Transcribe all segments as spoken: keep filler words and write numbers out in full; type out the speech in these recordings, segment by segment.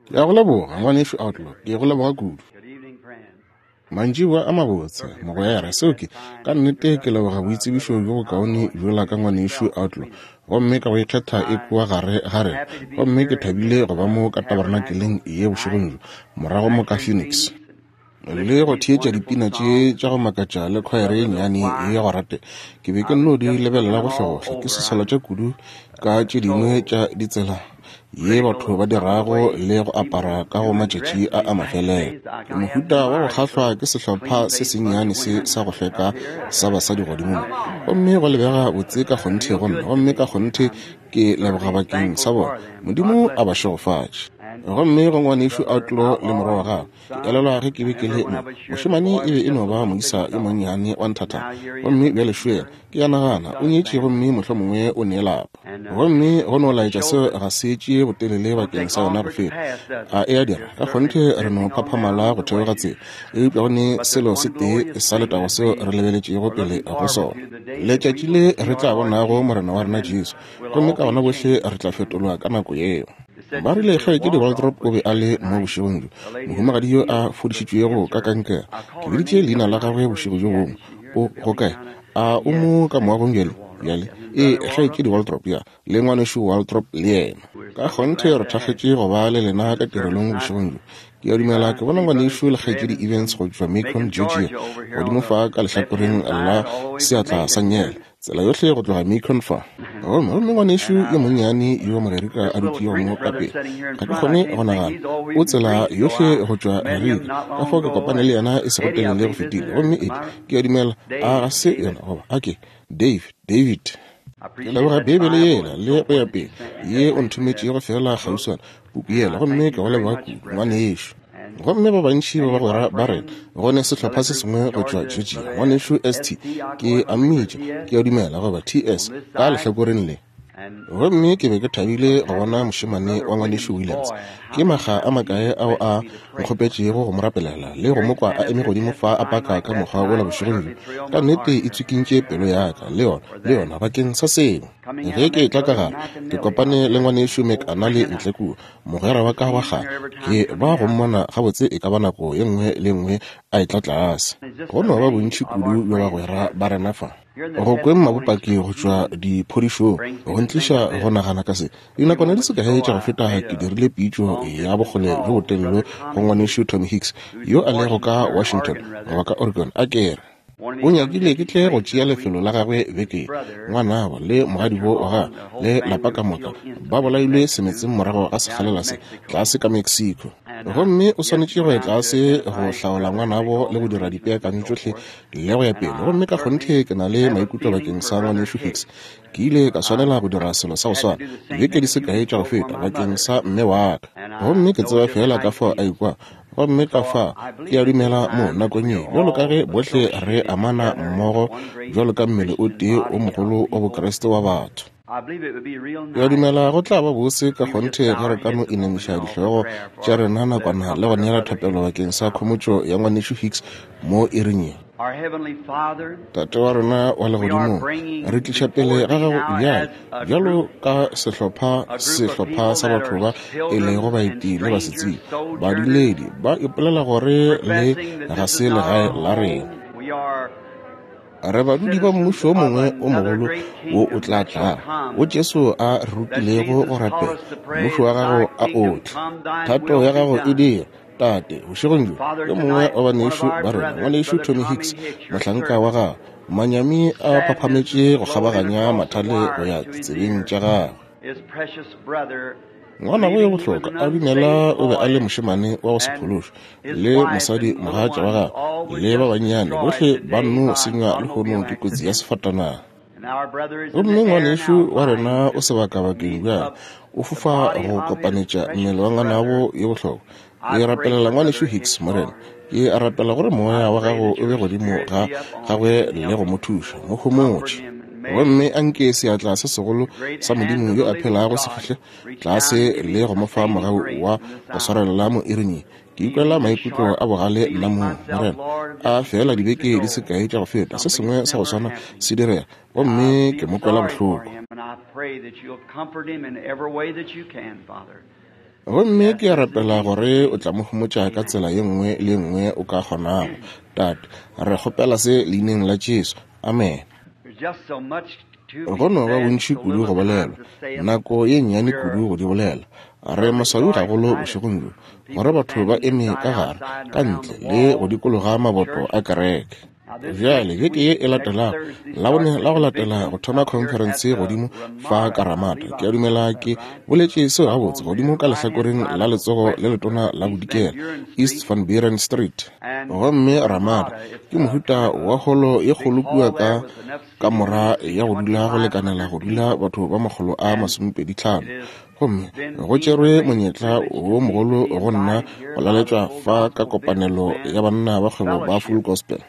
Ke a go leboga, Ngwanešu Outlaw. Ke go leboga kudu. Mantšiboa a mabotse, mogwera. Seo ke, ka nnete ke leboga boitsebišo bjo bokaone bjola ka Ngwanešu Outlaw, gomme ka go ikgetha e kua gare ga rena. Gomme ke thabile go ba mo ka tabernakeleng ye bošegong bjo, morago mo ka Phoenix, le go theetša dipina tše tša go makatša le khwaere ye nnyane ye ya go ratega. Ke be ke nno di lebelela gohlegohle, ke seswalatša kudu ka tše dingwe tša ditsela ye batho ba dirago le go apara ka go matšatši a a mafelelo. Ke mohuta wa go kgahlwa ke sehlopha se sennyane se sa go hlweka sa basadi godimo mo, gomme go lebega botse ka kgonthe go nna, gomme ka kgonthe ke leboga bakeng sa bona. Modimo a ba šegofatše. Gomme go Ngwanešu Outlaw le morwa wa gagwe, ke elelwa ge ke be ke le mo, mošemane e be e no ba moisa yo monnyane wa nthathana, gomme bjale šo yena, ke a nagana o nyetše gomme mohlomongwe o ne lapa. Gomme go no laetša seo ga se tšee botelele bakeng sa yona go feta. A e a dira? Ka kgonthe re no phaphamala go theoga tsela, eupša go ne selo se tee sa letago seo re lebeletšego pele go sona, letšatši le re tla bonago Morena wa rena Jesu, gomme ka gona bohle re tla fetolwa ka nako yeo. Ba rile kgaetšedi Waldrop o be a le mo bošegong bjo, mohumagadi yo a fodišitšwego ka kankere. Ke biditše leina la gagwe bošego bjo bongwe. O go kae? A o mo ka moagong bjale? Bjale, ee, kgaetšedi Waldrop, ya, le Ngwanešu Waldrop le yena. Ka kgonthe re thakgetše go ba le lena ka tirelong bošegong bjo. Ke a dumela ke bona Ngwanešu le kgaetšedi Evans go tšwa Macon, Georgia, godimo fa ka lehlakoreng la seatla sa nngele, tsela yohle go tloga Macon fa. Gomme gomme ngwanešu yo monnyane yo Mogerika a dutšego mo ka pele, ga ke kgone go nagana, o tsela yohle go tšwa Gerika, ka fao ke kopane le yena e sego telele go fetile. Gomme Eddie, ke a dumela, a ga se yona, goba a ke Dave, David. Ke leboga Beibele yela le go ya pele ye o nthometšego feela kgauswana, puku yela, gomme ke go leboga kudu, ngwanešu. Gomme ba bantši ba bagwera ba rena, go ne sehlopha se sengwe go tšwa Georgia, Ngwanešu S T, ke a mmitša, ke a dumela, goba T S, ka lehlakoreng le. Gomme ke be ke thabile go bona mošemane wa Ngwanešu Williams. Ke makga a makae ao a nkgopetšego go mo rapelela le go mo kwa a eme godimo fa a paka ka mokgwa wola bošegong bjo. Ka nnete e tswikintše pelo ya ka, le yona, le yona, bakeng sa seo. Ge ke etla ka gare, ke kopane le Ngwanešu McAnally ntle kua, mogwera wa ka wa kgale. Ke ba go mmona gabotse e ka ba nako ye nngwe le nngwe a etla tlase. Go no ba bontši kudu bja bagwera ba rena fa. Go kweng mabopaki go tšwa diphodišong go ntliša go nagana ka se. Dinakwana di se kae tša go feta ke dirile pitšo ya bokgole bjo botelele go Ngwanešu Tommy Hicks yo a lego ka Washington goba ka Oregon, a ke re o nyakile ke tle go tšea lefelo la gagwe beke. Ngwanabo le mogadibo wa gagwe le lapa ka moka ba bolailwe semetseng morago ga sekgalela se tlase ka Mexico. Gomme o swanetše go ya tlase go hlaola ngwanabo le go dira dipeakanyo tšohle le go ya pele. Gomme ka kgonthe ke na le maikutlo bakeng sa Ngwanešu Hicks. Ke ile ka swanela go dira selo sa go swana dibeke di se kae tša go feta bakeng sa mme wa ka. Gomme ke tseba feela ka fao a ikwa. Gomme ka fa ke a dumela mo nakong ye, bjalo ka ge bohle re amana mmogo bjalo ka mmele o tee o mogolo wa Bokriste wa batho. Ke a dumela go tla ba bose ka kgonthe ge re ka no inamiša dihlogo tša rena nakwana le go neela thapelo bakeng sa khomotšo ya Ngwanešu Hicks mo iring ye. Tate wa rena wa legodimong, re tliša pele ga gago bjale bjalo ka sehlopha sehlopha sa batho ba e lego baeti le basetsebje, baduledi ba ipolela gore le ga se legae la rena. Re badudi ba mmušo o mongwe o mogolo wo o tla tlago, wo Jesu a re rutilego go rapela, mmušo wa gago a o tle, thato ya gago e dire. Tate, bošegong bjo, yo mongwe wa banešu ba rena, Ngwanešu Tommy Hicks, mohlanka wa gagwe, manyami a phaphametše go kgabaganya mathale go ya ditsebeng tša gagwe. Ngwanabo yo bohlokwa a dumela o be a le mošemane wa go se phološwe, le mosadi mogatša wa gagwe le ba bannyane bohle ba nno senywa lehono ke kotsi ya sefatanaga. Gomme ngwanešu wa rena o sebakabakeng bjale, o fofa go kopanetša mmele wa ngwanabo yo bohlokwa. Ke rapelela Ngwanešu Hicks, Morena. Ke a rapela gore moya wa gago o be godimo ga gagwe le go mo thuša, mo homotše. Gomme a nke seatla se segolo sa Modimo yo a phelago se fihle tlase le go mo fa mogau wa go swarelela mo iring ye. Ke ikwela maikutlo a bogale nna mong, Morena. A fela dibeke di se kae tša go feta, se sengwe sa go swana se direga, gomme ke mo kwela bohloko. Gomme ke a rapela gore o tla mo homotša ka tsela ye nngwe le ye nngwe o ka kgonago. Tate, re kgopela se leineng la Jesu. Amen. Go no ba bontši kudu go bolelwa, nako ye nnyane kudu go di bolela. Re maswabi gagolo bošegong bjo gore batho ba eme ka gare, ka ntle le go dikologa maboto a kereke. Bjale beke ye e latelago, Labone la go latela go thoma khonferense godimo fa ka Ramada. Ke a dumela ke boletše seo gabotse, godimo ka lehlakoreng la letsogo le letona la bodikela, East Van Buren Street. Gomme Ramada ke mohuta wa holo ye kgolo kua ka kamora ya go dula go lekanela go dula batho ba makgolo a masomepedi tlhano. Gomme go tšerwe monyetla wo mogolo go nna go laletšwa fa ka kopanelo ya banna ba kgwebo ba Full Gospel,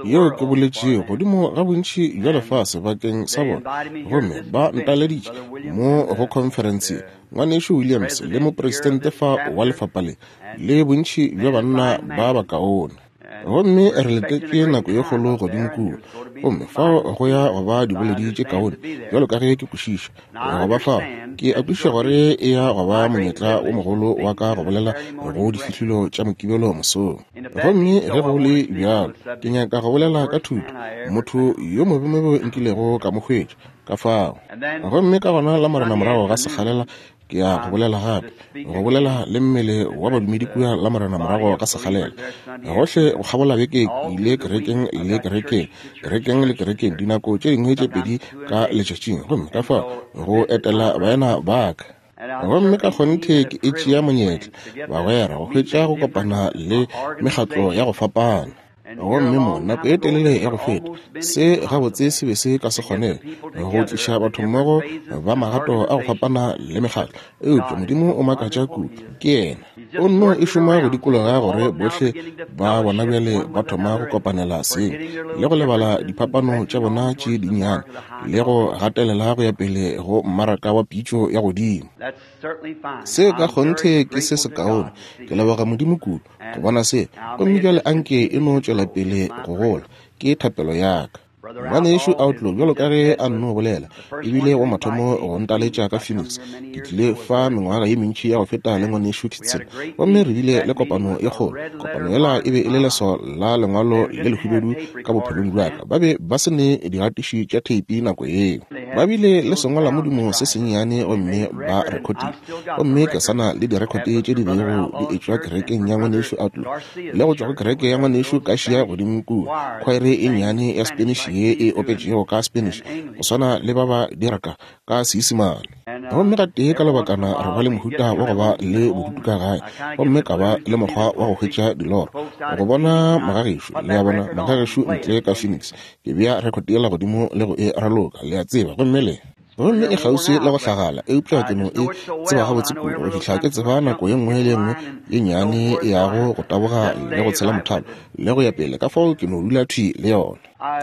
yeo ke boletšego godimo ga bontši bja lefase bakeng sa bona. Gomme ba ntaleditše mo go khonferense, ngwanešu Williams le mopresidente fa wa lefapha le, le bontši bja banna ba bakaone. Gomme re letetše nako ye kgolo godimo kua. Gomme fao go ya go ba diboledi tše kaone, bjalo ka ge ke kwešiša go ba fao. Ke a kwešiša gore e ya go ba monyetla wo mogolo wa ka go bolela go difihlolo tša Mokibelo mosong. Gomme ge go le bjalo, ke nyaka go bolela ka thuto, motho yo mobemobe nkilego ka mo hwetša ka fao. Gomme ka gona la Morena morago ga sekgalela ke ya go bolela gape, go bolela le mmele wa badumedi kua la Morena morago ga sekgalela. Gohle go kgabola beke ke ile kerekeng le kerekeng, kerekeng le kerekeng, dinako tše dingwe tše pedi ka letšatšing, gomme ka fao go etela baena ba ka. Gomme ka kgonthe ke e tšea monyetla, bagwera, go hwetša go kopana le mekgatlo ya go fapana. Gomme mo nako e telele ya go feta, se gabotse se be se ka se kgonege go tliša batho mmogo ba magato a go fapana le mekgatlo, eupša Modimo o makatša kudu. Ke yena o nno e šoma go dikologa gore bohle ba bona bjale ba thoma go kopanela seng le go lebala diphapano tša bona tše dinnyane le go gatelela go ya pele go mmaraka wa pitšo ya godimo. Se ka kgonthe ke se sekaone. Ke leboga Modimo kudu go bona se. Gomme bjale anke e no tšwela pele go gola, ke thapelo ya ka. Ngwanešu Outlaw, bjalo ka ge a nno bolela, ebile wa mathomo go ntaletša ka Phoenix. Ke tlile fa mengwaga ye mentši ya go feta le ngwanešu Kitson, gomme re bile le kopano e kgolo. Kopano yela e be e le leswao la lengwalo le lehubedu ka bophelong bja ka. Ba be ba se ne digatiši tša theipi nako yeo. Ba bile le sengwalamodimo se sennyane gomme ba rekotile. Gomme ke sana le direkote tše di bego di etšwa kerekeng ya ngwanešu Outlaw le go tšwa go kereke ya ngwanešu Kašia godimo kua, khwaere e nnyane ya Spanish ye e opetšego ka Spanish go swana le ba ba diraka ka Seisemane. Gomme gatee ka lebakana re ba le mohuta wa go ba le bodutu ka gae, gomme ka ba le mokgwa wa go hwetša diloro go bona magagešo, le a bona, magagešo ntle ka Phoenix. Ke bea record yela godimo le go e raloka, le a tseba, gomme le gomme e kgauswi le go hlagala, eupša ke no e tseba gabotse kudu go fihla ke tseba nako ye nngwe le ye nngwe ye nnyane e yago go taboga le go tshela mothalo le go ya pele. Ka fao ke no dula thwi le yona.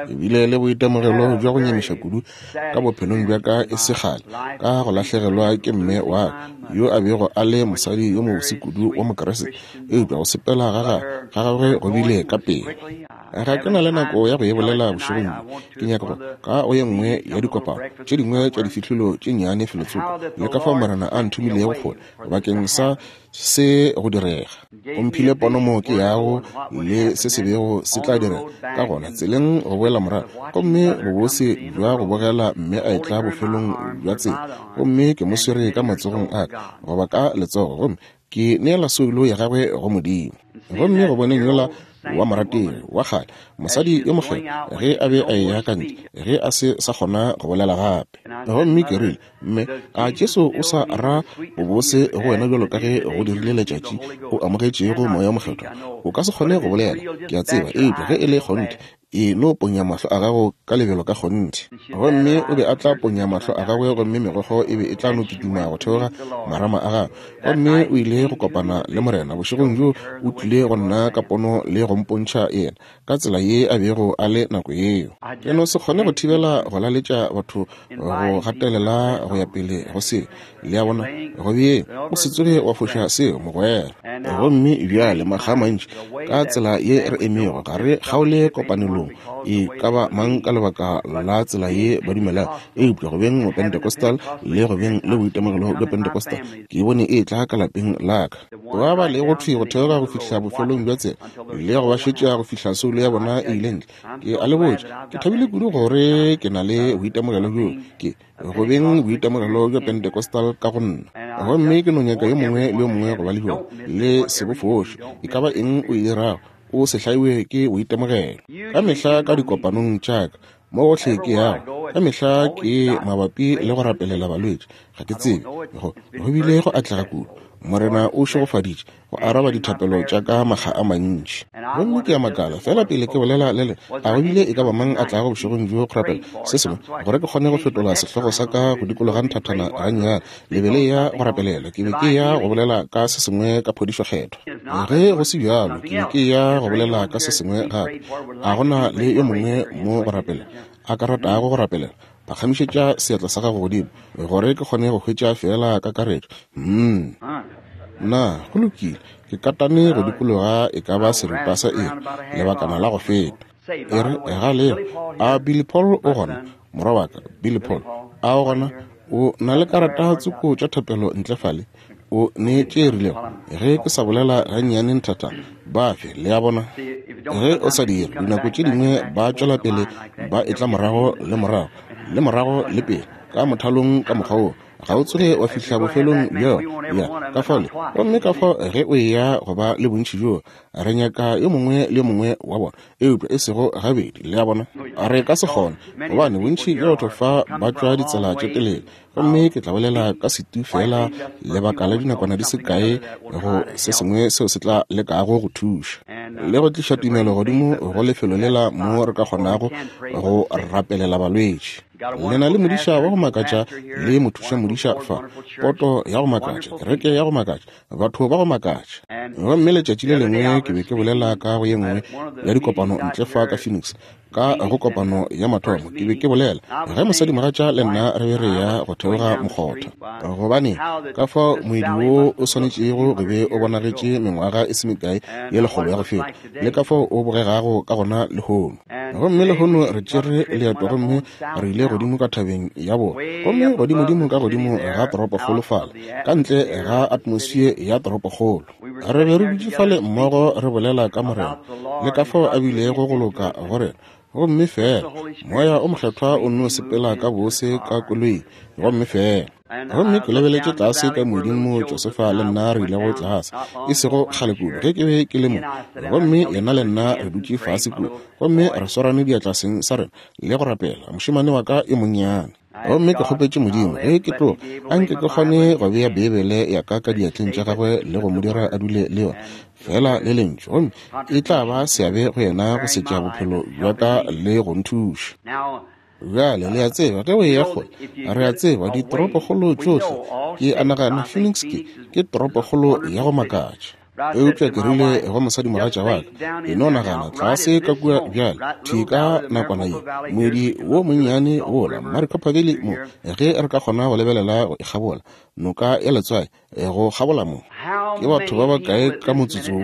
Ke bile le boitemogelo bja go nyamiša kudu ka bophelong bja ka e se kgale, ka go lahlegelwa ke mme wa ka, yo a bego a le mosadi yo mobose kudu wa Mokeresete, eupša go sepela ga gagwe go bile ka pele. Ga ke na le nako ya go e bolela bošegong bjo. Ke nyaka go ka go ye nngwe ya dikopano tše dingwe tša difihlolo tše nnyane felotsoko, le ka fao Morena a nthomilego kgole bakeng sa se go direga. O mphile pono mo ke yago le se se bego se tla direga ka gona tseleng go boela morago, gomme bobose bja go bogela mme a etla bofelong bja tsela, gomme ke mo swere ka matsogong a ka goba ka letsogo, gomme ke neela soulo ya gagwe go Modimo. Gomme go boneng yola wa morategi wa kgale, mosadi yo mokgethwa, ge a be a eya ka ntle, ge a se sa kgona go bolela gape. Gomme ke rile, mme a Jesu o sa ra bobose go wena bjalo ka ge go dirile letšatši o amogetšego moya o mokgethwa? O ka se kgone go bolela, ke a tseba, eupša ge e le kgonthe, e no ponya mahlo a gago ka lebelo ka kgonthe. Gomme o be a tla ponya mahlo a gagwe, gomme megokgo e be e tla no kitima go theoga marama a gagwe. Gomme o ile go kopana le Morena bošegong bjo, o tlile go nna ka pono le go mpontšha yena ka tsela ye a bego a le nako yeo. Ke no se kgone go thibela go laletša batho go gatelela go ya pele go seo, le a bona, go bjeng o se tsoge wa foša seo, mogwera. Gomme bjale makga a mantši ka tsela ye re emego, ga re kgaole kopanelong mafelelong e ka ba mang ka lebaka la tsela ye ba dumelago, eupša go beng Mopentecostal le go beng le boitemogelo bja Pentecostal, ke bone e tla ka lapeng la ka. Ba ba lego thwi go theoga go fihla bofelong bja tsela le go ba šetša go fihla soulo ya bona e ile ntle. Ke a le botša, ke thabile kudu gore ke na le boitemogelo bjo, ke go beng boitemogelo bja Pentecostal ka go nna. Gomme ke no nyaka yo mongwe le yo mongwe go ba le bjona, le se bo foše. E ka ba eng o e dirago, o se hlaiwe ke boitemogelo. Ka mehla ka dikopanong tša ka mo gohle ke yago, ka mehla ke mabapi le go rapelela balwetši. Ga ke tsebe, go go bile go atlega kudu. Morena o šegofaditše go araba dithapelo tša ka makga a mantši. Gomme ke a makala fela pele ke bolela le le a go bile e ka ba mang a tlago bošegong bjo go rapela se sengwe, gore ke kgone go fetola sehlogo sa ka go dikologa nthathana gannyane. Le be le ya go rapelela, ke be ke ya go bolela ka se sengwe ka phodišo kgethwa. Ge go se bjalo, ke be ke ya go bolela ka se sengwe gape. A gona le yo mongwe mo go rapela a ka ratago go rapelela, phagamišetša seatla sa gago godimo gore ke kgone go hwetša fela kakaretšo. Mm. Na go lokile, ke katane go dikologa e ka ba seripa sa iri lebakana la go feta. E re ga leo, a Billy Paul o gona? Morwa wa ka Billy Paul, a o gona? O na le karata tsoko tša thapelo ntle fale? O ne tše rilego ge ke sa bolela gannyane nthathana, ba fe, le a bona. Ge o sa dire, dinako tše dingwe ba tšwela pele ba etla morago le morago le morago le pele ka mothalong ka mokgwa wo, ga o tsoge wa fihla bofelong bjo ya ka fale. Gomme ka fao ge o eya go ba le bontši bjo, re nyaka yo mongwe le yo mongwe wa bona, eupša e sego gabedi, le a bona. Re ka se kgone, gobane bontši bja batho fa ba tšwa ditsela tše telele. Gomme ke tla bolela ka setu fela lebaka la dinakwana di se kae go se sengwe seo se tla lekago go thuša le go tliša tumelo godimo go lefelo lela mo re ka kgonago go rapelela balwetši. Le na le modiša wa go makatša le mothuša modiša fa, poto ya go makatša, kereke ya go makatša, batho ba go makatša. Gomme letšatši le lengwe ke be ke bolela ka go ye nngwe ya dikopano ntle fa ka Phoenix, ka go kopano ya mathomo ke be ke bolela ge mosadimogatša le nna re be re ya go theoga mokgotha, gobane ka fao moedi wo o swanetšego go be o bonagetše mengwaga e se mekae ye lekgolo ya go feta, le ka fao o bogegago ka gona lehono. Gomme lehono re tšere leeto gomme re ile godimo ka thabeng ya bona, gomme godimodimo ka godimo ga toropokgolo fale, ka ntle ga atmosfere ya toropokgolo. Re be re dutše fale mmogo re bolela ka Morena le ka fao a bilego go loka go rena. Gomme fela moya o mokgethwa o nno sepela ka bose ka koloing, gomme fela. Gomme ke lebeletše tlase ka moeding mo Josefa le nna re ilego tlase, e sego kgale kudu ge ke be ke le mo. Gomme yena le nna re dutše fase kua, gomme re swarane diatla seng sa rena le go rapela mošemane wa ka e monnyane. Gomme ke kgopetše Modimo ge ke tloga, a nke ke kgone go bea Beibele ya ka ka diatleng tša gagwe le go mo dira a dule le yona fela le lentšu, gomme e tla ba seabe go yena go setša bophelo bja ka le go nthuša. Bjale le a tseba ge o eya kgole, re a tseba ditoropokgolo tšohle, ke a nagana Phoenix ke ke toropokgolo ya go makatša. Eupša ke rile go mosadimogatša wa ka, e no nagana tlase ka kua bjale thwi ka nakwana ye, moedi wo monnyane wola Maricopa Valley mo, ge re ka kgona go lebelela go e kgabola noka ya letswai go kgabola mo, ke batho ba bakae ka motsotso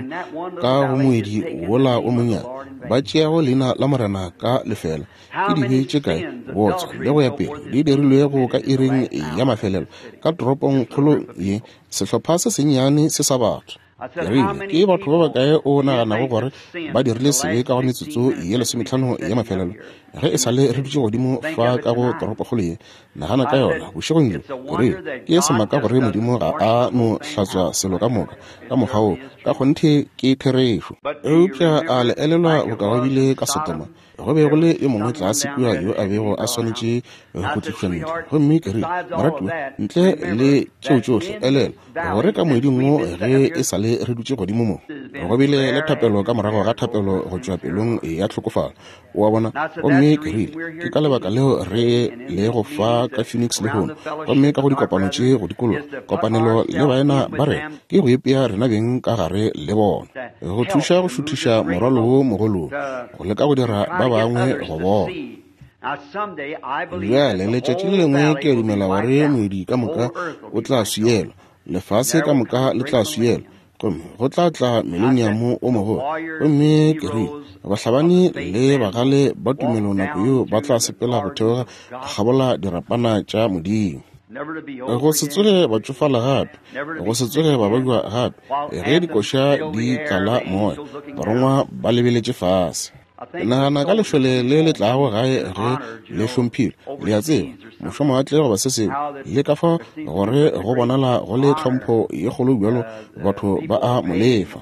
ka go moedi wola o monnyane ba tšeago leina la Morena ka lefela? Ke dibe tše kae, bootswa le go ya pele, di dirilwego ka iring ya mafelelo ka toropongkgolo ye, sehlopha se sennyane se sa batho. Ke rile, ke batho ba bakae o naganago gore ba dirile sebe ka go metsotso ye lesometlhano ya mafelelo ge e sa le re dutše godimo fa ka go toropokgolo ye? Nagana ka yona bošegong bjo. Ke rile, ke semaka gore Modimo ga a no hlatswa selo ka moka ka mokgwa wo, ka kgonthe ke therešo. Eupša a le elelwa boka go bile ka Sodoma? Go be go le yo mongwe tlase kua yo a bego a swanetše go tlišwa ntle. Gomme ke rile, moratiwa, ntle le tšeo tšohle, elelwa gore ka moeding wo ge e sa le re dutše godimo mo, go bile le thapelo ka morago ga thapelo go tšwa pelong ya tlhokofalo, o a bona. Gomme ke rile, ke ka lebaka leo re le go fa ka Phoenix lehono, gomme ka go dikopano tše go dikologa kopanelo le baena ba rena, ke go ipea rena beng ka gare le bona, go thuša go šuthiša morwalo wo mogolo, go leka go dira ba bangwe go bona. Bjale letšatši le lengwe ke a dumela gore moedi ka moka o tla swielwa, lefase ka moka le tla swielwa, Gomme go tla tla mileniamo o mogolo. Gomme ke rile, bahlabani le bagale ba tumelo nako yeo ba tla sepela go theoga go kgabola dirapana tša Modimo. Go se tsoge ba tšofala gape, go se tsoge ba babja gape, ge dikoša di tlala moya, barongwa ba lebeletše fase. Nagana ka lešole le le tlago gae ge le hlomphilwe, le a tseba, mošomawatle goba se sengwe, le ka fa gore go bonala go le tlhompho ye kgolo bjalo, batho ba a mo lefa.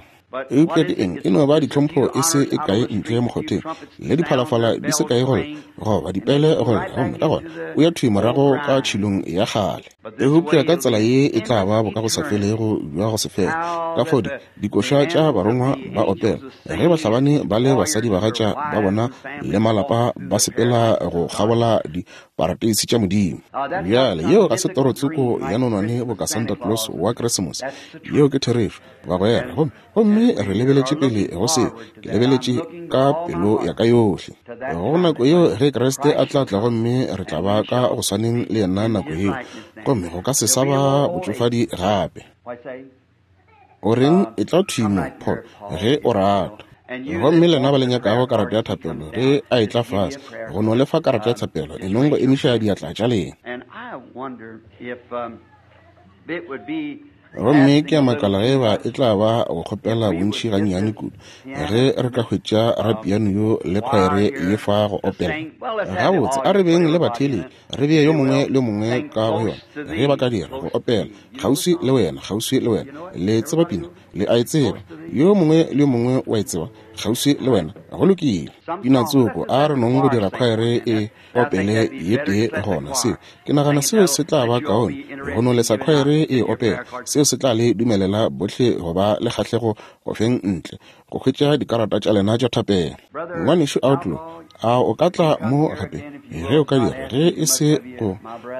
Eupša ke eng? E no ba ditlhompho e se e kae ntle mokgotheng, le diphalafala di se kae go lla, goba dipele go lla, gomme ka gona o ya thwi morago ka tšhilong ya kgale. Eupša ka tsela ye e tla ba bokagosafelego bja go se fele. Ka fao di dikoša tša barongwa ba opela ge bahlabani ba le basadibagatša ba bona le malapa ba sepela go kgabola diparateisi tša Modimo. Bjale yeo ga se toro tsoko ya nonwane boka Santa Claus wa Keresemose. Yeo ke therešo, bagwera. Gomme gomme re lebeletše pele go seo. Ke lebeletše ka pelo ya ka yohle go nako yeo ge Kriste a tla tla, gomme re tla ba ka go swaneng le yena nako yeo, gomme go ka se sa ba botšofadi gape. O reng? E tla thwi mo, Paul, ge o rata. Gomme lena ba le nyakago karata ya thapelo, ge a etla fase go no lefa karata ya thapelo, e nong go emiša diatla tša lena. Gomme ke a makala ge ba e tla ba go kgopela bontši gannyane kudu ge re ka hwetša rapiano yo le khwaere ye fa go opela. Gabotse, a re beng le batheeletši, re bee yo mongwe le yo mongwe ka go yona ge ba ka dira go opela kgauswi le wena, kgauswi le wena. Le tseba pina, le a e tseba, yo mongwe le yo mongwe wa e tseba, kgauswi le wena. Go lokile. Pina tsoko, a re nong go dira khwaere e opele ye tee gona. Seo ke nagana seo se tla ba kaone go no lesa khwaere e opela. Seo se tla le dumelela bohle go ba le kgahlego go feng ntle go hwetša dikarata tša lena tša thapelo. Ngwanešu Outlaw, a o ka tla mo gape ge o ka dira, ge e se go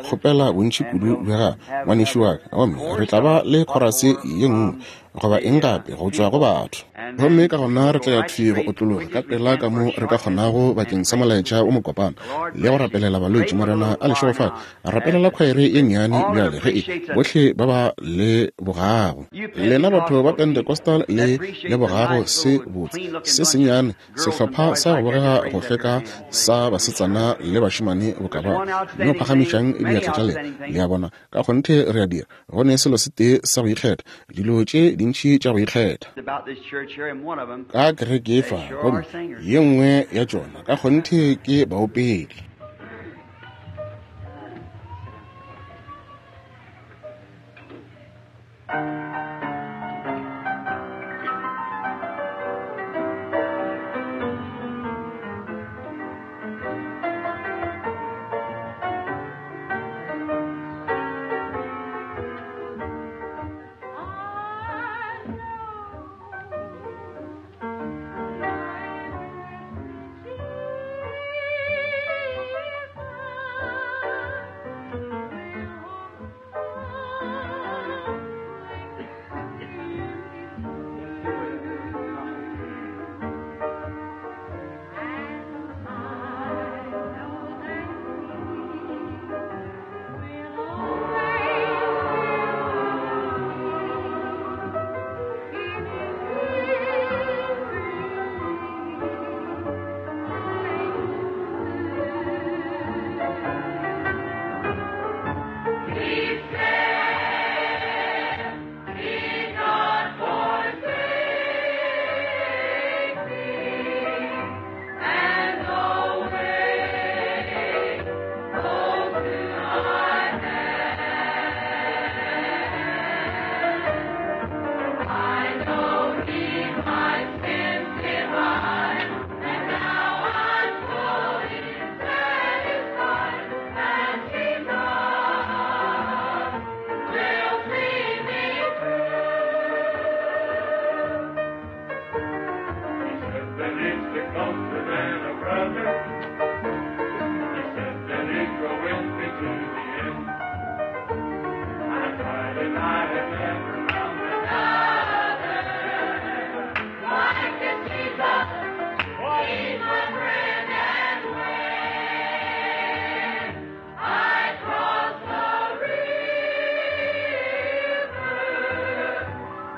kgopela bontši kudu bja gago, ngwanešu wa ka. Gomme re tla ba le khorase ye nngwe goba eng gape go tšwa go batho. Gomme ka gona re tla ya thwi go otlologa ka pela ka mo re ka kgonago bakeng sa molaetša o mokopana le go rapelela balwetši. Morena a le šegofatše. Rapelela khwaere ye nnyane bjale ge e bohle ba ba le bogago. Lena batho ba Pentecostal le le bogago se botse se sennyane, sehlopha sa go bogega go hlweka sa basetsana le bašemane boka bao. No phagamišang diatla tša lena. Le a bona, ka kgonthe re a dira. Go ne selo se tee sa go ikgetha, dilo tše dintši tša go ikgetha ka kereke fa, gomme ye nngwe ya tšona ka kgonthe ke baopedi.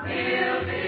He'll be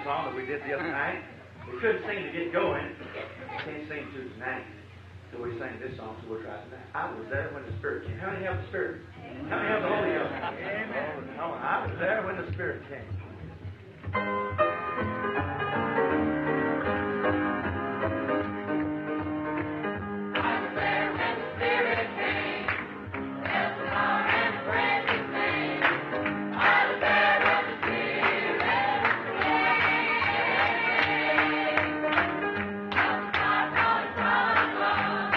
song that we did the other night. We couldn't sing to get going. We can't sing to tonight. So we sang this song, so we'll try tonight. I was there when the Spirit came. How many have the Spirit? How many have the Holy Ghost? Amen. Oh, I was there when the Spirit came. I was there when the Spirit came. Felt the power and the precious name. I was there when the Spirit came. Felt the power falling from above.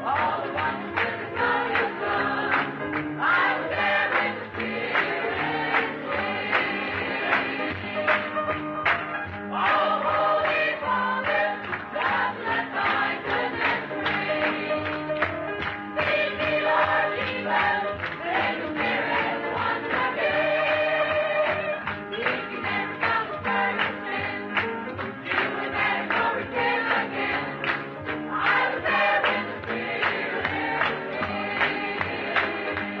All the wonders with the glorious love. I was there when the Spirit came. Oh, Holy Father, just let thy goodness ring. Lead me, Lord Jesus, send your Spirit once again. If you never felt the burden of sin, you would never go repent again. I was there when the Spirit came.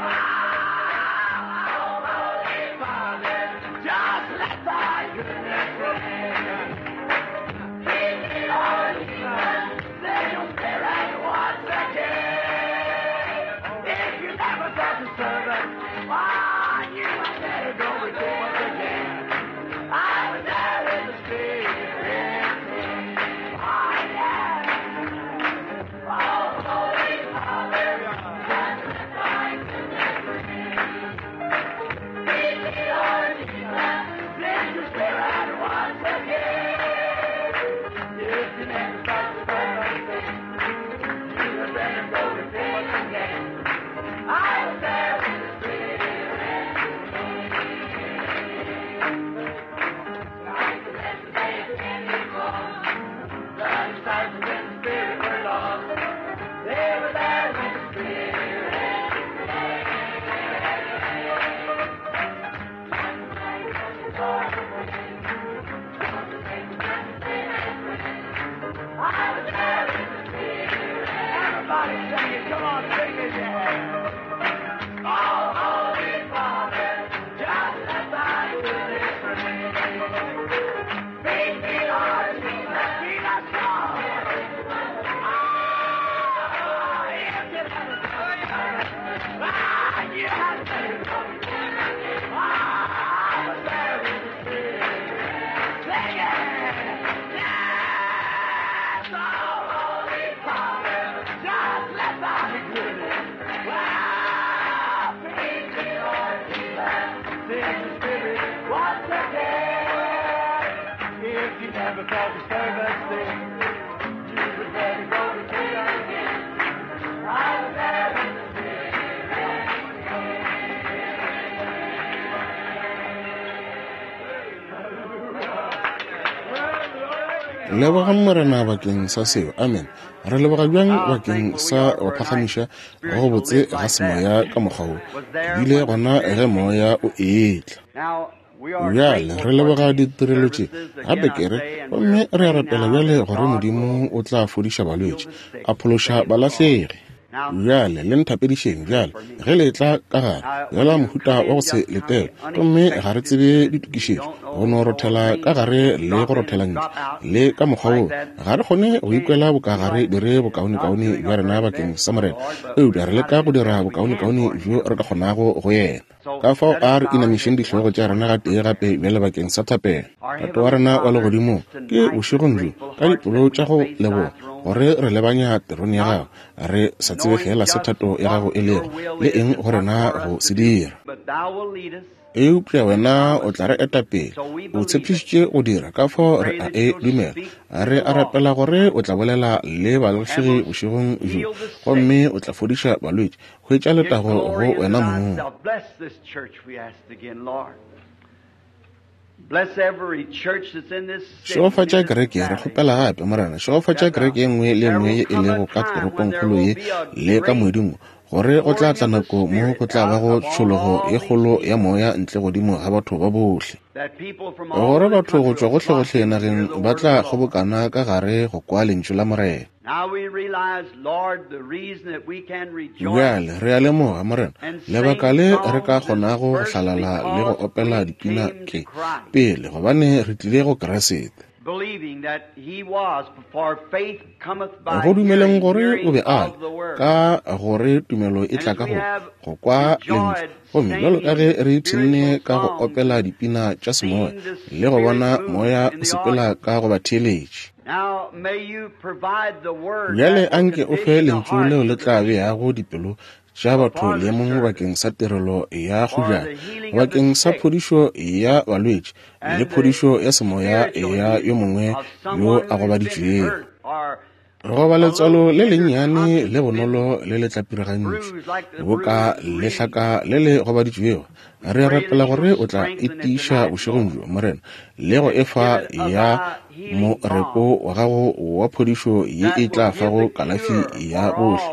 Oh, Holy Father, just let thy goodness ring. Lead me, Lord Jesus, send your Spirit once again. If you never felt the service, why, you had better go repent once again. I was there in the Spirit. Oh, yeah. Oh, Holy Father, just let thy goodness ring. Lead me, Lord Jesus, send your Spirit once again. If you never felt the service, you had better go repent once again. I was there when the Spirit came. Like the best day of Pentecost, the disciples in the Spirit were lost. They were there when the Spirit I was there in the Spirit. Everybody sing it. Come on, sing it. Yeah. Oh, Holy Father, just let thy goodness ring. Feed me, Lord Jesus, feed us all. Oh, if you never ah, you had better go. Ah, I was there in the Spirit. Sing it. Yes, oh, Holy Father, just let thy goodness wow, feed me, Lord Jesus, send your Spirit once again. If you never felt the service, then you would better go to jail again. I was there in the Lebogang Morena bakeng sa seo. Amen. Re leboga bjang bakeng sa go phagamiša go botse ga semoya ka mokgwa wo. Ke bile gona ge moya o etla. Now, we are Bjale grateful re for leboga these ditirelo tše services. gape Again, I ke re say, and gomme we're re a praying rapela now bjale that gore God will Modimo o tla fodiša heal balwetši the sick, a phološa save the lost. balahlegi. Now, Bjale le nthapedišeng bjale for me. ge le tla ka gare Now, bjala when you mohuta come wa go in se just kind letele of gomme ga re unexpected, tsebe you ditokišetšo don't go know no all rothela ka things gare le drop go in rothela and ntle drop out le ka mokgwa like woo that. ga re kgone We go can't ikwela feel bokagare like dire not bokaonekaone doing bja our rena very bakeng best sa for the Morena Lord, but eupša we're re trying leka to go do the dira best we can bokaonekaone for Him. bjo re ka kgonago go yena. So Ka fao let us a re bow our inamišeng heads dihlogo once tša more rena for gatee prayer. gape bjale bakeng sa thapelo. Our Tate wa Heavenly rena wa Father, legodimong it's ke tonight with bošegong bjo grateful ka hearts dipelo that tša we go face thy leboga throne, gore re lebanya terone ya not gago re sa tsebe knowing fela se just thato ya gago what e your lego will le is eng and go what rena for go us se to do, dira. but thou wilt lead us Eupša and wena o promise tla re to. eta pele So we o believe it. tshepišitše go dira ka We fao re pray a that e you'll dumela. speak to Re the a rapela lost gore o tla bolela le and balahlegi will bošegong bjo heal the sick. gomme o tla fodiša balwetši hwetša Give letago go glory unto wena mong. thyself. Bless this church, we ask again, Lord. Bless every church that's in this city and Šegofatša in this kereke re valley. kgopela gape Morena šegofatša That uh, kereke ye nngwe le ye there nngwe will ye e come a lego ka time when there toropongkgolo will ye be a le ka great moeding gore go tla pouring tla of the nako mo Spirit go tla out bago upon tšhologo all ye these kgolo ya people, moya ntle godimo ga batho ba bohle that people from all gore over the batho go country tšwa will flock gohlegohle in to hear nageng the ba word of tla the Lord. kgobokana ka gare go kwa lentšu la Morena. Bjale re a lemoga, Morena, lebaka le re ka kgonago go hlalala le go opela dipina ke pele gobane re tlile go Kriste. Go dumeleng gore o be a le, ka gore tumelo e tla ka go go kwa lentšu. Gomme bjalo ka ge re ipshinne ka go opela dipina tša semoya le go bona moya o sepela ka go ba theeletše. Bjale anke o fe lentšu leo le tla beago dipelo tša batho leemong bakeng sa tirelo ya kgojana, bakeng sa phodišo ya balwetši le phodišo ya semoya ya yo mongwe yo a gobaditšwego. Goba letswalo le lennyane le bonolo le le tlapirigantšwe boka lehlaka le le gobaditšwego, re rapela gore o tla e tiiša bošegong bjo, Morena, le go efa ya moreko wa gago wa phodišo ye e tla fago kalafi ya bohle,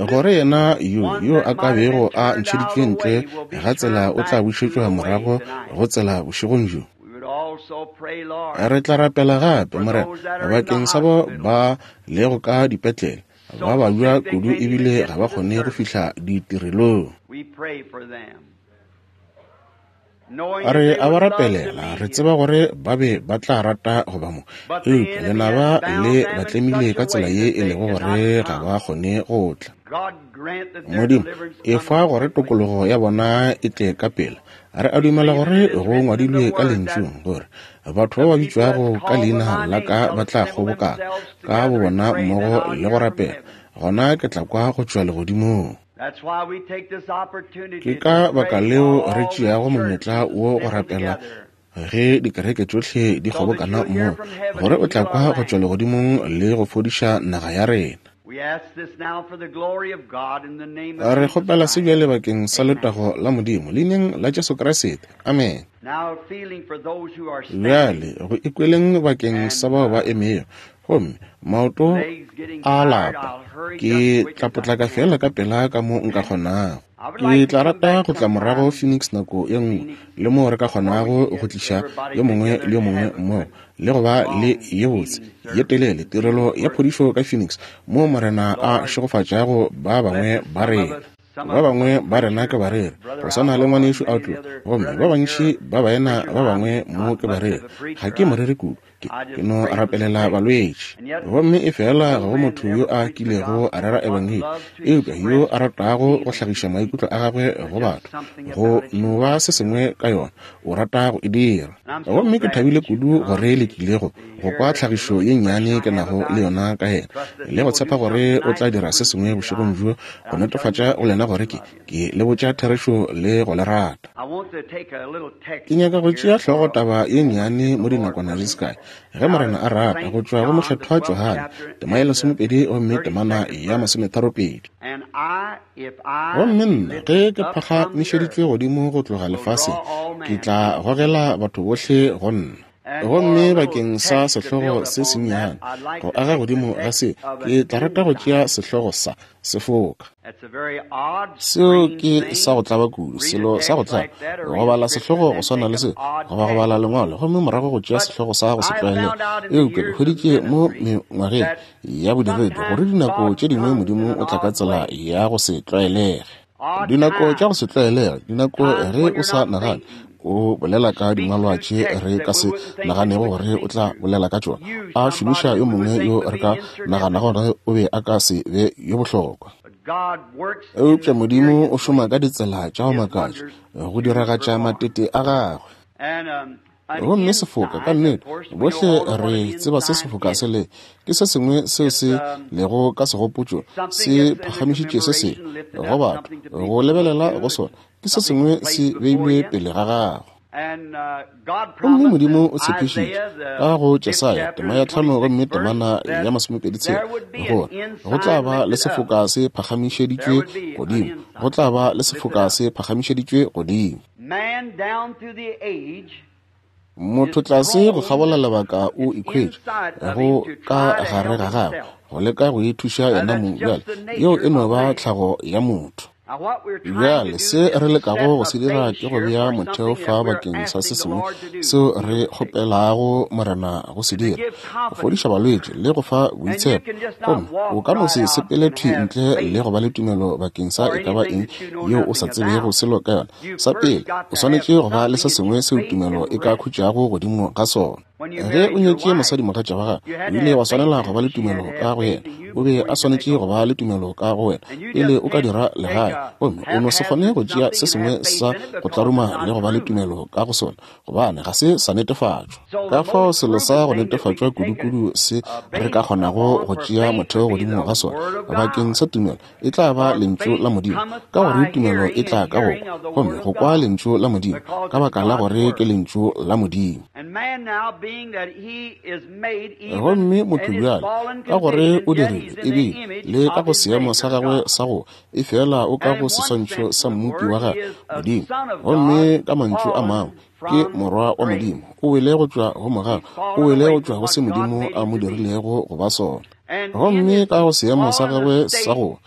gore yena yo yo a ka bego a ntšheditšwe ntle ga tsela o tla bušetšwa morago go tsela bošegong bjo. Re tla rapela gape, Morena, bakeng sa bao ba lego ka dipetlele, ba babja kudu ebile ga ba kgone go fihla ditirelong. Re a ba rapelela, re tseba gore ba be ba tla rata go ba mo, eupša lenaba le ba tlemile ka tsela ye e lego gore ga ba kgone go tla. Modimo, efa gore tokologo ya bona e tle ka pela. Re a dumela gore go ngwadilwe ka lentšung gore batho ba ba bitšwago ka leina la ka ba tla kgobokana ka bobona mmogo le go rapela, gona ke tla kwa go tšwa legodimong. Ke ka baka leo re tšeago monyetla wo go rapela ge dikereke tšohle di kgobokana mmogo, gore o tla kwa go tšwa legodimong le go fodiša naga ya rena. Re kgopela se bjale bakeng sa letago la Modimo, leineng la Jesu Kriste. Amen. Bjale go ikweleng bakeng sa bao ba emego, gomme maoto a lapa, ke tla potlaka fela ka pela ka mo nka kgonago. Ke tla rata go tla morago Phoenix nako ye nngwe, le moo re ka kgonago go tliša yo mongwe le yo mongwe mmogo le go ba le ye botse ye telele tirelo ya phodišo ka Phoenix, moo Morena a šegofatšago ba bangwe ba rena. Ba bangwe ba rena ke bareri, go swana le ngwanešu Outlaw, gomme ba bantši ba baena ba bangwe mo ke bareri. Ga ke moreri kudu, ke, ke no rapelela balwetši. Gomme efela ga go motho yo a kilego a rera ebangedi, eupša yo a ratago go hlagiša maikutlo a gagwe go batho, go no ba se sengwe ka yona, o rata go e dira. Gomme ke thabile kudu gore le tlile go go kwa tlhagišo ye nnyane ke nago le yona ka yena, le go tshepa gore o tla dira se sengwe bošegong bjo go netefatša go lena gore ke ke le botša therešo le go le rata. Ke nyaka go tšea hlogo taba ye nnyane mo dinakwana di se kae, ge Morena a rata, go tšwa go Mokgethwa Johane, tema ya lesomepedi gomme temana ya masometharopedi. Gomme nna ge ke phagamišeditšwe godimo go tloga lefaseng, ke tla gogela batho bohle go nna. Gomme bakeng sa sehlogo se sennyane go aga godimo ga se, ke tla rata go tšea sehlogo sa sefoka. Seo ke sa go tlaba kudu, selo sa go tlaba, go bala sehlogo go swana le se, goba go bala lengwalo gomme morago go tšea sehlogo sa go se tlwaelega. Eupša ke hweditše mo mengwageng ya bodiredi gore dinako tše dingwe Modimo o tla ka tsela ya go se tlwaelege. Dinako tša go se tlwaelege, dinako ge o sa nagane, o bolela ka dingwalwa tše re ka se naganego gore o tla bolela ka tšona, a šomiša yo mongwe yo re ka naganago gore o be a ka se be yo bohlokwa. Eupša Modimo o šoma ka ditsela tša go makatša go diragatša matete a gagwe. Gomme sefoka ka nnete, bohle re tseba se sefoka se le ke se sengwe seo se lego ka segopotšo, se phagamišitše se sengwe go batho go lebelela go sona, ke se sengwe se beilwe pele ga gago. Gomme Modimo o tshepišitše ka go Jesaya tema ya tlhano gomme temana ya masomepedi tshela gore go tla ba le sefoka se phagamišeditšwe godimo, go tla ba le sefoka se phagamišeditšwe godimo. Motho tlase go kgabola lebaka o ikhwetša go ka gare ga gagwe go leka go ithuša yena mong. Bjale yeo e no ba tlhago ya motho. Bjale se re lekago go se dira ke go bea motheo fa bakeng sa se sengwe seo re kgopelago Morena go se dira, go fodiša balwetši le go fa boitshepo. Gomme o ka no se sepele thwi ntle le go ba le tumelo bakeng sa e ka ba eng yeo o sa tsebego selo ka yona. Sa pele, o swanetše go ba le se sengwe seo tumelo e ka khutšago godimo ga sona. Ge o nyetše mosadimogatša wa gago, o ile wa swanela go ba le tumelo ka go yena. O be a swanetše go ba le tumelo ka go wena pele o ka dira legae. Gomme o no se kgone go tšea se sengwe sa go tlaruma le go ba le tumelo ka go sona, gobane ga se sa netefatšwa. Ka fao selo sa go netefatšwa kudu-kudu se re ka kgonago go tšea motheo godimo ga sona bakeng sa tumelo e tla ba lentšu la Modimo, ka gore tumelo e tla ka go kwa, gomme go kwa lentšu la Modimo ka baka la gore ke lentšu la Modimo. Gomme motho bjale, ka gore o dirile ebile le ka go seemo sa gagwe sa go efela o ka go seswantšho sa mmopi wa gagwe Modimo, gomme ka mantšu a mangwe ke morwa wa Modimo, o wele go tšwa go mogau, o wele go tšwa go se Modimo a mo dirilego go ba sona. Gomme ka go seemo sa gagwe sa go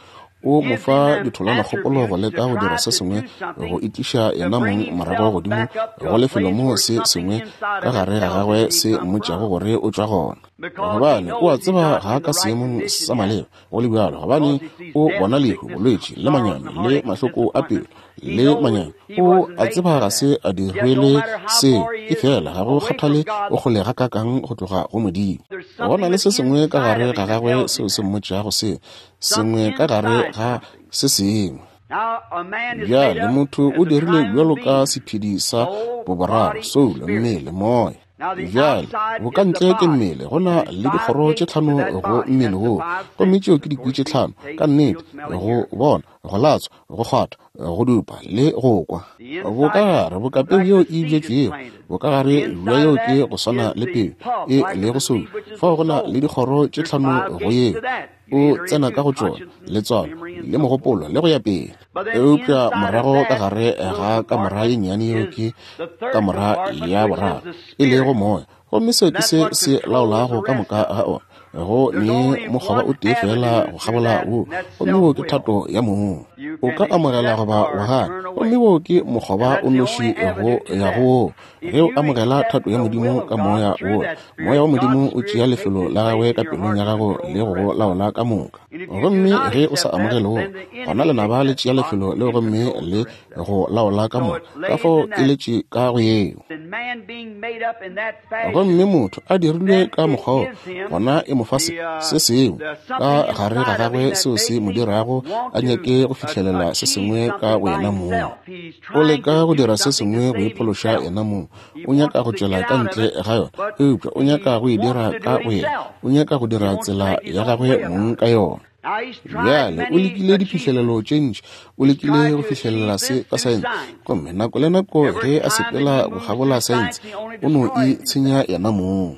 o mo fa ditholanakgopolo go leka go dira se sengwe go itliša yena mong morago godimo go lefelo moo se sengwe ka gare ga gagwe se mmotšago gore o tšwa gona. Gobane o a tseba ga ka seemong sa maleba go le bjalo, gobane o bona lehu, bolwetši le manyami le mahloko a pelo le manyami. O a tseba ga se a dirwele seo, efela ga go kgathale o kgole gakaakang go tloga go Modimo. Go na le se sengwe ka gare ga gagwe seo se mmotšago seo, sengwe ka gare ga se sengwe. Bjale motho o dirile bjalo ka sephedi sa boboraro, soulo, mmele, moya. Bjale bokantle ke mmele, go na le dikgoro tše tlhano go mmele woo, gomme tšeo ke dikwi tše tlhano ka nnete: go bona, go latswa, go kgwatha, go dupa le go kwa. Bokagare bokapeu yeo e bjetšwego, bokagare bja yeo ke go swana le peu e lego soulo. Fao go na le dikgoro tše tlhano go yeo, o tsena ka go tšona, letswalo le mogopolo le go ya pele. Eupša morago ka gare ga kamora ye nnyane yeo ke kamora ya boraro, e lego moya, gomme seo ke se se laolago ka moka ga ona. Go ne mokgoba o tee fela go kgabola wo, gomme wo ke thato ya mong. O ka amogela goba wa gana, gomme wo ke mokgoba o noši go ya go woo. Ge o amogela thato ya Modimo ka moya wo, moya wa Modimo o tšea lefelo la gagwe ka pelong ya gago le go go laola ka moka. Gomme ge o sa amogele wo, gona lenaba le tšea lefelo leo gomme le go laola ka moka. Ka fao e letše ka go yeo. Gomme motho a dirilwe ka mokgwa wo, gona e mo fa se se sengwe ka gare ga gagwe seo se mo dirago a nyake go fihlelela se sengwe ka go yena mong. O leka go dira se sengwe go iphološa yena mong. O nyaka go tšwela ka ntle ga yona, eupša o nyaka go e dira ka go yena. O nyaka go dira tsela ya gagwe mong ka yona. Bjale o lekile diphihlelelo tše ntši, o lekile go fihlelela se ka saense, gomme nako le nako ge a sepela go kgabola saense, o no itshenya yena mong.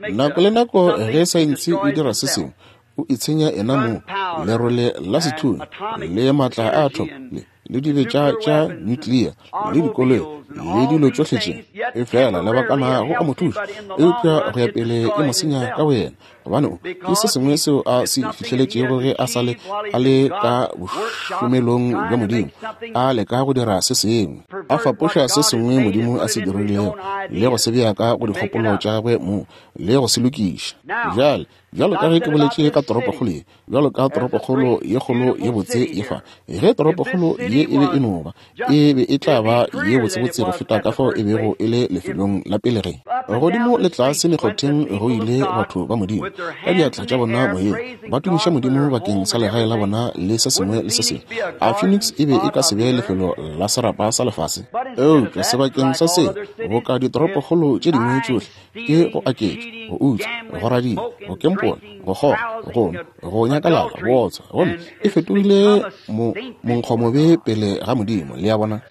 Nako le nako ge saense e dira se sengwe, o itshenya yena mong. Lerole la sethunya le maatla a atom le le dibetša tša nuclear le dikoloi le dilo tšohle tše, efela lebakana go a mo thuša, eupša go ya pele e mo senya ka boyena, gobane o ke se sengwe seo a se fihleletšego ge a sa le a le ka bošomelong bja Modimo, a leka go dira se sengwe, a fapoša se sengwe Modimo a se dirilego le go se bea ka go dikgopolo tša gagwe mong le go se lokiša. Bjale bjalo ka ge ke boletše ka toropokgolo ye, bjalo ka toropokgolo ye kgolo ye botse ye fa, ge toropokgolo ye e be e no ba, e be e tla ba ye botsebotse go feta ka fao e bego e le lefelong la pele ge godimo le tlase mekgotheng go ile batho ba Modimo ka diatla tša bona moyeng ba tumiša Modimo bakeng sa legae la bona le se sengwe le se sengwe. A Phoenix e be e ka se be lefelo la serapa sa lefase? Eupša sebakeng sa seo, boka ditoropokgolo tše dingwe tšohle, ke go aketša, go utswa, go radia, go kempola, go kgoga, go nwa, go nyakalala, go otswa, gomme e fetogile mo monkgomobe pele ga Modimo. Le a bona?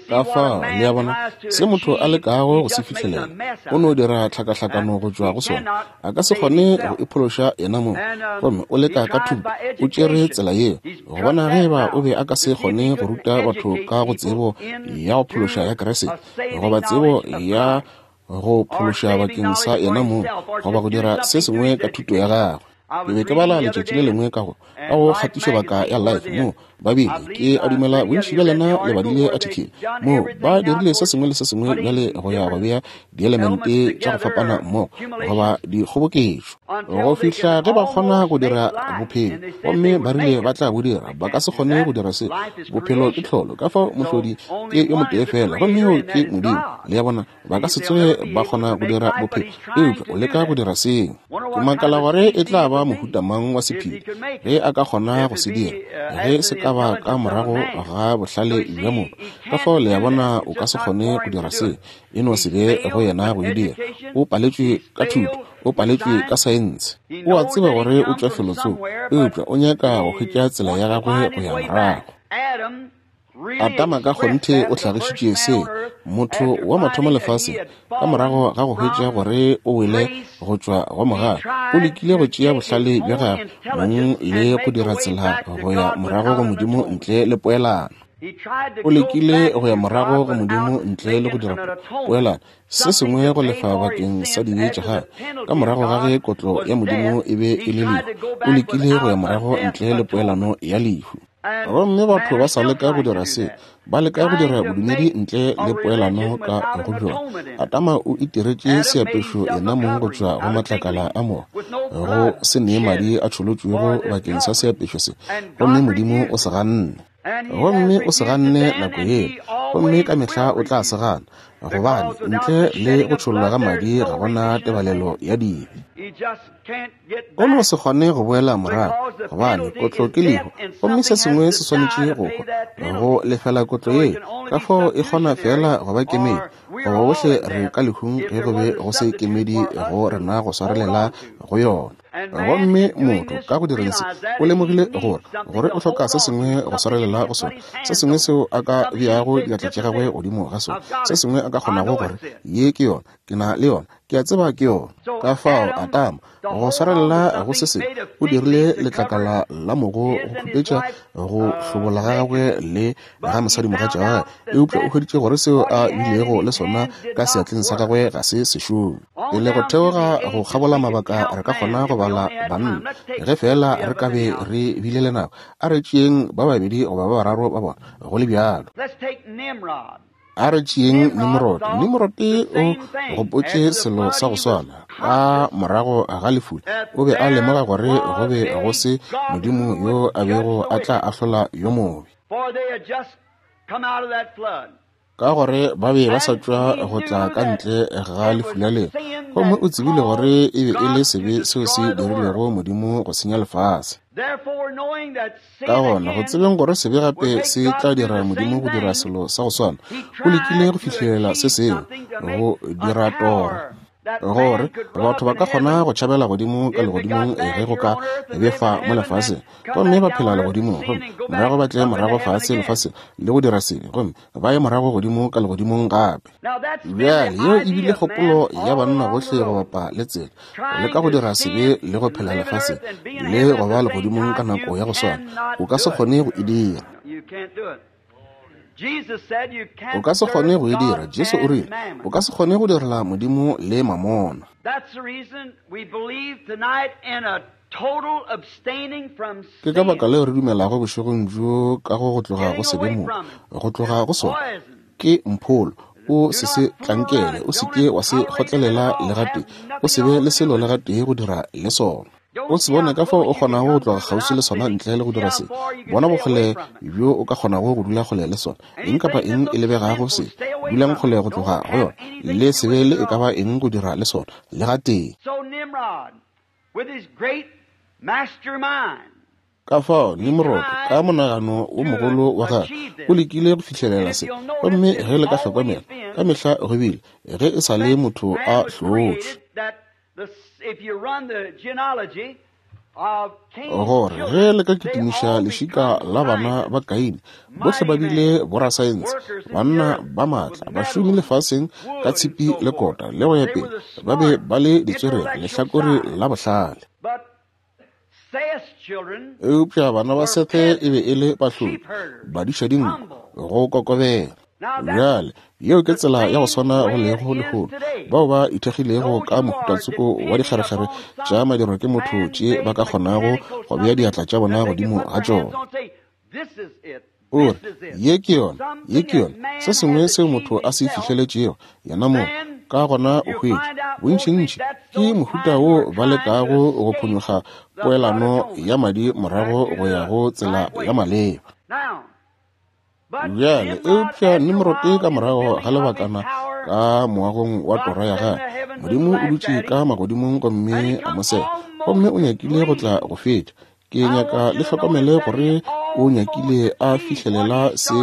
Ka fao, le a bona, se motho a lekago go se fihlelela, o no dira tlhakahlakano go tšwa go sona. A ka se kgone go iphološa yena mong, gomme o leka ka thuto. O tšere tsela yeo go bona ge eba o be a ka se kgone go ruta batho ka go tsebo ya go phološa ya Kriste, goba tsebo ya go phološa bakeng sa yena mong, goba go dira se sengwe ka thuto ya gagwe. Ke be ke bala letšatši le lengwe ka go ka go kgatišobaka ya Life mo ba bile ke a dumela bontši bja lena le badile article mo ba dirile se sengwe le se sengwe bjale go ya go bea dielemente tša go fapana mmogo goba dikgoboketšo go fihla ge ba kgona go dira bophelo, gomme ba rile ba tla bo dira. Ba ka se kgone go dira se. Bophelo ke tlholo, ka fao mohlodi ke yo motee fela, gomme yoo ke Modimo. Le a bona, ba ka se tsoge ba kgona go dira bophelo, eupša o leka go dira seo. Ke makala gore e tla ba mohuta mang wa sephiri ge a ka kgona go se dira, ge se ka ba ka morago ga bohlale bja motho. Ka fao le a bona, o ka se kgone go dira se, e no se be go yena go e dira. O paletšwe ka thuto, o paletšwe ka saense. O a tseba gore o tšwa felotsoko, eupša o nyaka go hwetša tsela ya gagwe go ya morago. Adama ka kgonthe o hlagišitše se, motho wa mathomo lefaseng, ka morago ga go hwetša gore o wele go tšwa go mogala, o lekile go tšea bohlale bja gagwe mong le go dira tsela go ya morago go Modimo ntle le poelano. O lekile go ya morago go Modimo ntle le go dira poelano, se sengwe go lefa bakeng sa dibe tša gagwe. Ka morago ga ge kotlo ya Modimo e be e le lehu, o lekile go ya morago ntle le poelano ya lehu. Gomme batho ba sa leka go dira se, ba leka go dira bodumedi ntle le poelano ka go bjona. Adama o itiretše seapešo yena mong go tšwa go matlakala a mogo, go se nee madi a tšholotšwego bakeng sa seapešo se, gomme Modimo o se ganne. Gomme o se ganne nako yeo, gomme ka mehla o tla se gana, gobane ntle le go tšhollwa ga madi ga gona tebalelo ya dibe. O no se kgone go boela morago, gobane kotlo ke lehu, gomme se sengwe se swanetše go hwa go lefela kotlo yeo. Ka fao e kgona fela go ba kemedi, goba bohle re ka lehung ge go be go se kemedi go rena go swarelela go yona. Gomme motho ka go direng se o lemogile gore gore o hloka se sengwe go swarelela go sona, se sengwe seo a ka beago diatla tša gagwe godimo ga sona, se sengwe a ka kgonago gore ye ke yona, ke na le yona, ke a tseba ke yona. Ka fao Adama go swarelela go se sengwe o dirile letlakala la mogo go khupetša go hlobola ga gagwe le ga mosadimogatša wa gagwe, eupša o hweditše gore seo a bilego le sona ka seatleng sa gagwe ga se sešome. Pele go theoga go kgabola mabaka re ka kgona go bala banna, ge fela re ka be re bile le nako. A re tšeeng ba babedi goba ba bararo ba bona go le bjalo. A re tšeeng Nimrod. Nimrod o gopotše selo sa go swana. Ka morago ga lefula o be a lemoga gore go be go se Modimo yo a bego a tla ahlola yo mobe, ka gore ba be ba sa tšwa go tla ka ntle ga lefula leo, gomme o tsebile gore e be e le sebe seo se dirilego Modimo go senya lefase. Ka gona go tsebeng gore sebe gape se tla dira Modimo go dira selo sa go swana, o lekile go fihlelela se sengwe, go dira tora, gore batho ba ka kgona go tšhabela godimo ka legodimong ge go ka befa mo lefaseng, gomme ba phela legodimong, gomme morago ba tle morago fase lefaseng le go dira sebe, gomme ba ye morago godimo ka legodimong gape. Bjale yeo e bile kgopolo ya banna bohle go bapa le tsela, go leka go dira sebe le go phela lefaseng le go ba legodimong ka nako ya go swana. O ka se kgone go e dira. O ka se kgone go e dira. Jesu o rile, o ka se kgone go direla Modimo le mamona. Ke ka baka leo re dumelago bošegong bjo ka go go tloga go sebe mo, go tloga go sona ke mpholo. O se se tlankele, o se ke wa se kgotlelela le gatee, o se be le selo le gatee go dira le sona. O se bone ka fao o kgonago go tloga kgauswi le sona ntle le go dira se. Bona bokgole bjo o ka kgonago go dula kgole le sona. Eng kapa eng e lebegago se, dulang kgole go tloga go yona, le se be le e ka ba eng go dira le sona le gatee. Ka fao Nimrod ka monagano wo mogolo wa gagwe o lekile go fihlelela se, gomme ge le ka hlokomela ka mehla go bile ge e sa le motho a hlotšwe. Gore ge le ka kitimiša lešika la bana ba Kaine, bohle ba bile borasaense, banna ba maatla, bašomi lefaseng ka tshipi le kota le go ya pele, ba be ba le ditswerere lehlakore la bohlale. Eupša bana ba Sethe e be e le bahlodi, badiša dinku, go kokobela. Bjale, yeo ke tsela ya go swana go lego lehono, bao ba ithekgilego ka mohutatsoko wa dikgerekgere tša madirwa ke motho tše ba ka kgonago go bea diatla tša bona godimo ga tšona. O re, ye ke yona, ye ke yona, se sengwe seo motho a se fihleletšego yena mong, ka gona o hwetša bontšintši ke mohuta wo ba lekago go phonyokga poelano ya madi morago go ya go tsela ya maleba. Bjale, eupša Nimrod ka morago ga lebakana ka moagong wa tora ya gagwe, Modimo o dutše ka magodimong gomme a mo sega, gomme o nyakile go tla go fetša. Ke nyaka le hlokomele gore o nyakile a fihlelela se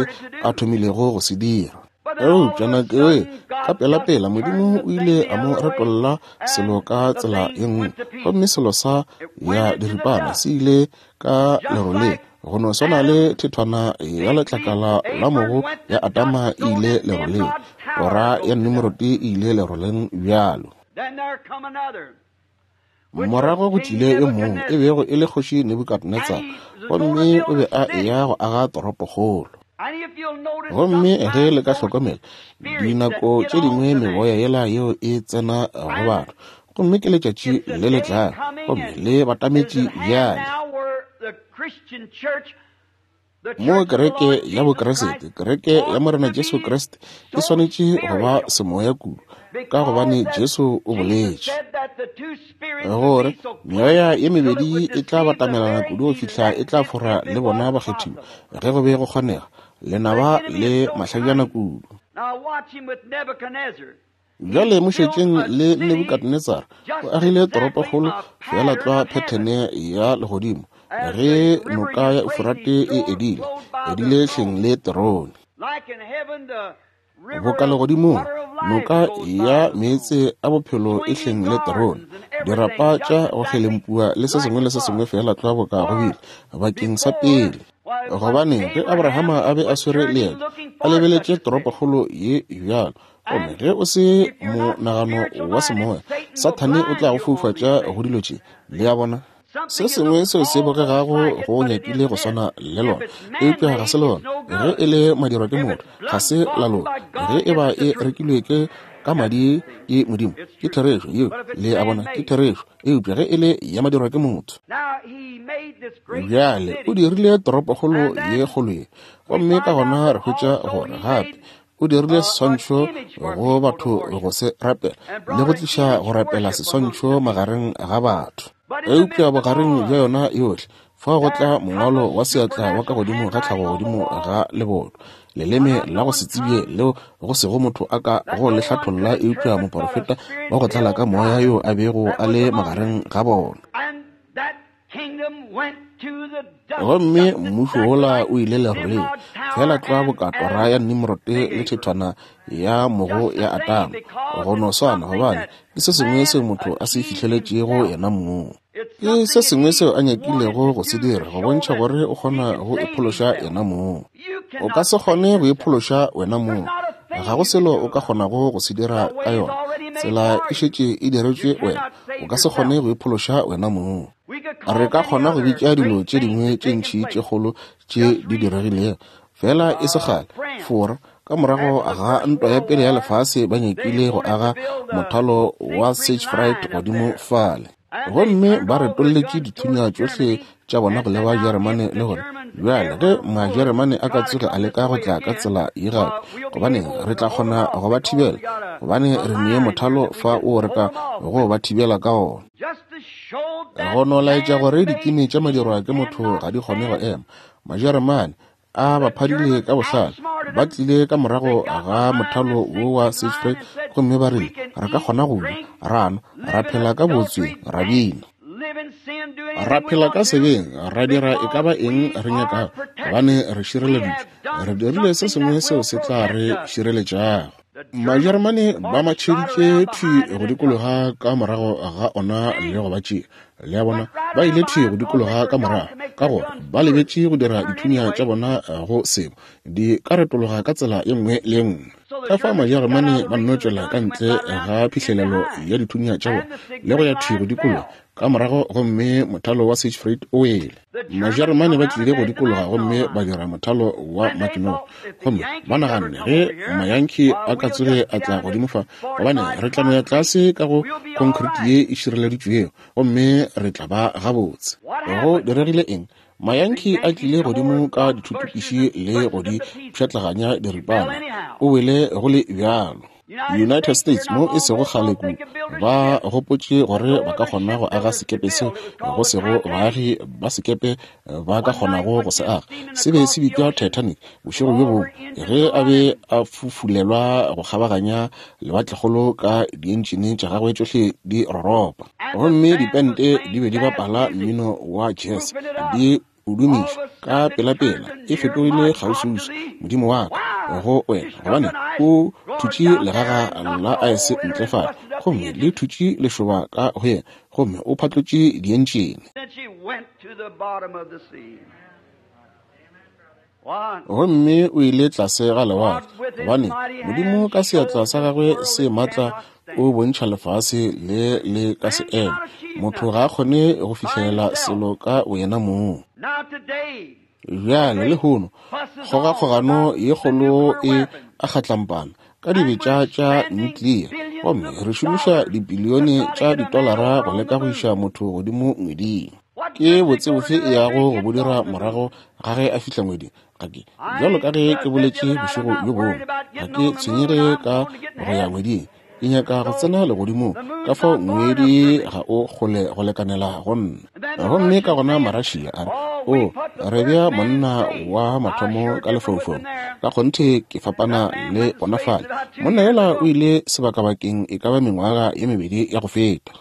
a thomilego go se dira. Eupša nako ye ka pelapela Modimo o ile a mo retolla selo ka tsela ye nngwe, gomme selo sa ya diripana se ile ka leroleng, go no swana le thethwana ya letlakala la mogo ya Adama e ile leroleng, tora ya Nimrod e ile leroleng bjalo. Morago go tlile yo mongwe e bego e le kgoši Nebukadnetsar, gomme o be a eya go aga toropokgolo. Gomme ge le ka hlokomela, dinako tše dingwe meboya yela yeo e tsena go batho, gomme ke letšatši le le tlago, gomme le batametše bjale. Mo kereke ya Bokriste, kereke ya Morena Jesu Kriste e swanetše go ba semoya kudu, ka gobane Jesu o boletše gore meoya ye mebedi e tla batamelana kudu go fihla e tla fora le bona bakgethiwa, ge go be go kgonega, lenaba le mahlajana kudu. Bjale mo šetšeng le Nebukadnetsar o agile toropokgolo feela tlwa phethene ya legodimo, ge noka ya Eufurate e edile, edile hleng le terone. Boka legodimong, noka ya meetse a bophelo e hleng le terone, dirapa tša go kgelempua le se sengwe le se sengwe feela tlwa boka go bile bakeng sa pele. Gobane ge Abrahama a be a swere leeto, a lebeletše toropokgolo ye bjalo, gomme ge o se monagano wa semoya, Sathane o tla go foufatša go dilo tše. Le a bona? Se sengwe seo se bogegago go nyakile go swana le lona, eupša ga se lona. Ge e le madirwa ke motho, ga se la lona. Ge e ba e rekilwe ke ka madi ke Modimo, ke therešo yeo. Le a bona, ke therešo. Eupša ge e le ya madirwa ke motho. Bjale o dirile toropokgolo ye kgolo ye, gomme ka gona re hwetša gore gape o dirile seswantšho go batho go se rapela, le go tliša go rapela seswantšho magareng ga batho. Eupša bogareng bja yona yohle, fao go tla mongwalo wa seatla wa ka godimo ga tlhago godimo ga leboto, leleme la go se tsebje leo go sego motho a ka go le hlatholla eupša moporofeta wa go tlala ka moya yo a bego a le magareng ga bona. Gomme mmušo wola o ile leroleng, feela tlwa boka tora ya Nimrod le thethwana ya mogo ya Adama, go no swana, gobane ke se sengwe seo motho a se fihleletšego yena mong. Ke se sengwe seo a nyakilego go se dira, go bontšha gore o kgona go iphološa yena mong. O ka se kgone go iphološa wena mong, ga go selo o ka kgonago go se dira ka yona. Tsela e šetše e diretšwe wena, o ka se kgone go iphološa wena mong. Re ka kgona go bitša dilo tše dingwe tše ntši tše kgolo tše di diregilego, fela e se kgale Fora ka morago ga ntwa ya pele ya lefase ba nyakile go aga mothalo wa Siegfried godimo fale, gomme ba retolletše dithunya tšohle tša bona go leba Jeremane le gore bjale ge Majeremane a ka tsoge a leka go tla ka tsela ye gape, gobaneng re tla kgona go ba thibela, gobane re nee mothalo fa o re ka go ba thibela ka ona. Go no laetša gore dikimi tša madirwa ke motho ga di kgone go ema. Majeremane a ba phadile ka bohlale, ba tlile ka morago ga mothalo wo wa Siegfried gomme ba rile re ka kgona go ja, ra nwa, ra phela ka botsweng, ra bina, ra phela ka sebeng, ra dira e ka ba eng re nyakago, gobane re šireleditšwe. Re dirile se sengwe seo se tla re šireletšago. Majeremane ba matšheditše thwi go dikologa ka morago ga ona le go ba tšea. Le a bona, ba ile thwi go dikologa ka morago, ka gore ba lebetše go dira dithunya tša bona go sebo, di ka retologa ka tsela ye nngwe le ye nngwe. Ka fa Majeremane ba nno tšwela ka ntle ga phihlelelo ya dithunya tša bona le go ya thwi go dikologa, Ka morago gomme mothalo wa Siegfried o wele. Majeremane ba tlile go dikologa gomme ba dira mothalo wa Maginot. Gomme ba naganne ge Mayankee a ka tsoge a tla godimo fa, gobane re tla no ya tlase ka go concrete ye e šireleditšwego, gomme re tla ba gabotse. Go diregile eng? Mayankee a tlile godimo ka dithutupiši le go di pšhatlaganya diripana. O wele go le bjalo. United States mo e sego kgale kudu ba gopotše gore ba ka kgona go aga sekepe seo go sego baagi ba sekepe ba ka kgonago go se aga. Se be se bitšwa Titanic. Bošego bjo bongwe ge a be a fufulelwa go kgabaganya lewatlekgolo ka dientšene tša gagwe tšohle di roropa, gomme dipente di be di bapala mmino wa jazz di o dumiša ka pelapela, e fetogile kgauswiuswi. Modimo wa ka go wena, gobane o thutše legaga la aese ntle fale, gomme le thutše lešoba ka go yena, gomme o phatlotše dientšene. Gomme o ile tlase ga lewatle, gobane Modimo ka seatla sa gagwe se matla o bontšha lefase le le ka se eme. Motho ga a kgone go fihlelela selo ka boyena mong. Bjale lehono kgogakgogano ye kgolo e a kgatlampana ka dibetša tša nuclear, gomme re šomiša dibilione tša ditolara go leka go iša motho godimo ngweding. Ke botse bofe e yago go bo dira morago ga ge a fihla ngweding? Ga ke, bjalo ka ge ke boletše bošego bjo bongwe, ga ke tshwenyege ka go ya ngweding. Ke nyaka go tsena legodimong, ka fao ngwedi ga o kgole go lekanela go nna. Gomme ka gona Marašia a re, o re bea monna wa mathomo ka lefaufaung. Ka kgonthe ke fapana le bona fale. Monna yola o ile sebakabakeng e ka ba mengwaga ye mebedi ya go feta.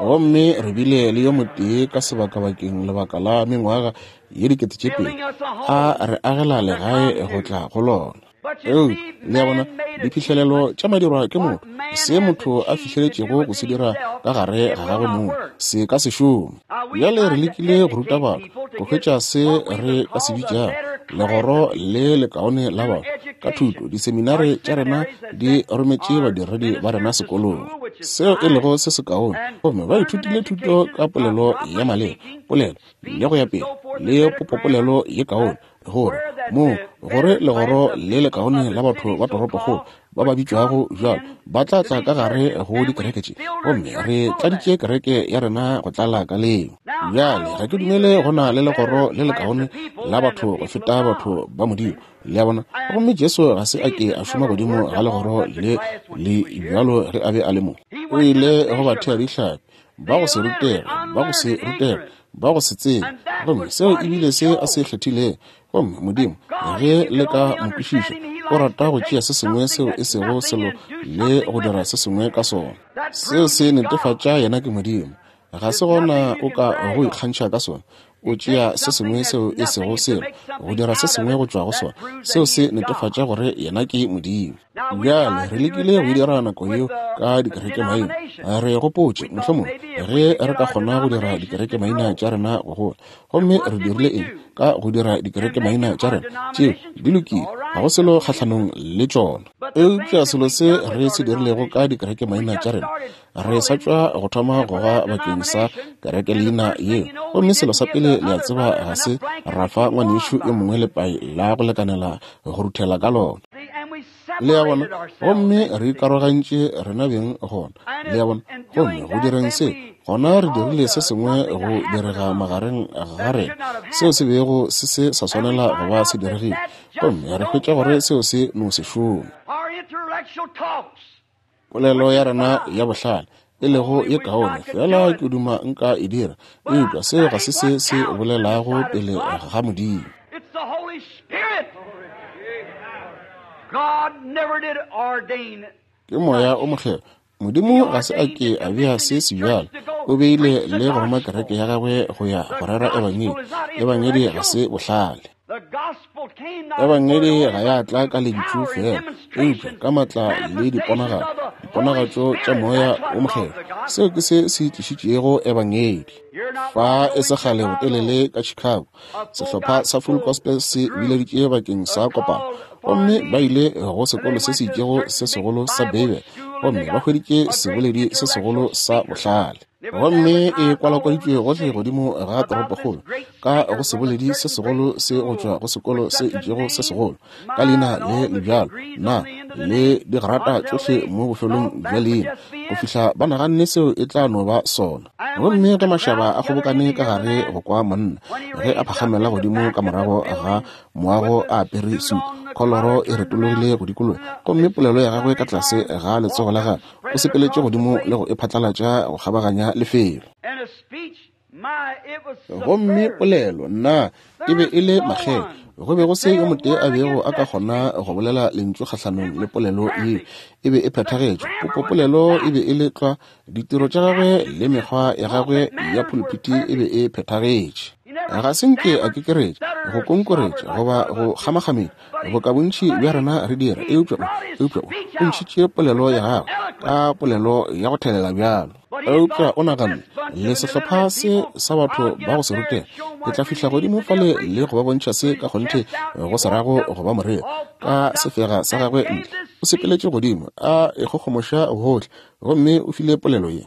Gomme re bile le yo motee ka sebakabakeng lebaka la mengwaga ye dikete tše pedi, a re agela legae go tla go lona. Eupša le a bona, diphihlelelo tša madirwa ke motho, se motho a fihleletšego go se dira ka gare ga gagwe mong, se ka se šome. Bjale re lekile go ruta batho go hwetša se re ka se bitšago legoro le lekaone la batho ka thuto. Diseminare tša rena di rometše badiredi ba rena sekolong, seo e lego se sekaone, gomme ba ithutile thuto ka polelo ya maleba, polelo le go ya pele le popopolelo ye kaone, gore mo gore legoro le lekaone la batho ba toropokgolo ba ba bitšwago bjalo ba tla tla ka gare go dikereke tše, gomme re tladitše kereke ya rena go tlala ka leo. Bjale ga ke dumele go na le legoro le lekaone la batho go feta batho ba Modimo, le a bona. Gomme Jesu ga se a ke a šoma godimo ga legoro le le bjalo ge a be a le mo. O ile go bathea dihlapi ba go se rutege, ba go se rutege, ba go se tsebe, gomme seo ebile se a se kgethilego. Gomme Modimo, ge le ka mo kwešiša, o rata go tšea se sengwe seo e sego selo le go dira se sengwe ka sona. Seo se netefatša yena ke Modimo. Ga se gona o ka go ikgantšha ka sona. O tšea se sengwe seo e sego selo go dira se sengwe go tšwa go sona. Seo se netefatša gore yena ke Modimo. Bjale re lekile go dira nako yeo ka dikerekemaina. Re gopotše mohlomongwe ge re ka kgona go dira dikerekemaina tša rena go gola. Gomme re dirile eng ka go dira dikerekemaina tša rena? Tšeo di lokile, ga go selo kgahlanong le tšona. Eupša selo se re se dirilego ka dikerekemaina tša rena, re sa tšwa go thoma go ga bakeng sa kerekeleina yeo. Gomme selo sa pele le a tseba, ga se ra fa ngwanešu yo mongwe lepai la go lekanela go ruthela ka lona. Le a bona? Gomme re ikarogantše rena beng gona, le a bona. Gomme go direng se, gona re dirile se sengwe go direga magareng ga rena seo se bego se se sa swanela go ba se diregile. Gomme re hwetša gore seo se no se šome. Polelo ya rena ya bohlale e lego ye kaone, fela ke duma nka e dira, eupša seo ga se se se bolelago pele ga Modimo. Ke Moya o Mokgethwa. Modimo ga se a ke a bea se se bjalo. O beile le go roma kereke ya gagwe go ya go rera ebangedi. Ebangedi ga se bohlale. Ebangedi ga ya tla ka lentšu fela, eupša ka matla le diponagalo, diponagatšo tša Moya o Mokgethwa. Seo ke se se tlišitšego ebangedi. Fa e se kgale botelele ka Chicago, sehlopha sa Full Gospel se bileditše bakeng sa kopano, gomme ba ile go sekolo se se itšego se segolo sa Beibele. Gomme ba hweditše seboledi se segolo sa bohlale. Gomme e kwalakwaditšwe gohle godimo ga toropokgolo, ka go seboledi se segolo se go tšwa go sekolo se itšego se segolo, ka leina le le bjalo, na le digrata tšohle mo bofelong bja leina, go fihla ba naganne seo e tla no ba sona. Gomme ge mašaba a kgobokane ka gare go kwa monna, ge a phagamela godimo ka morago ga moago a apere sutu, kholoro e retologile go dikologa, gomme polelo ya gagwe ka tlase ga letsogo la gagwe, o sepeletše godimo le go e phatlalatša go kgabaganya lefelo. Gomme polelo nna e be e le makgele. Go be go se yo motee a bego a ka kgona go bolela lentšu kgahlanong le polelo yeo. E be e phethagetše. Popopolelo e be e le tlwa, ditiro tša gagwe le mekgwa ya gagwe ya pulpiti e be e phethagetše. Ga se nke a kekeretša, go konkoretša goba go kgamakgamela, boka bontši bja rena re dira, eupša eupša o ntšhitše polelo ya gagwe ka polelo ya go thelela bjalo. Eupša o naganne, le sehlopha se sa batho ba go se rutega, ke tla fihla godimo fale le go ba bontšha se ka kgonthe go se rago go ba moreri. Ka sefega sa gagwe ntle, o sepeletše godimo a ikgogomoša gohle, gomme o file polelo ye.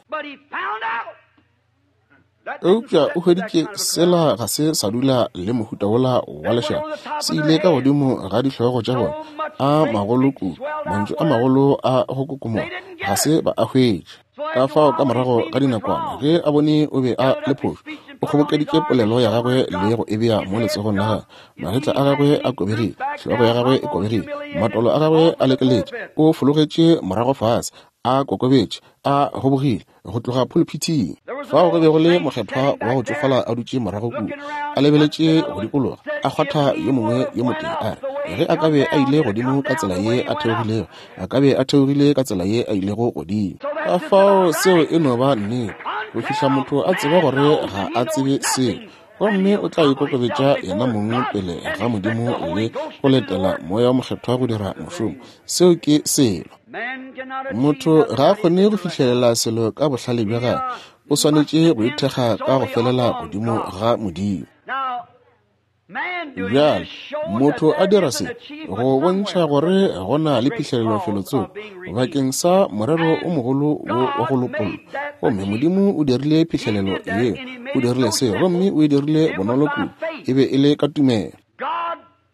Eupša o hweditše sela ga se sa dula le mohuta wola wa lešaba, se ile ka godimo ga dihlogo tša bona, a magolo kudu, mantšu a magolo a go kokomoga, ga se ba a hwetše. Ka fao ka morago ga dinakwana, ge a bone o be a le phošo, o kgobokeditše polelo ya gagwe le go e bea mo letsogong la gagwe. Magetla a gagwe a kobegile, hlogo ya gagwe e kobegile, matolo a gagwe a lekeletše, o fologetše morago fase, a kokobetše, a gobogile go tloga pulpiting. Fao go be go le mokgethwa wa go tšofala a dutše morago kua, a lebeletše go dikologa, a kgwatha yo mongwe yo motee, a re, ge a ka be a ile godimo ka tsela ye a theogilego, a ka be a theogile ka tsela ye a ilego godimo. Ka fao seo e no ba nnete, go fihla motho a tseba gore ga a tsebe selo, gomme o tla ikokobetša yena mong pele ga Modimo le go letela Moya wa Mokgethwa go dira mošomo. Seo ke selo. Motho ga a kgone go fihlelela selo ka bohlale bja gagwe, o swanetše go ithekga ka go felela godimo ga Modimo. Bjale motho a dira se go bontšha gore go na le phihlelelo felotsoko bakeng sa morero o mogolo wo wa go lopollwa. Gomme Modimo o dirile phihlelelo yeo, o dirile se, gomme o e dirile bonolo kudu, e be e le ka tumelo.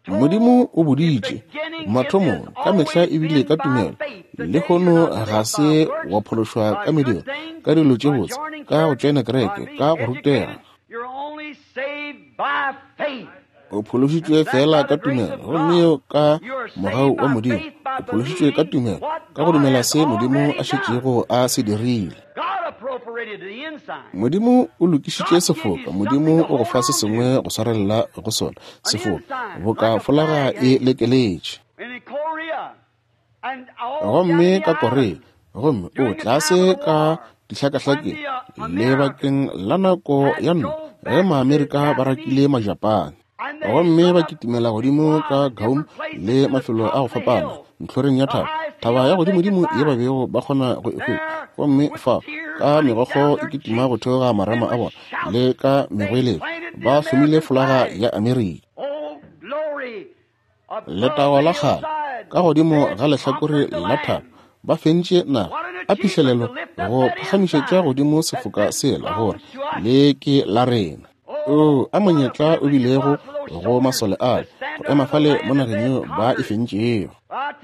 Modimo o boditše mathomong ka mehla e bile ka tumelo. Lehono ga se wa phološwa ka mediro, ka dilo tše botse, ka go tšoena kereke, ka go rutega. O phološitšwe fela ka tumelo, gomme yeo ka mogau wa Modimo. O phološitšwe ka tumelo, ka go dumela se Modimo a šetšego a se dirile. Modimo o lokišitše sefoka. Modimo o go fa se sengwe go swarelela go sona, sefoka, boka folaga e lekeletše. Gomme ka Korea, gomme o tlase ka dihlakahlakeng lebakeng la nako ya ntwa, ge Maamerika ba rakile Majapane, gomme ba kitimela godimo ka Guam le mafelo a go fapana ntlhoreng ya thaba, thaba ya godimodimo ye ba bego ba kgona go e hwetša. Gomme fa ka megokgo e kitima go theoga marama a bona le ka megweletšo, ba hlomile folaga ya Amerika. Letago la kgale ka godimo ga lehlakore la thaba, ba fentše naga a phihlelelo go phagamišetša godimo sefoka sela gore le ke la rena. O a monyetla o bilego go masole ale go ema fale mo nageng yeo ba e fentšego.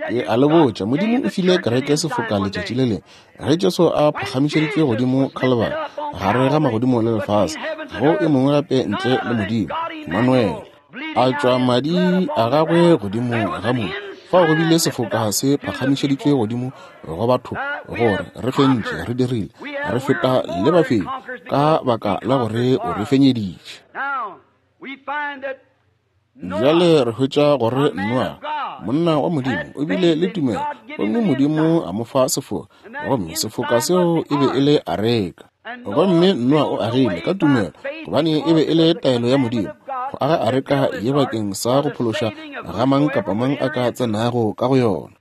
Ke a le botša, Modimo o file kereke sefoka letšatši le lengwe ge Jesu a phagamišeditšwe godimo Calvary, gare ga magodimo le lefase, go e mongwe gape ntle le Modimo, Emmanuel, a tšwa madi a gagwe godimo ga mobu. Fao go bile sefoka se phagamišeditšwe godimo go batho gore re fentše, re dirile, re feta le bafenyi ka baka la gore o re fenyeditše. Bjale re hwetša gore Noa, monna wa Modimo, o bile le tumelo, gomme Modimo a mo fa sefoka, gomme sefoka seo e be e le areka. Gomme Noa o agile ka tumelo, gobane e be e le taelo ya Modimo go aga areka ye bakeng sa go phološa ga mang kapa mang a ka tsenago ka go yona.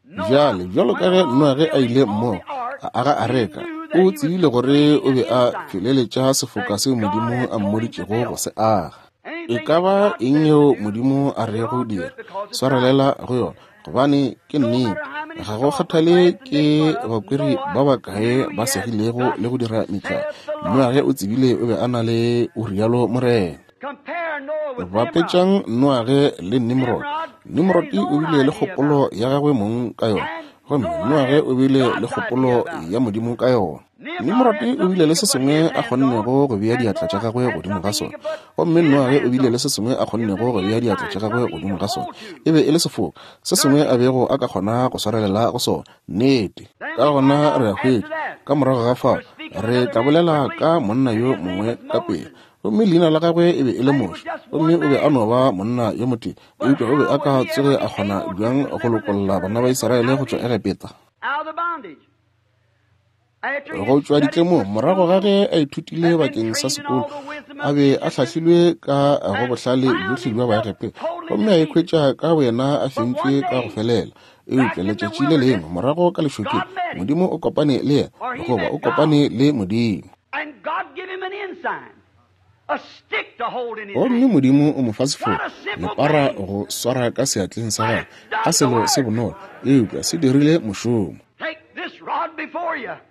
Bjale bjalo ka ge Noa ge a ile mmogo a aga areka, o tsebile gore o be a feleletša sefoka seo Modimo a mmoditšego go se aga. E ka ba eng yeo Modimo a rego dira, swarelela go yona, gobane ke nnete. Ga go kgathale ke bakweri ba bakae ba segilego le go dira metlae, Noage o tsebile o be a na le o rialo morena. Bapetšang Noage le Nimrod. Nimrod o bile le kgopolo ya gagwe mong ka yona, gomme Noage o bile le kgopolo ya Modimo ka yona. Nimrod o bile le se sengwe a kgonnego go bea diatla tša gagwe godimo ga sona, gomme Noage o bile le se sengwe a kgonnego go bea diatla tša gagwe godimo ga sona. E be e le sefoka, se sengwe a bego a ka kgona go swarelela go sona. Nnete. Ka gona re a hwetša, ka morago ga fao, re tla bolela ka monna yo mongwe ka pele. Gomme leina la gagwe e be e le Moshe, gomme o be a no ba monna yo motee, eupša o be a ka tsoge a kgona bjang go lokolla bana ba Israele go tšwa Egepeta? Go tšwa ditlemong, morago ga ge a ithutile bakeng sa sekolo, a be a hlahlilwe ka go bohlale bjohle bja Baegepeta, gomme a ikhwetša ka boyena a fentšwe ka go felela. Eupša letšatši le lengwe morago ka lešokeng, Modimo o kopane le yena, goba o kopane le Modimo. Gomme Modimo o mo fa sefoka, lepara go swara ka seatleng sa gagwe, a selo se bonolo, eupša se dirile mošomo.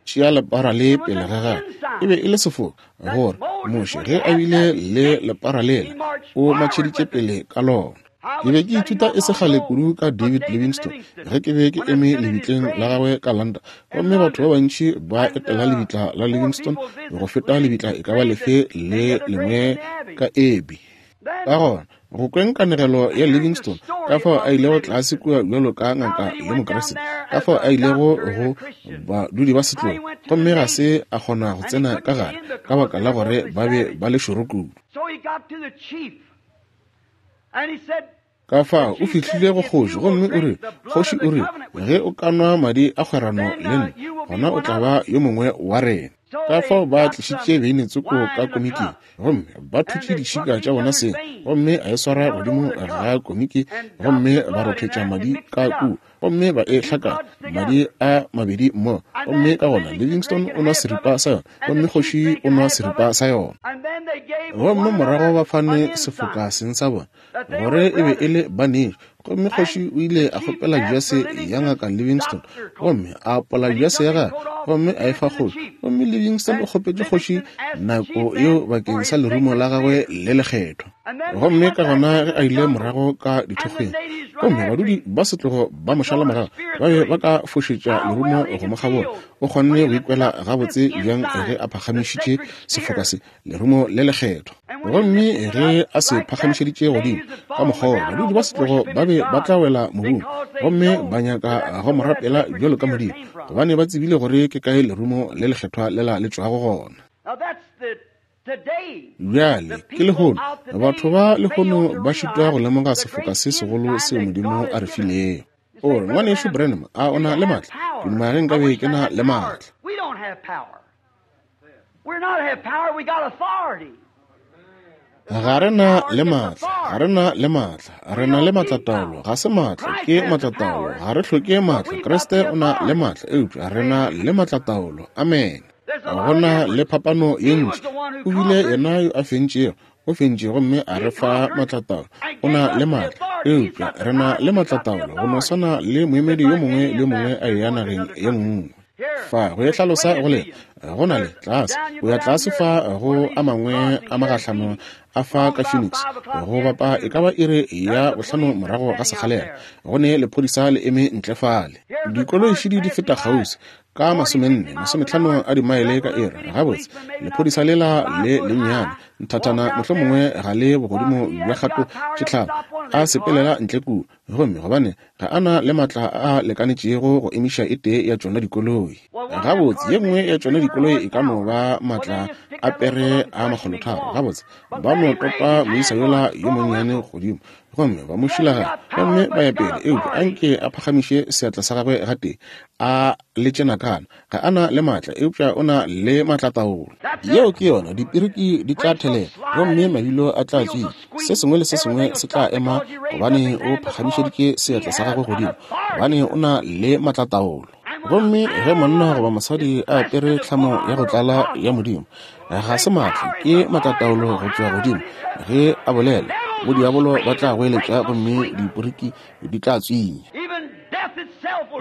Tšea lepara le pele ga gagwe. E be e le sefoka gore Moshe ge a bile le lepara lela, o matšheditše pele ka lona. Ke be ke ithuta e se kgale kudu ka David Livingstone ge ke be ke eme lebitleng la gagwe ka London, gomme batho ba bantši ba etela lebitla la Livingstone go feta lebitla e ka ba lefe le lengwe ka Abbey. Ka gona go kweng kanegelo ya Livingstone, ka fao a ilego tlase kua bjalo ka ngaka le Mokriste, ka fao a ilego go badudi ba setlogo, gomme ga se a kgona go tsena ka gare ka baka la gore ba be ba le šoro kudu. Ka fao o fihlile go kgoši, gomme o re, kgoši o re, ge o ka nwa madi a kgwerano le nna, gona o tla ba yo mongwe wa rena. Ka fao ba tlišitše beine tsoko ka komiking, gomme ba thutše ditšhika tša bona seng, gomme a e swara godimo ga komiki, gomme ba rothetša madi ka kua, gomme ba e hlakanya madi a mabedi mmogo. Gomme ka gona Livingstone o nwa seripa sa yona, gomme kgoši o nwa seripa sa yona. Gomme morago ba fane sefoka seng sa bona, gore e be e le banešu. Gomme kgoši o ile a kgopela jase ya ngaka Livingstone, gomme a apola jase ya gagwe, gomme a e fa kgoši. Gomme Livingstone o kgopetše kgoši nako yeo bakeng sa lerumo la gagwe le lekgethwa. Gomme ka gona ge a ile morago ka dithokgweng, gomme badudi ba setlogo ba mo šala morago, ba be ba ka fošetša lerumo go mo kgabola. O kgonne go ikwela gabotse bjang ge a phagamišitše sefoka se, lerumo le lekgethwa. Gomme ge a se phagamišeditše godimo ka mokgwa woo, badudi ba setlogo ba be ba tla wela mobung, gomme ba nyaka go mo rapela bjalo ka Modimo, gobane ba tsebile gore ke kae lerumo le lekgethwa lela le tšwago gona. Bjale ke lehono, batho ba lehono ba šitwa go lemoga sefoka se segolo seo Modimo a re filego. O re, ngwanešu Branham, a o na le maatla? Ke duma ge nkabe ke na le maatla. Ga re na le maatla, ga re na le maatla, re na le maatlataolo, ga se maatla, ke maatlataolo, ga re hloke maatla. Kriste o na le maatla, eupša re na le maatlataolo. Amen. Go na le phapano ye ntši. O bile yena yo a fentšego, o fentše gomme a re fa maatlataolo. O na le maatla, eupša re na le maatlataolo, go no swana le moemedi yo mongwe le yo mongwe a eya nageng ye nngwe. Fa go e hlalosa go le go na le tlase, o ya tlase fa go a mangwe a magahlano a fa ka Phoenix, go bapa e ka ba iri ya bohlano morago ga sekgalela, go ne lephodisa le eme ntle fale. Dikoloi šidi di feta kgauswi ka masomenne masometlhano a dimaele ka iri. Gabotse lephodisa lela le lennyane nthathana mohlomongwe ga le bogodimo bja kgato tše tlhano, a sepelela ntle kua, gomme gobane ga a na le maatla a lekanetšego go emiša e tee ya tšona dikoloi. Gabotse ye nngwe ya tšona dikoloi e ka no ba maatla a pere a makgolotharo. Gabotse ba no topa moisa yola yo monnyane godimo, gomme ba mo šilaganya, gomme ba ya pele. Eupša anke a phagamiše seatla sa gagwe gatee, a letše nakana. Ga a na le maatla, eupša o na le maatlataolo. Yeo ke yona. Dipiriki di tla thelela, gomme mabilo a tla tswina. Se sengwe le se sengwe se tla ema, gobane o phagamišeditše seatla sa gagwe godimo, gobane o na le maatlataolo. Gomme ge monna goba mosadi a apere tlhamo ya go tlala ya Modimo, ga se maatla, ke maatlataolo go tšwa godimo. Ge a bolela, bodiabolo ba tla goeletša, gomme diporiki di tla tswinya.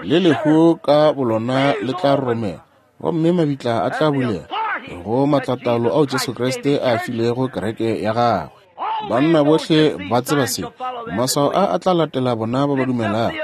Le lehu ka bolona le tla roromela, gomme mabitla a tla bulega go matlataolo ao Jesu Kriste a filego kereke ya gagwe. Banna bohle ba tseba se. Maswao a a tla latela bona ba ba dumelago.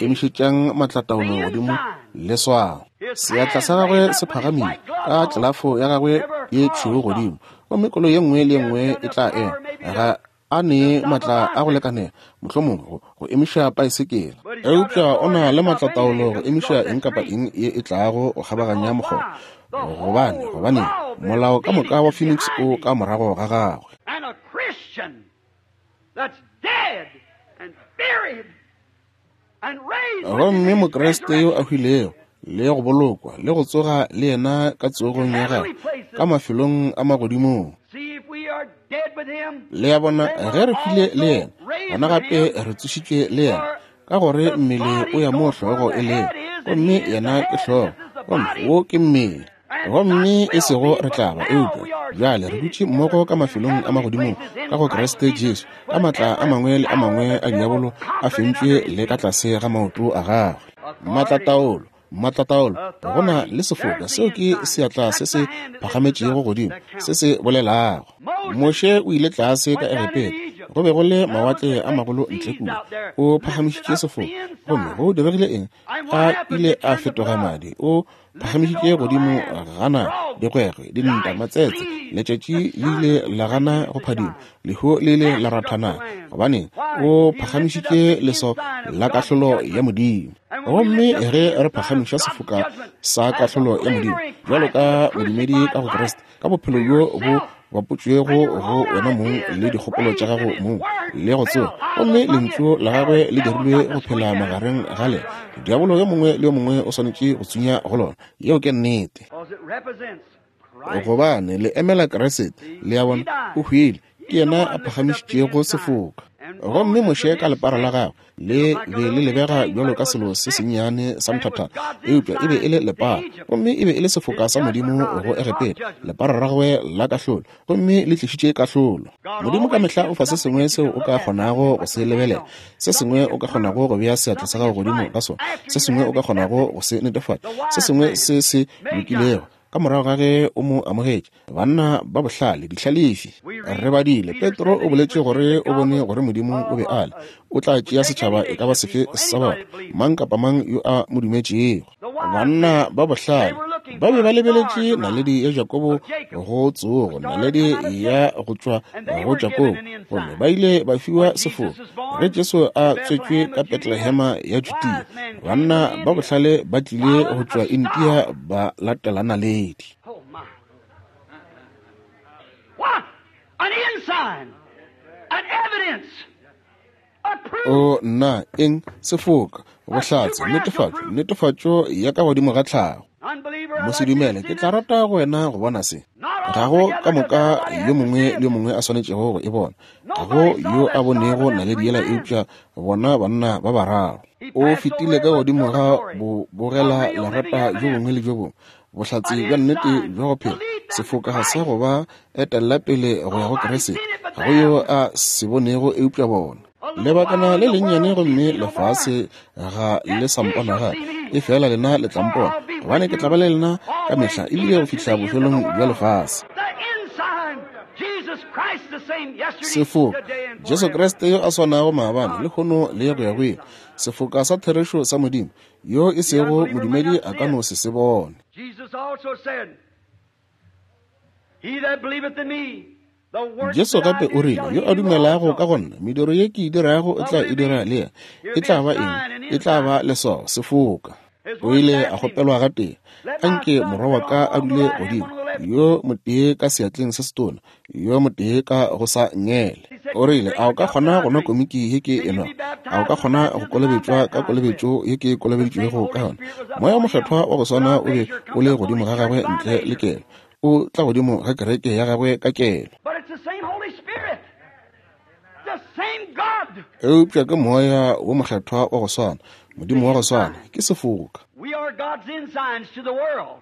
Emišetšang matlataolo godimo leswao. Seatla sa gagwe se phagamile ka tlelafo ya gagwe ye tšhweu godimo, gomme koloi ye nngwe le ye nngwe e tla ema. Ga a ne matla a go lekanela mohlomongwe go emiša paesekela, eupša o na le matlataolo go emiša eng kapa eng ye e tlago go kgabaganya mokgobo, gobane gobane molao ka moka wa Phoenix o ka morago ga gagwe. And a Christian that's dead and buried and raised with Gomme him in his Mokriste yo a resurrection. hwilego le go bolokwa le go tsoga le yena ka tsogong ya gagwe ka mafelong a magodimong. See if we are dead with him, Le a bona, then ge we're re hwile le also yena, raised gona with gape him. re tsošitšwe le yena, ka gore The mmele body o ya mo goes where hlogo the e lego, head is, and gomme he is the yena ke head, hlogo, this is the gomme body. wo ke mmele. And Gomme not e sego will be, re but tla ba, now eupša we are bjale re seated dutše together mmogo ka in mafelong a heavenly magodimong places in ka go Christ Kriste Jesus, Jesu, ka with matla a every mangwe le a power of mangwe the a devil diabolo a conquered and fentšwe under his le ka feet. tlase ga maoto a gagwe. Matlataolo, matlataolo, go na Authority. le sefoka, There's the seo ke ensign. seatla That's se the se hand that lifted phagametšego up godimo, that se counts. se bolelago. Moses Moshe o ile tlase ka went down into Egepeta, Egypt. go be go le There was mawatle the a great magolo ntle seas kua. out there. O Lifted phagamišitše up sefoka, the gomme ensign. go diregile eng? And what A happened? ile It a turned to fetoga blood. madi. O Lifted phagamišitše over the godimo land. gana Frogs, dikgwekgwe, dinta, lice, matsetse. fleas. Letšatši The le sun ile la gana refused go to phadima, shine. lehu le ile Death la struck the rathana. land. Gobane Why? o He lifted up phagamišitše the leswao ensign of la God's kahlolo ya judgment. Modimo. And when we Gomme lift up ge the re ensign of phagamiša God's sefoka judgment sa as a kahlolo ya Modimo believer in bjalo Christ ka in the modumedi crucified ka go life Kriste, ka to bophelo bjo bo yourself bapotšwego and your go own wena mong ideas le that dikgopolo tša raised in gago his mong word le go fell tsoga, out gomme among you. lentšu la Every gagwe le devil dirilwe got go to phela squeak at it. magareng ga lena. Diabolo yo mongwe le yo mongwe o swanetše go tsunya go lona. Yeo ke nnete, Because it represents Christ. gobane le emela Kriste. See, Le a he bona, o died. hwile, ke He's the yena a one lifted up the phagamišitšego ensign. sefoka. And Gomme Moses Moshe with ka his lepara la stick, gagwe it le looked like a be little le bitty lebega thing, bjalo but it ka was a selo se stick. sennyane sa And it was nthathana, God's eupša e be e ensign le to lepara, Egypt. gomme e be e le sefoka His sa judgment Modimo rod go and his rod Egepeta, judgment. lepara la gagwe la kahlolo, gomme le tlišitše kahlolo. God Modimo ka always mehla o gives fa se something sengwe that you seo can o look ka at, something kgonago to go put se your hand lebelela, on, se something sengwe you o can ka prove, kgonago go bea seatla sa something gago that's godimo right ka sona, after se you sengwe o have ka kgonago accepted go se netefatša, the se wise sengwe man, se se Magi. lokilego. Ka morago ga ge o mo amogetše, banna ba bohlale, dihlalefi, We re read badile. Peter Petro said o that he boletše perceived gore that o God bone was gore Modimo uh, o be uh, a le uh, o tla would tšea take any setšhaba e ka nation ba of sefe people, sa anybody batho, that believed. mang kapa mang yo a mo dumetšego. The wise Banna men, ba they bohlale were looking ba be for ba a star lebeletše to naledi rise ya Jakobo of Jacob, go a tsogo, star to naledi come out of ya Jacob. go tšwa And they go were given Jakobo, an gomme ensign. ba ile ba fiwa When Jesus sefoka. was Ge born Jesu in a tswetšwe Bethlehem ka of Judea, Betlehema ya Judea, wise men came from banna ba India, bohlale ba tlile go following tšwa a India star. ba latela naledi. Oh my. What? An ensign, an evidence, a proof, O nna eng sefoka, a bohlatse, supernatural netefatšo, proof. netefatšo ya ka godimo ga tlhago. Unbeliever, I'd like you to Mosedumele, see ke tla this. rata go wena go bona se. Not Ga go ka altogether does moka everybody yo have to mongwe see le it. yo mongwe a swanetšego go e bona. Ga go Nobody saw yo that a star bonego but them naledi three yela men. eupša bona banna ba bararo. He O passed over fetile ka every godimo ga observatory, bo a bogela real living lerata jo evidence, bongwe le jo bongwe. Bohlatse an bja nnete ensign bja go to phela, lead them to sefoka ga sa Christ. go ba etella pele go ya go Nobody Kriste. seen it but Ga go yo them. a se bonego eupša bona. A little Lebakana while le and the lennyane world sees gomme me no more. lefase ga le Yet sa ye mpona shall gape, see me, e fela lena le tla for mpona, I'll be gobane with ke tla you ba le lena ka always, mehla ebile go even to fihla the end of the bofelong bja world. lefase. The ensign, Jesus Christ the same yesterday, Sefoka, today, and Jesu forever. Kriste yo a swanago maabane, God lehono le go ya go ile. ensign. Sefoka sa therešo sa Modimo, yo e The sego unbeliever may modumedi not a see ka it. no se se bone. Jesus also said, He that believeth in me, the works Jesu that I gape o do rile, shall yo he a do dumelago ka also. go nna, mediro ye ke e dirago o What tla will e it dira be? le yena. Here'll E be tla a ba eng? sign, an E tla ba ensign. leswao, sefoka. His O ones ile a asked him, kgopelwa gatee, Let my anke son morwa wa sit ka on a one on the dule right hand, godimo, one on the left. yo motee ka seatleng se setona, yo motee ka go sa ngele. He said, O rile, Drink a o the ka cup that kgona I go nwa drink. komiki ye ke Can e you nwa? be A o baptized ka with the kgona go baptism I'm kolobetšwa ka baptized with? kolobetšo ye ke The same kolobeditšwego ka Holy yona? Spirit was Moya o upon him Mokgethwa wa go swana without o be measure o comes le upon godimo his ga church gagwe by ntle le measure. kelo, o tla godimo ga kereke ya gagwe ka kelo. But it's the same Holy Spirit, the same God, Eupša ke moya wo mokgethwa wa go swana, Modimo the wa go swana, ensign. ke sefoka. We are God's ensigns to the world.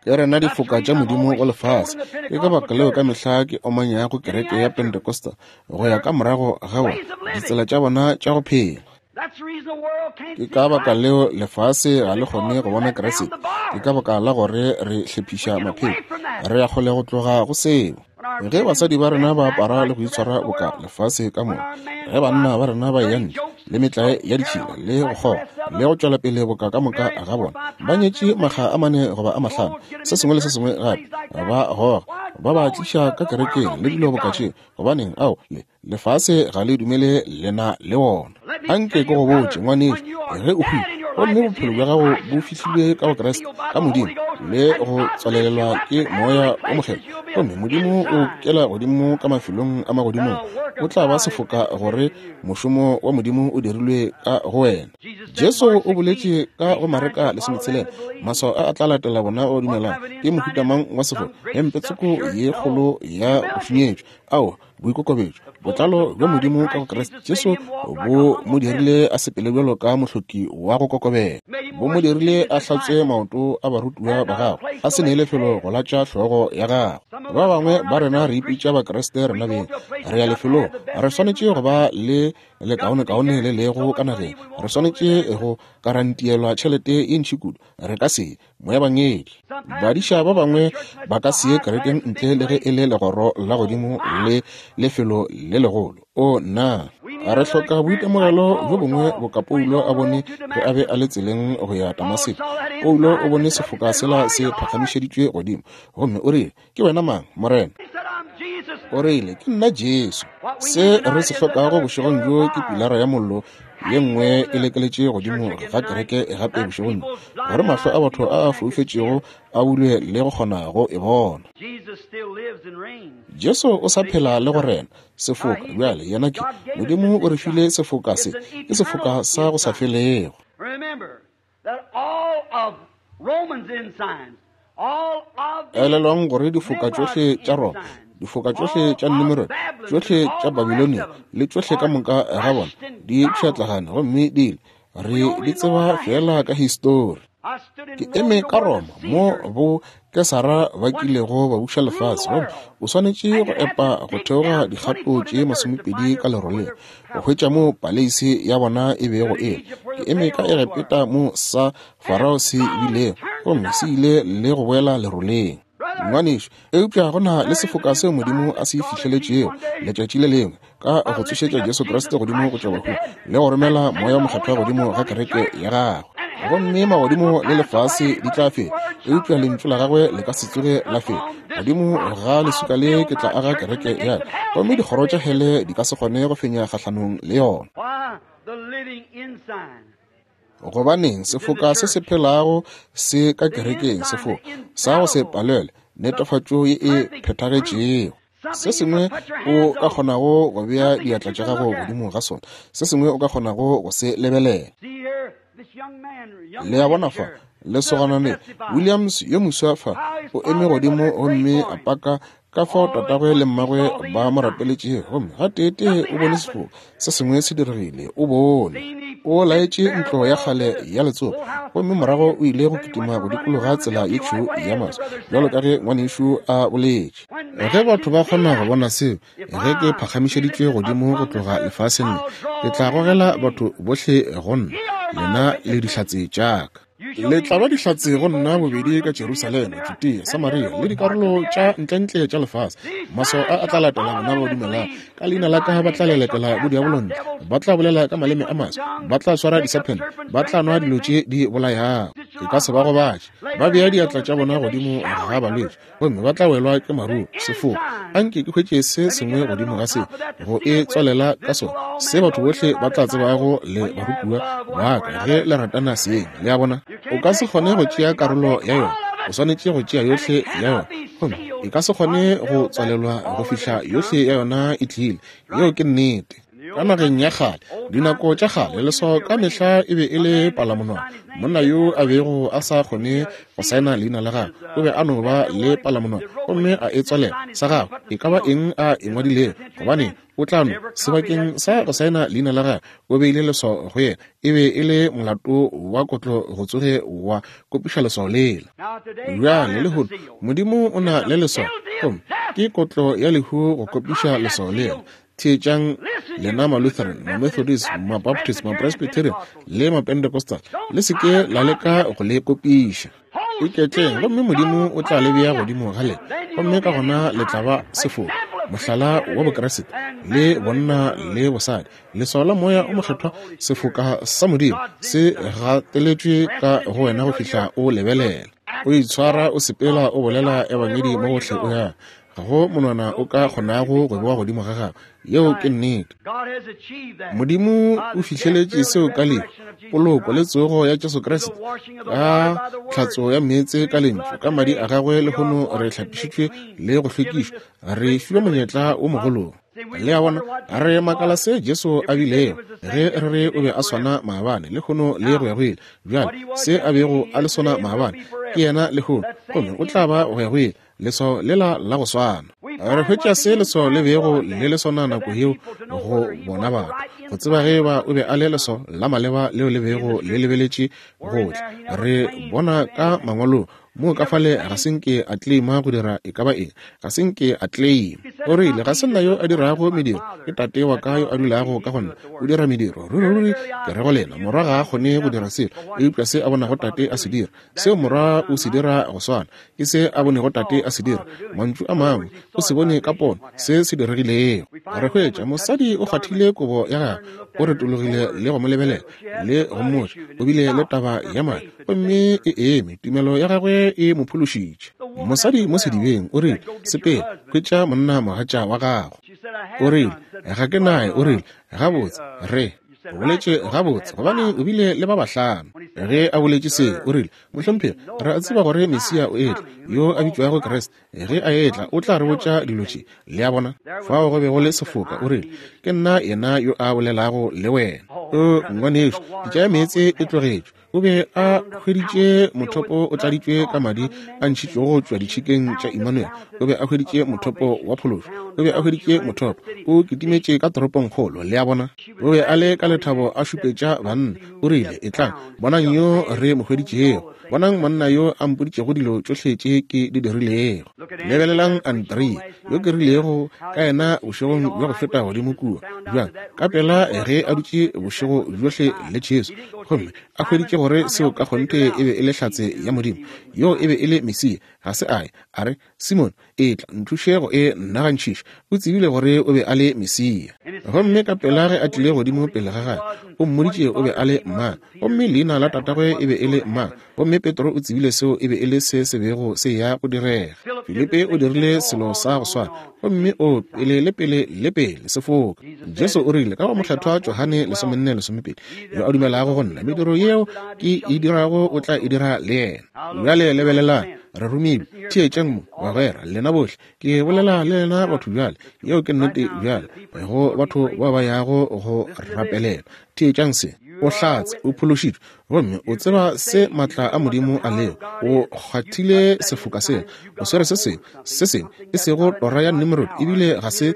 Ke rena That's the difoka tša reason I'm Modimo always go lefase. scolding the Ke ka Pentecostal baka leo ka church, mehla ke omanyago getting kereke ya after Pentecostal go ya their ka morago ga bona, ways of ditsela living. tša bona tša go phela. Ke ka baka leo lefase ga le kgone go bona Kriste. Ke ka baka la gore re hlephiša maphelo. Re ya kgole go tloga go seo. Ge basadi ba rena ba apara le go itshwara boka lefase ka moka, ge banna ba rena ba eya ntle le metlae ya ditšhila le go kgoga le go tšwela pele boka ka moka ga bona, ba nyetše makga a mane goba a mahlano, se sengwe le se sengwe gape, ba goga, ba ba tliša ka kerekeng le dilo boka tšeo. Gobaneng, ao, le lefase ga le dumele lena le wona. Anke ke go botše, ngwanešu, ge o hwile gomme bophelo bja gago bo fihlilwe ka go Kriste, ka Modimo, le go tswalelelwa ke Moya o Mokgethwa, gomme Modimo o kela godimo ka mafelong a magodimong, o tla ba sefoka gore mošomo wa Modimo o dirilwe ka go wena. Jesu o boletše ka go Mareka lesometshelela, maswao a a tla latela bona ba dumelang. Ke mohuta mang wa sefoka? Hempe tsoko ye kgolo ya go šunyetšwa. Ao, boikokobetšo, botlalo bja Modimo ka go Kriste Jesu bo mo dirile a sepele bjalo ka mohloki wa go kokobela. Bo mo dirile a hlatswe maoto a barutiwa ba gagwe, a se nee lefelo go latša hlogo ya gagwe. Ba bangwe ba rena re ipitša Bakriste rena beng, re ya lefelong, re swanetše go ba le lekaonekaone le lego ka nageng, re swanetše go karantielwa tšhelete ye ntši kudu, re ka se moebangedi. Badiša ba bangwe ba ka se ye kerekeng ntle le ge e le legoro la godimo le lefelo le legolo. O nna, re hloka boitemogelo bjo bongwe boka Paulo a bone ge a be a le tseleng go ya Damaseko. Paulo o bone sefoka sela se phagamišeditšwe godimo, gomme o rile, ke wena mang, Morena? O rile, ke nna Jesu. Se re se hlokago bošegong bjo ke pilara ya mollo ye nngwe e lekeletše godimo ga kereke gape bošegong bjo, gore mahlo a batho a a foufetšego a bulwe le go kgona go e bona. Jesu o sa phela le go rena. Sefoka bjale yena ke Modimo o re file sefoka se, ke sefoka sa go sa felego. Elelwang gore difoka tšohle tša Roma, difoka tšohle tša Nimrod, tšohle tša Babilonia le tšohle ka moka ga bona di pšhatlagane gomme di ile. Re di tseba fela ka histori. Ke eme ka Roma mo bo Kesara ba kilego ba buša lefase, gomme o swanetše go epa go theoga dikgato tše masomepedi ka leroleng go hwetša mo paleisi ya bona e bego e le. Ke eme ka Egepeta mo sa Farao se bilego, gomme se ile le go boela leroleng. Ngwanešu, eupša go na le sefoka seo Modimo a se fihleletšego letšatši le lengwe ka go tsošetša Jesu Kriste godimo go tšwa bahung le go romela Moya Mokgethwa godimo ga kereke ya gagwe. Gomme magodimo le lefase di tla fela, eupša lentšu la gagwe le ka se tsoge la fela. Godimo ga leswika le ke tla aga kereke ya ka, gomme dikgoro tša hele di ka se kgone go fenya kgahlanong le yona. Gobaneng sefoka se se phelago se ka kerekeng, sefoka sa go se palelwe, netefatšo ye e phethagetšego. Se sengwe o ka kgonago go bea diatla tša gago godimo ga sona, se sengwe o ka kgonago go se lebelela. Le a bona fa, lesogana le Williams yo moswa fa o eme godimo gomme a paka ka fao tatagwe le mmagwe ba mo rapeletšego, gomme gateetee o bone sefoka se sengwe se diregile. O bone o laetše ntlo ya kgale ya letsopa, gomme morago o ile go kitima go dikologa tsela ye tšhweu ya maswi, bjalo ka ge ngwanešu a boletše. Ge batho ba kgona go bona seo, ge ke phagamišeditšwe godimo go tloga lefaseng le, ke tla gogela batho bohle go nna, lena le dihlatse tša ka. Le tla ba dihlatse go nna bobedi ka Jerusalema, Judea, Samaria le dikarolo tša ntlentle tša lefase. Maswao a a tla latela bona ba dumelang. Ka leina la ka ba tla lelekela bodiabolo ntle, ba tla bolela ka maleme a maswa, ba tla swara disephene, ba tla nwa dilo tše di bolayago, e ka se ba gobatše. Ba bea diatla tša bona godimo ga balwetši, gomme ba tla welwa ke maruru. Sefoka, anke ke hwetše se sengwe godimo ga se, go e tswalela ka sona, se batho bohle ba tla tsebago le barutiwa ba ka ge le ratana seng. Le a bona? O ka se kgone go tšea karolo ya yona, o swanetše go tšea yohle ya yona, gomme e ka se kgone go tswalelwa go fihla yohle ya yona e tlile. Yeo ke nnete. Ka nageng ya kgale, dinako tša kgale, leswao ka mehla e be e le palamonwana. Monna yo a bego a sa kgone go saena leina la gagwe o be a no ba le palamonwana gomme a e tswalela sa gagwe, e ka ba eng a e ngwadilego, gobane o tla no sebakeng sa go saena leina la gagwe o beile leswao go yena. E be e le molato wa kotlo go tsoge wa kopiša leswao lela. Bjale lehono Modimo o na le leswao, gomme ke kotlo ya lehu go kopiša leswao lela. Theetšang Lena ma-Lutheran, ma-Methodist, ma-Baptist, ma-Presbyterian le ma-Pentecostal, le se ke la leka go le kopiša. Iketleng, gomme Modimo o tla le bea godimo ga lena, gomme ka gona le tla ba sefoka, mohlala wa Bokriste, le bonna le bosadi. Leswao la Moya o Mokgethwa, sefoka sa Modimo, se gateletšwe ka go wena go fihla o lebelela. O itshwara, o sepela, o bolela ebangedi mo gohle o ya. Ga go monwana o ka kgonago go bewa godimo ga gago. Yeo ke nnete. Modimo o fihleletše seo ka lehu, poloko le tsogo ya Jesu Kriste, ka tlhatso ya meetse ka lentšu, ka madi a gagwe lehono re hlapišitšwe le go hlwekišwa, re fiwa monyetla o mogolo. Le a bona, re makala se Jesu a bilego ge re re o be a swana maabane, lehono le go ya go ile. Bjale se a bego a le sona maabane ke yena lehono, gomme o tla ba go ya go ile. Leswao lela la go swana. Re hwetša se leswao le bego le le sona nako yeo go bona batho, go tseba ge ba o be a le leswao la maleba leo le bego le lebeletše gohle. Re bona ka mangwalong moo ka fale ga se nke a claima go dira e ka ba eng, ga se nke a claima. O rile, ga se nna yo a dirago mediro, ke Tate wa ka yo a dulago ka go nna, o dira mediro. Ruri ruri ke re go lena, Morwa ga a kgone go dira selo eupša se a bonago Tate a se dira, seo Morwa o se dira go swana ke se a bonego Tate a se dira. Mantšu a mangwe, o se bone ka pono se se diregilego. Re hwetša mosadi o kgwathile kobo ya gagwe, o retologile le go mo lebelela le go mmotša o bile le taba ya madi, gomme e eme, tumelo ya gagwe e mo phološitše. Mosadi mo sedibeng o rile, sepela, hwetša monna mogatša wa gago. O rile, ga ke naye. O rile, gabotse, re o boletše gabotse, gobane o bile le ba bahlano. Ge a boletše se, o rile, mohlomphegi, re a tseba gore Mesia o etla, yo a bitšwago Kriste. Ge a etla, o tla re botša dilo tše. Le a bona, fao go be go le sefoka. O rile, ke nna yena yo a bolelago le wena. O ngwanešo, pitša ya meetse e tlogetšwe. O be a hweditše mothopo o tladitšwe ka madi a ntšhitšwego go tšwa ditšhikeng tša Emmanuel. O be a hweditše mothopo wa phološo. O be a hweditše mothopo. O kitimetše ka toropongkgolo. Le a bona, o be a le ka lethabo a šupetša banna. O rile, etlang, bonang yo re mo hweditšego. Bonang monna yo a mpoditšego dilo tšohle tše ke di dirilego. Lebelelang Andrea, yo ke rilego ka yena bošegong bja go feta godimo kua. Bjang, ka pela ge a dutše bošego bjohle le Jesu, gomme a hweditše gore seo ka kgonthe e be e le hlatse ya Modimo, yo e be e le Mesia, ga se a ye a re, Simon, etla nthuše go e nagantšhiša. O tsebile gore o be a le Mesia. Gomme ka pela ge a tlile godimo pele ga gagwe, o mmoditše o be a le mang, gomme leina la tatagwe e be e le mang. Gomme Petro o tsebile seo e be e le se se bego se ya go direga. Filipe o dirile selo sa go swana, gomme o pele le pele le pele sefoka. Jesu o rile ka go Mokgethwa Johane lesomenne lesomepedi, yo a dumelago go nna, mediro yeo ke e dirago o tla e dira le yena. Bjale lebelelang, re romilwe. Theetšang mo, bagwera, lena bohle. Ke bolela le lena batho bjale. Yeo ke nnete bjale go batho ba ba yago go rapelela. Theetšang se. O hlatse, o phološitšwe, gomme o tseba se matla a Modimo a lego. O kgwathile sefoka sela, o swere se sengwe, se sengwe, e sego tora ya Nimrod, ebile ga se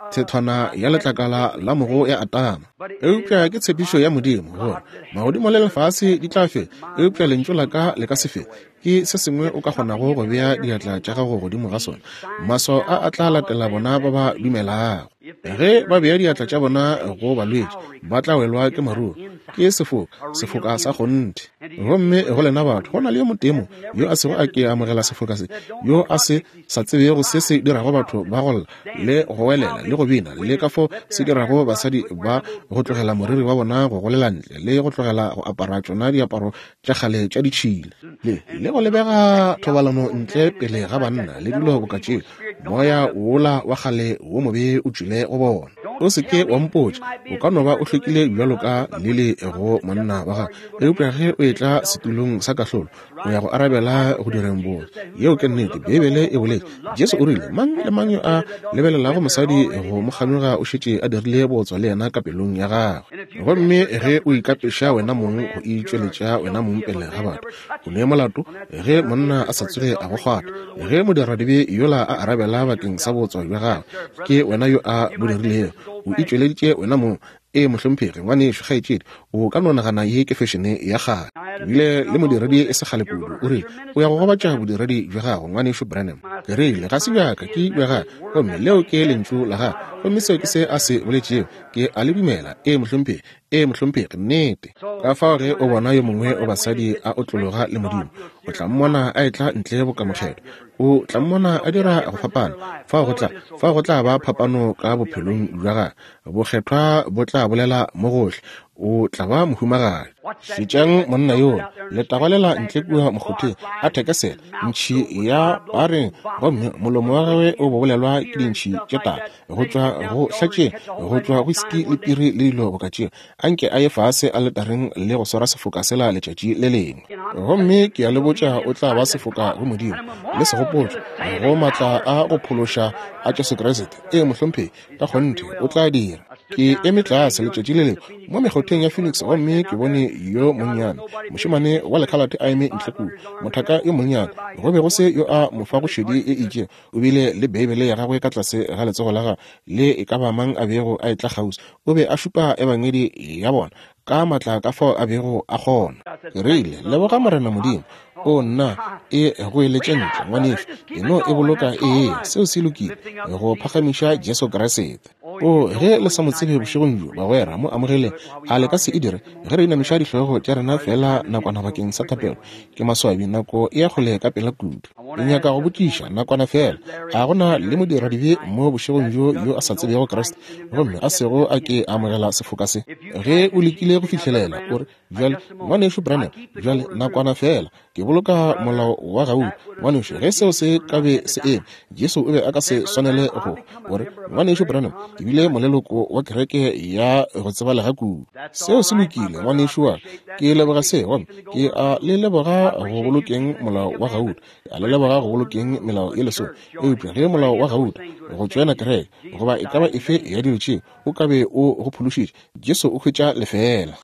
thethwana ya letlakala la mogo ya Atama. Eupša ke tshepišo ya Modimo gore magodimo le lefase di tla fela, eupša lentšu la ka le ka se fele. Ke se sengwe o ka kgonago go bea diatla tša gago godimo ga sona. Maswao a a tla latela bona ba ba dumelago. Ge ba bea diatla tša bona go balwetši, ba tla welwa ke maruru. Ke sefoka, sefoka sa kgonthe. Gomme go lena batho, go na le yo motee mo yo a sego a ke amogela sefoka se, yo a se sa tsebego se se dirago batho ba go lla le go welela le go bina, le ka fo se dirago basadi ba go tlogela moriri wa bona go golela ntle, le go tlogela go apara tšona diaparo tša kgale tša ditšhila, le le go lebega thobalano ntle pele ga banna le dilo boka tšeo. Moya wola wa kgale wo mobe o tšwile go bona. O se ke wa mpotša, o ka no ba o hlwekile bjalo ka lili go monna wa gago, eupša ge o etla setulong sa kahlolo, o ya go arabela go direng botse. Yeo ke nnete. Beibele e boletše. Jesu o rile, mang le mang yo a lebelelago mosadi go mo kganoga o šetše a dirile bootswa le yena ka pelong ya gagwe. Gomme ge o ikapeša wena mong go itšweletša wena mong pele ga batho, o ne molato ge monna a sa tsoge a go kgwatha. Ge modiradibe yola a arabela bakeng sa bootswa bja gagwe, ke wena yo a bo dirilego, o itšweleditše wena mong. E mohlomphegi, ngwanešo, kgaetšedi, o ka no nagana ye ke fešene ya kgale. Ke bile le modiredi e se kgale kudu, o rile, o ya go gobatša bodiredi bja gago, ngwanešo Branham. Ke rile, ga se bjaka, ke bja gagwe, gomme leo ke lentšu la gagwe. Gomme seo ke se a se boletšego. Ke a le dumela. Ee, mohlomphegi. Ee, mohlomphegi, nnete. Ka fao ge o bona yo mongwe o basadi a otlologa le Modimo, o tla mmona a etla ntle bokamogelo. O tla mmona a dira go fapana. Fao go tla, fao go tla ba phapano ka bophelong bja gagwe. Bokgethwa bo tla bolela mo gohle. O tla ba mohumagadi. Šetšang monna yola, letagwa lela ntle kua mokgotheng, a thekesela ntšhi ya pareng, gomme molomo wa gagwe o bobolelwa ke dintšhi tše tala go tšwa go hlatšeng, go tšwa whisky le piri le dilo boka tšeo. Anke a ye fase aletareng le go swara sefoka sela letšatši le lengwe. Gomme ke a le botša, o tla ba sefoka go Modimo le segopotšo go maatla a go phološa a Jesu Kriste. Ee, mohlomphegi, ka kgonthe o tla dira. Ke eme tlase letšatši le lengwe mo mekgotheng ya Phoenix, gomme ke bone yo monnyane mošemane wa lekhalate a eme ntle kua, mothaka yo monnyane. Go be go se yo a mo fago šedi e itšego. O bile le Beibele ya gagwe ka tlase ga letsogo la gagwe, le e ka ba mang a bego a etla kgauswi. O be a šupa ebangedi ya bona ka maatla ka fao a bego a kgona. Ke rile, leboga Morena Modimo. O nna, e goeletše ntle, ngwanešu. E no e boloka ee, seo se lokile, go phagamiša Jesu Kriste. O, ge le sa mo tsebe bošegong bjo, bagwera, mo amogeleng. A le ka se e dire ge re inamiša dihlogo tša rena fela nakwana bakeng sa thapelo? Ke maswabi, nako e ya kgole ka pela kudu. Ke nyaka go botšiša nakwana fela. A gona le modiradibe mo bošegong bjo yo a sa tsebego Kriste, gomme a sego a ke amogela sefoka se? Ge o lekile go fihlelela, o re, bjale, ngwanešu Branham, bjale nakwana fela, ke boloka molao wa gauta. Ngwanešu, ge seo se ka be se eme, Jesu o be a ka se swanele go. O re, ngwanešu Branham, ke bile moleloko wa kereke ya go tsebalega kudu. Seo se lokile, ngwanešu wa ka. Ke leboga se, gomme ke a le leboga go bolokeng molao wa gauta. A le leboga go bolokeng melao ye lesome. Eupša ge molao wa gauta, go tšoena kereke, goba e ka ba efe ya dilo tšeo, o ka be o go phološitše, Jesu o hwetša lefeela.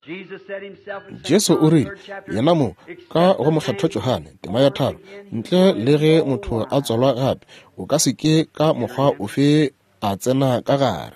Jesu o rile, yena mo, ka go mokgethwa Johane, tema ya tharo, ntle le ge motho a tswalwa gape, o ka se ke ka mokgwa ofe a tsena ka gare.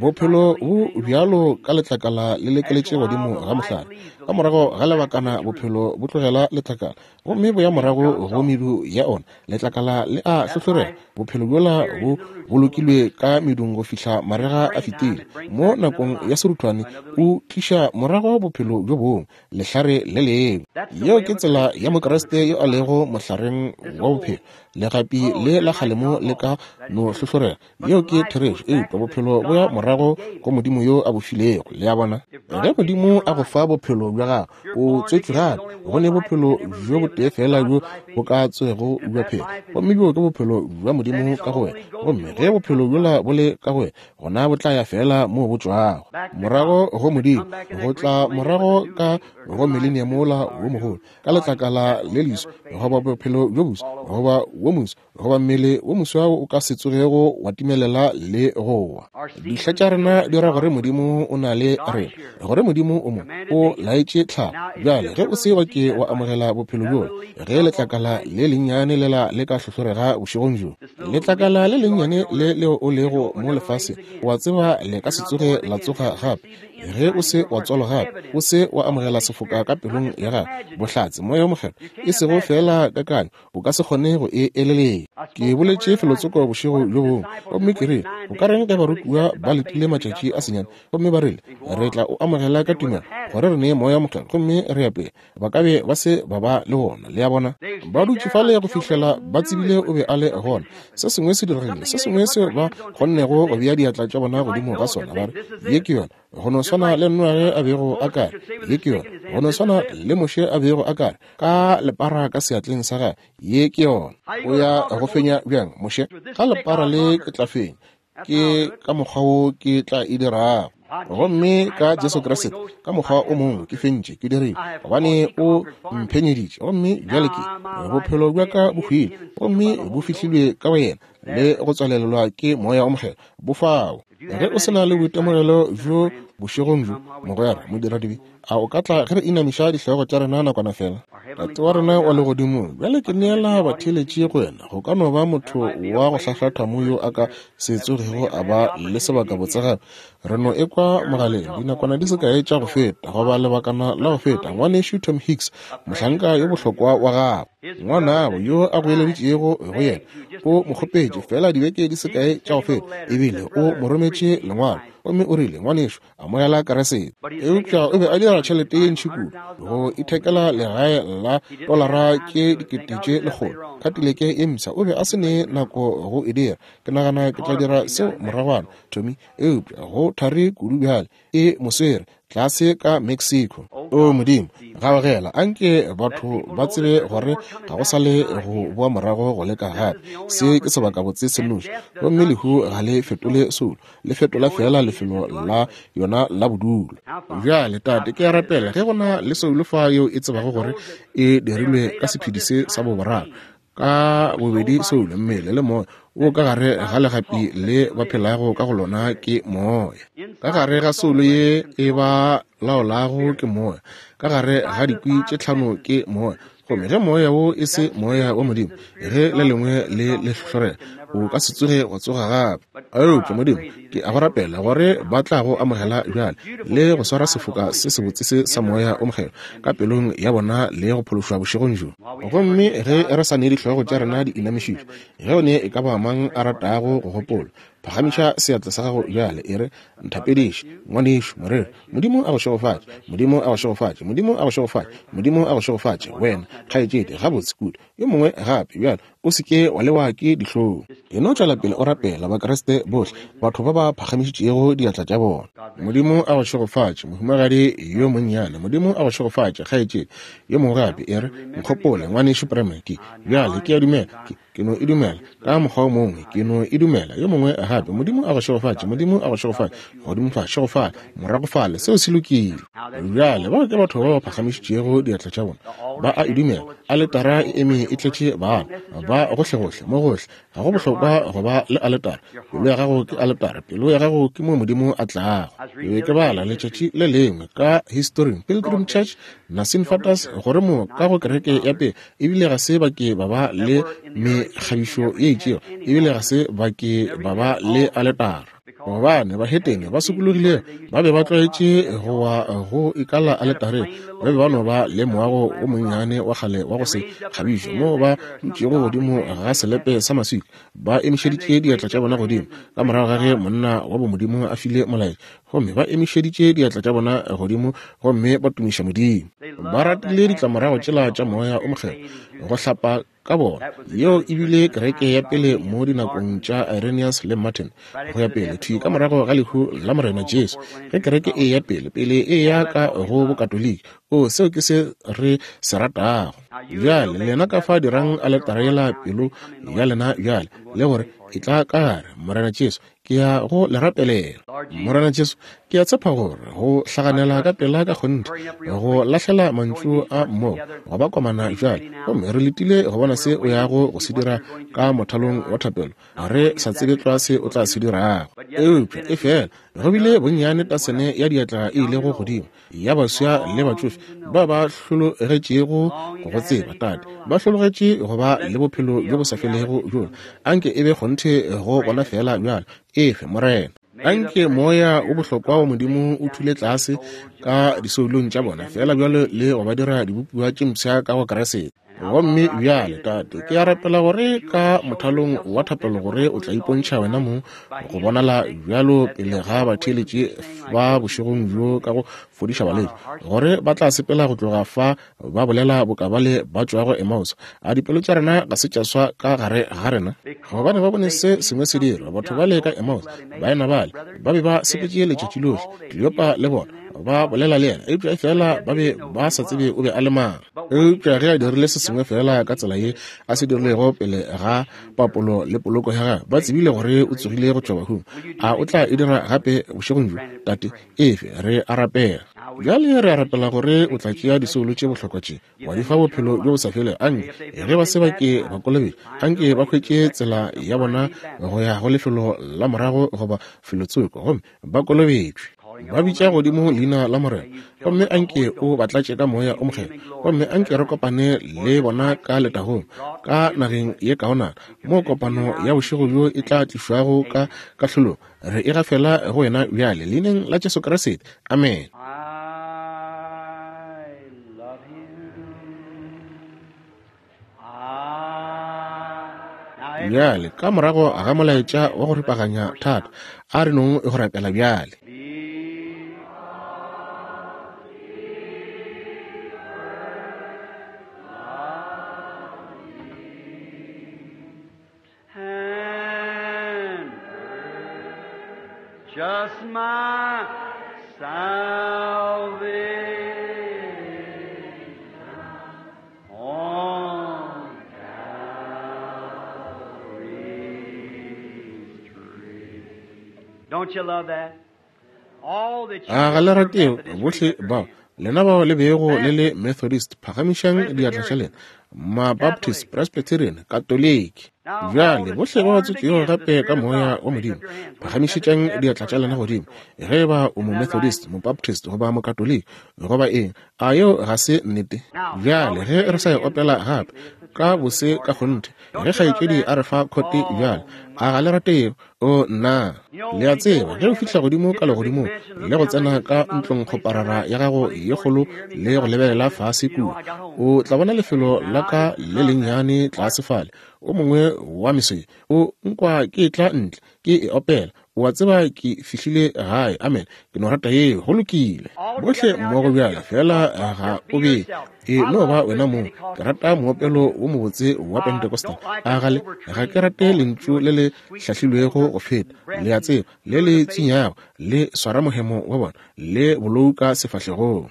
Bophelo bo bjalo ka letlakala le lekeletše godimo ga mohlare. Ka morago ga lebakana bophelo bo tlogela letlakala, gomme bo ya morago go medu ya ona. Letlakala le a hlohlorega. Bophelo bjola bo bolokilwe ka medung go fihla marega a fetile. Mo nakong ya seruthwane o tliša morago bophelo bjo bongwe, lehlare le lengwe. Yeo ke tsela ya Mokriste yo a lego mohlareng wa bophelo. Legapi le la kgalemo le ka no hlohlorega. Yeo ke therešo, eupša bophelo bo ya morago go Modimo yo a bo filego. Le a bona? Ge Modimo a go fa bophelo bja gago, o tswetšwe gape. Go ne bophelo bjo botee fela bjo bo ka tswego bja phela, gomme bjo ke bophelo bja Modimo ka go wena. Gomme ge bophelo bjola bo le ka go wena, gona bo tla ya fela moo bo tšwago, morago go Modimo, go tla morago ka go millennium wola wo mogolo, ka letlakala le leso, goba bophelo bjo boso, goba wo moso, goba mmele wo moswa o ka se tsogego wa timelela le go wa. Dihla tša rena di ra gore Modimo o na le rena, gore Modimo o mo o laetše tlhago. Bjale ge o se wa ke wa amogela bophelo bjola, ge letlakala le lennyane lela le ka hlohlorega bošegong bjo, letlakala le lennyane le leo o lego mo lefaseng, wa tseba le ka se tsoge la tsoga gape. Ge o se wa tswalwa gape, o se wa amogela sefoka ka pelong ya gago, bohlatse Moya wo Mokgethwa, e sego fela kakanyo, o ka se kgone go e eleletša. Ke boletše felotsoko bošego bjo bongwe, gomme ke rile, o ka reng ge barutiwa ba letile matšatši a senyane, gomme ba rile, re tla o amogela ka tumelo gore re nee Moya Mokgethwa, gomme re ya pele. Ba ka be ba se ba ba le wona. Le a bona? Ba dutše fale go fihlela ba tsebile o be a le gona. Se sengwe se diregile, se sengwe seo ba kgonnego go bea diatla tša bona godimo ga sona, ba re, ye ke yona. Go no swana le Noage a bego a kare, ye ke yona. Go no swana le Moshe a bego a kare, ka lepara ka seatleng sa gagwe, ye ke yona. O ya go fenya bjang, Moshe? Ka lepara le ke tla fenya, ke ka mokgwa wo ke tla e dirago. Gomme ka Jesu Kriste, ka mokgwa o mongwe ke fentše, ke dirile, gobane o mphenyeditše. Gomme bjale ke bophelo bja ka bo hwile, gomme bo fihlilwe ka go yena le go tswalelelwa ke Moya o Mokgethwa. Bo fao. Ge o se na le boitemogelo bjo bošegong bjo, mogwera modiradibe, a o ka tla ge re inamiša dihlogo tša rena nakwana fela? Tate wa rena wa legodimong, bjale ke neela batheeletši go wena. Go ka no ba motho wa go hlahlatha mo yo a ka se tsogego a ba le sebaka botse gape. Re no ekwa mogaleng dinakwana di se kae tša go feta, goba lebakana la go feta, ngwanešu Tom Hicks, mohlanka yo bohlokwa wa gagwe, ngwanabo yo a goeleditšego go yena, o mo kgopetše fela dibeke di se kae tša go feta, ebile rile o mo rometše lengwalo, gomme o rile, ngwanešu, amogela Keresete. Eupša o be a dira tšhelete ye ntši kudu go ithekela legae la tolara tše dikete tše lekgolo, Cadillac ye mpsha. O be a se ne nako go e dira. Ke nagana ke tla dira seo moragwana, Tommy, eupša go thari kudu bjale. E mo swere tlase ka Mexico. O Modimo, gaogela, anke batho ba tsebe gore ga go sa le go boa morago go leka gape. Se ke sebakabotse se nnoši, gomme lehu ga le fetole soulo, le fetola fela lefelo la yona la bodulo. Bjale, Tate, ke a rapela ge go na le soulo fa yeo e tsebago gore e dirilwe ka sephedi se sa boboraro, ka bobedi soulo, mmele le moya, wo ka gare ga legapi le ba phelago ka go lona ke moya. Ka gare ga soulo ye e ba laolago ke moya, ka gare ga dikwi tše tlhano ke moya. Gomme ge moya wo e se moya wa Modimo, ge le lengwe le le hlohlorela, o ka se tsoge wa tsoga gape. Eupša Modimo, ke a go rapela gore ba tla go amogela bjale le go swara sefoka se sebotse se sa moya o mokgethwa ka pelong ya bona le go phološwa bošegong bjo. Gomme ge re sa ne dihlogo tša rena di inamišitšwe, ge o ne e ka ba mang a ratago go gopola, phagamiša seatla sa gago bjale, e re, nthapediše, ngwanešu moreri. Modimo a go šegofatše, Modimo a go šegofatše, Modimo a go šegofatše, Modimo a go šegofatše, wena kgaetšedi, gabotse kudu. Yo mongwe gape bjale, o se ke wa lewa ke dihlong. E no tšwela pele o rapela, Bakriste bohle, batho ba ba phagamišitšego diatla tša bona. Modimo a go šegofatše, mohumagadi yo monnyane. Modimo a go šegofatše, kgaetšedi. Yo mongwe gape, e re, nkgopole, ngwanešu Branham. Ke bjale ke a dumela, ke ke no e dumela ka mokgwa o mongwe, ke no e dumela. Yo mongwe gape, Modimo a go šegofatše, Modimo a go šegofatše, godimo fa, šegofale, morago fale, seo se lokile. Bjale bao ke batho ba ba phagamišitšego diatla tša bona, ba a e dumela. Aletara e eme e tletše bana ba gohlegohle, mo gohle. Ga go bohlokwa go ba le aletara. Pelo ya gago ke aletara, pelo ya gago ke mo Modimo a tlago. Ke be ke bala letšatši le lengwe ka historing Pilgrim Church Nasin Fatas gore mo ka go kereke ya pele ebile ga se ba ke ba ba le mekgabišo ye itšego, ebile ga se ba ke ba ba le aletara, gobane bahetene ba sokologilego ba be ba tlwaetše go wa go ikala aletareng. Ba be ba no ba le moago o monnyane wa kgale wa go se kgabišwe moo ba dutšego godimo ga selepe sa maswika, ba emišeditše diatla tša bona godimo ka morago ga ge monna wa bomodimo a file molaetša, gomme ba emišeditše diatla tša bona godimo gomme ba tumiša Modimo. Ba ratile ditlamorago tšela tša moya o mokgethwa go hlapa ka bona. Yeo ebile kereke ya pele mo dinakong tša Irenaeus le Martin go ya pele, thwi ka morago ga lehu la Morena Jesu. Ge kereke e ya pele, pele e ya ka go bokatoliki. O, seo ke se re se ratago. Bjale lena ka fa dirang aletara yela pelo ya lena bjale, le gore e tla ka gare, Morena Jesu, ke ya go le rapelela. Morena Jesu, ke a tshepa gore go hlaganela ka pela ka kgonthe, go lahlela mantšu a mmogo, go ba komana bjale, gomme re letile go bona se o yago go se dira ka mothalong wa thapelo. Re sa tsebe tlwa se o tla se dirago, eupša e fela go bile bonnyane tasene ya diatla e ilego godimo ya baswa le batšofe ba ba hlologetšego go tseba Tate, ba hlologetše go ba le bophelo bjo bo sa felego bjola. Anke e be kgonthe go bona fela bjalo. Efe, Morena, anke moya o bohlokwa wa Modimo o thule tlase ka disoulong tša bona fela bjalo le go ba dira dibopiwa tše mpsha ka go Keresete. Gomme bjale, Tate, ke a rapela gore ka mothalong wa thapelo gore o tla ipontšha wena mong go bonala bjalo pele ga batheeletši ba bošegong bjo ka go fodiša balwetši, gore ba tla sepela go tloga fa ba bolela boka bale ba tšwago Emmaus. A dipelo tša rena ga se tša swa ka gare ga rena? Gobane ba bone se sengwe se dirwa. Batho bale ka Emmaus, baena bale ba be ba sepetše letšatši lohle, Kleopa le bona ba bolela le yena, eupša fela ba be ba sa tsebe o be a le mang. Eupša ge a dirile se sengwe fela ka tsela ye a se dirilego pele ga papolo le poloko ya gagwe, ba tsebile gore o tsogile go tšwa bahung. A o tla e dira gape bošegong bjo, Tate? Efe, re a rapela bjale, re a rapela gore o tla tšea disoulo tše bohlokwa tše wa di fa bophelo bjo bo sa felego. Anke ge ba se ba ke ba kolobetše, anke ba hwetše tsela ya bona go ya go lefelo la morago goba felotsoko, gomme ba kolobetšwe, ba bitša godimo leina la Morena. Gomme anke o ba tlatše ka moya o mokgethwa, gomme anke re kopane le bona ka letagong ka nageng ye kaonana, mo kopano ya bošego bjo e tla tlišwago ka kahlolong. Re e gafela go wena bjale, leineng la Jesu Kriste, amen. Bjale, ka morago ga molaetša wa go ripaganya thata, a re nong go rapela bjale. Just my salvation on Calvary's tree. Don't you love that? All that you A ga le rate bohle bao lena bao le bego le le Methodist, phagamišang diatla tša lena, ma-Baptist, Presbyterian, Katoliki. Bjale bohle ba ba tswetšego gape ka moya wa Modimo, phagamišetšang diatla tša lena godimo. Ge eba o mo-Methodist, mo-Baptist goba mo-Katoliki goba eng, a yeo ga se nnete? Bjale ge re sa e opela gape ka bose ka kgonthe, ge kgaetšedi a re fa khote bjale, a ga le rate yeo? O nna, le a tseba, ge o fihla godimo ka legodimong le go tsena ka ntlongkgoparara ya gago ye kgolo le go lebelela fase kua, o tla bona lefelo la ka le lennyane tlase fale. O mongwe wa meswe o nkwa ke tla ntle ke e opela, o a tseba ke fihlile gae. Amen. Ke no rata yeo. Go lokile. Bohle mmogo bjale, fela ga o be e no ba wena mong. Ke rata moopelo wo mobotse wa Pentecostal. A gale ga ke rate lentšu le le hlahlilwego go feta, le a tseba, le le tsinyago, le swara mohemo wa bona, le bolou ka sefahlegong.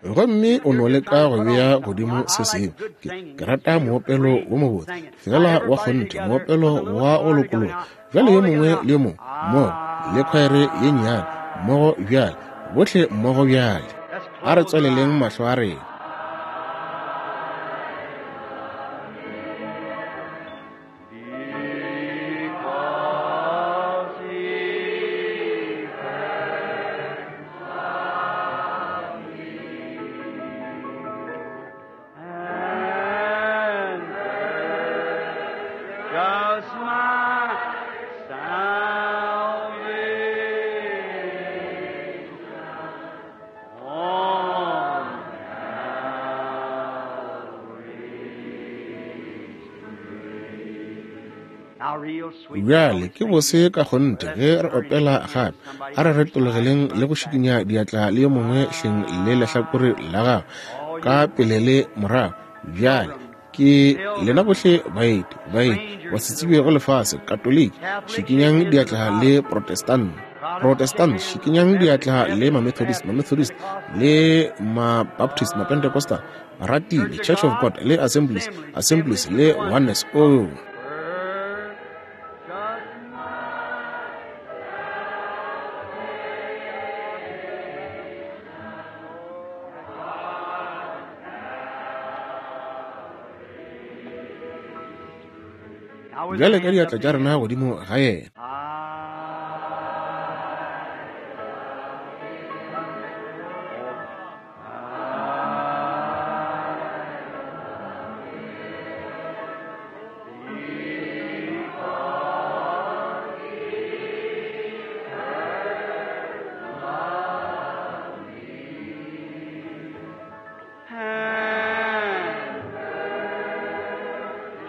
Gomme o no leka go bea godimo se sengwe. Ke, ke rata moopelo wo mobotse, fela wa kgonthe, moopelo wa go lokologa. Bjale yo mongwe le yo mongwe mmogo, le khwaere ye nnyane mmogo bjale, bohle mmogo bjale. A re tswaleleng mahlo a rena. Because he first loved me and purchased my salvation on Calvary's tree. Now, real sweet. Bjale ke bose ka kgonthe ge re opela gape, a re retologeleng le go šikinya diatla le yo mongwe hleng le lehlakore la gago ka pele le morago. Bjale ke lena bohle baeti, baeti ba se tsebego lefase, Katoliki, šikinyang diatla le Protestant, Protestant, šikinyang diatla le ma-Methodist, ma-Methodist le ma-Baptist, ma-Pentecostal, ratile, Church of God le Assemblies, Assemblies le Oneness. Oh, bjale ka diatla tša rena godimo ga yena.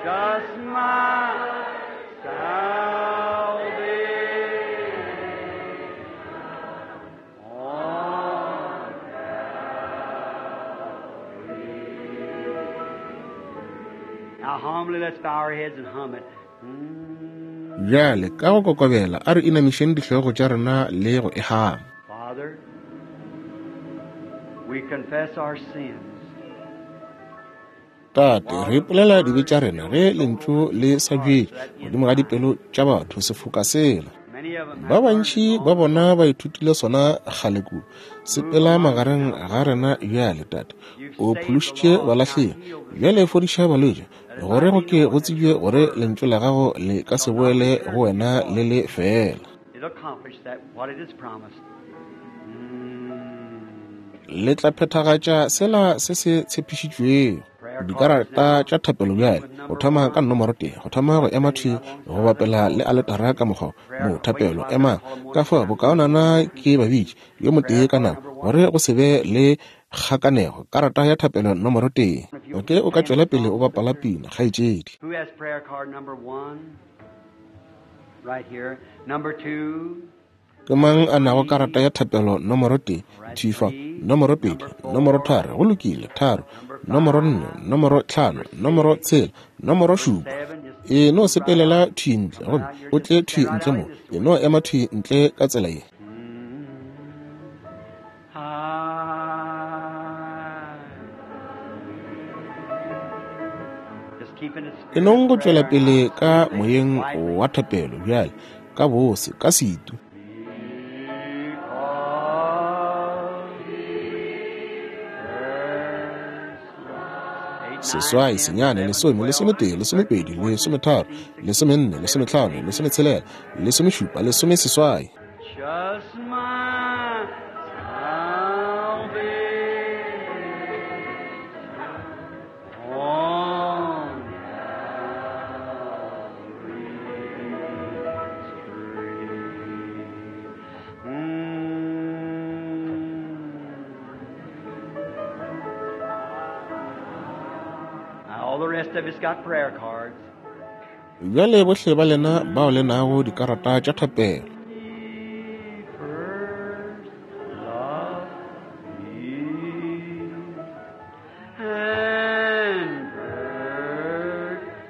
Just my salvation on Calvary. Now humbly let's bow our heads and hum it. Mm. Bjale ka go kokobela a re inamišeng dihlogo tša rena le go e hama. Father, we confess our sins. Tate, re ipolela dibe tša rena ge lentšu le sa bjetše godimo ga dipelo tša batho sefoka sela. Many of them Ba have learned bantši ba bona ba ithutile sona kgale kudu. Sepela magareng ga rena bjale, Tate. O phološitše balahlegi, bjale fodiša balwetši, gore go ke go tsebje gore lentšu la gago le ka se boele go wena le le fela. It'll accomplish that what it is promised. Mm. Le tla phethagatša sela se se tshepišitšwego. Dikarata tša thapelo bjale, go thoma ka nomoro tee, go thoma go ema thwi go bapela le aletara ka mokgwa mo thapelo ema ka fao bokaonana ke babitše yo motee ka nako, gore go se be le Kgakanego, karata ya thapelo nomoro tee. Oke, o ka tšwela pele o bapala pina, kgaetšedi. Who has prayer card number one? Right here. Number two. Ke mang a nago karata ya thapelo nomoro tee? Thifa, nomoro pedi, nomoro tharo, go lokile, tharo, nomoro nne, nomoro tlhano, nomoro tshela, nomoro šupa. E no sepelela thwi ntle, gomme o tle thwi ntle mo. E no ema thwi ntle ka tsela ye. E nong go tšwela pele ka moyeng wa thapelo bjale, ka bose, ka setu. Seswai, senyane, lesome, lesometee, lesomepedi, lesometharo, lesomenne, lesometlhano, lesometshelela, lesomešupa, lesomeseswai. Just my salvation on Calvary's tree. Mm. Now, all the rest of us got prayer cards. Bjale bohle ba lena bao le nago dikarata tša thapelo. He first loved me and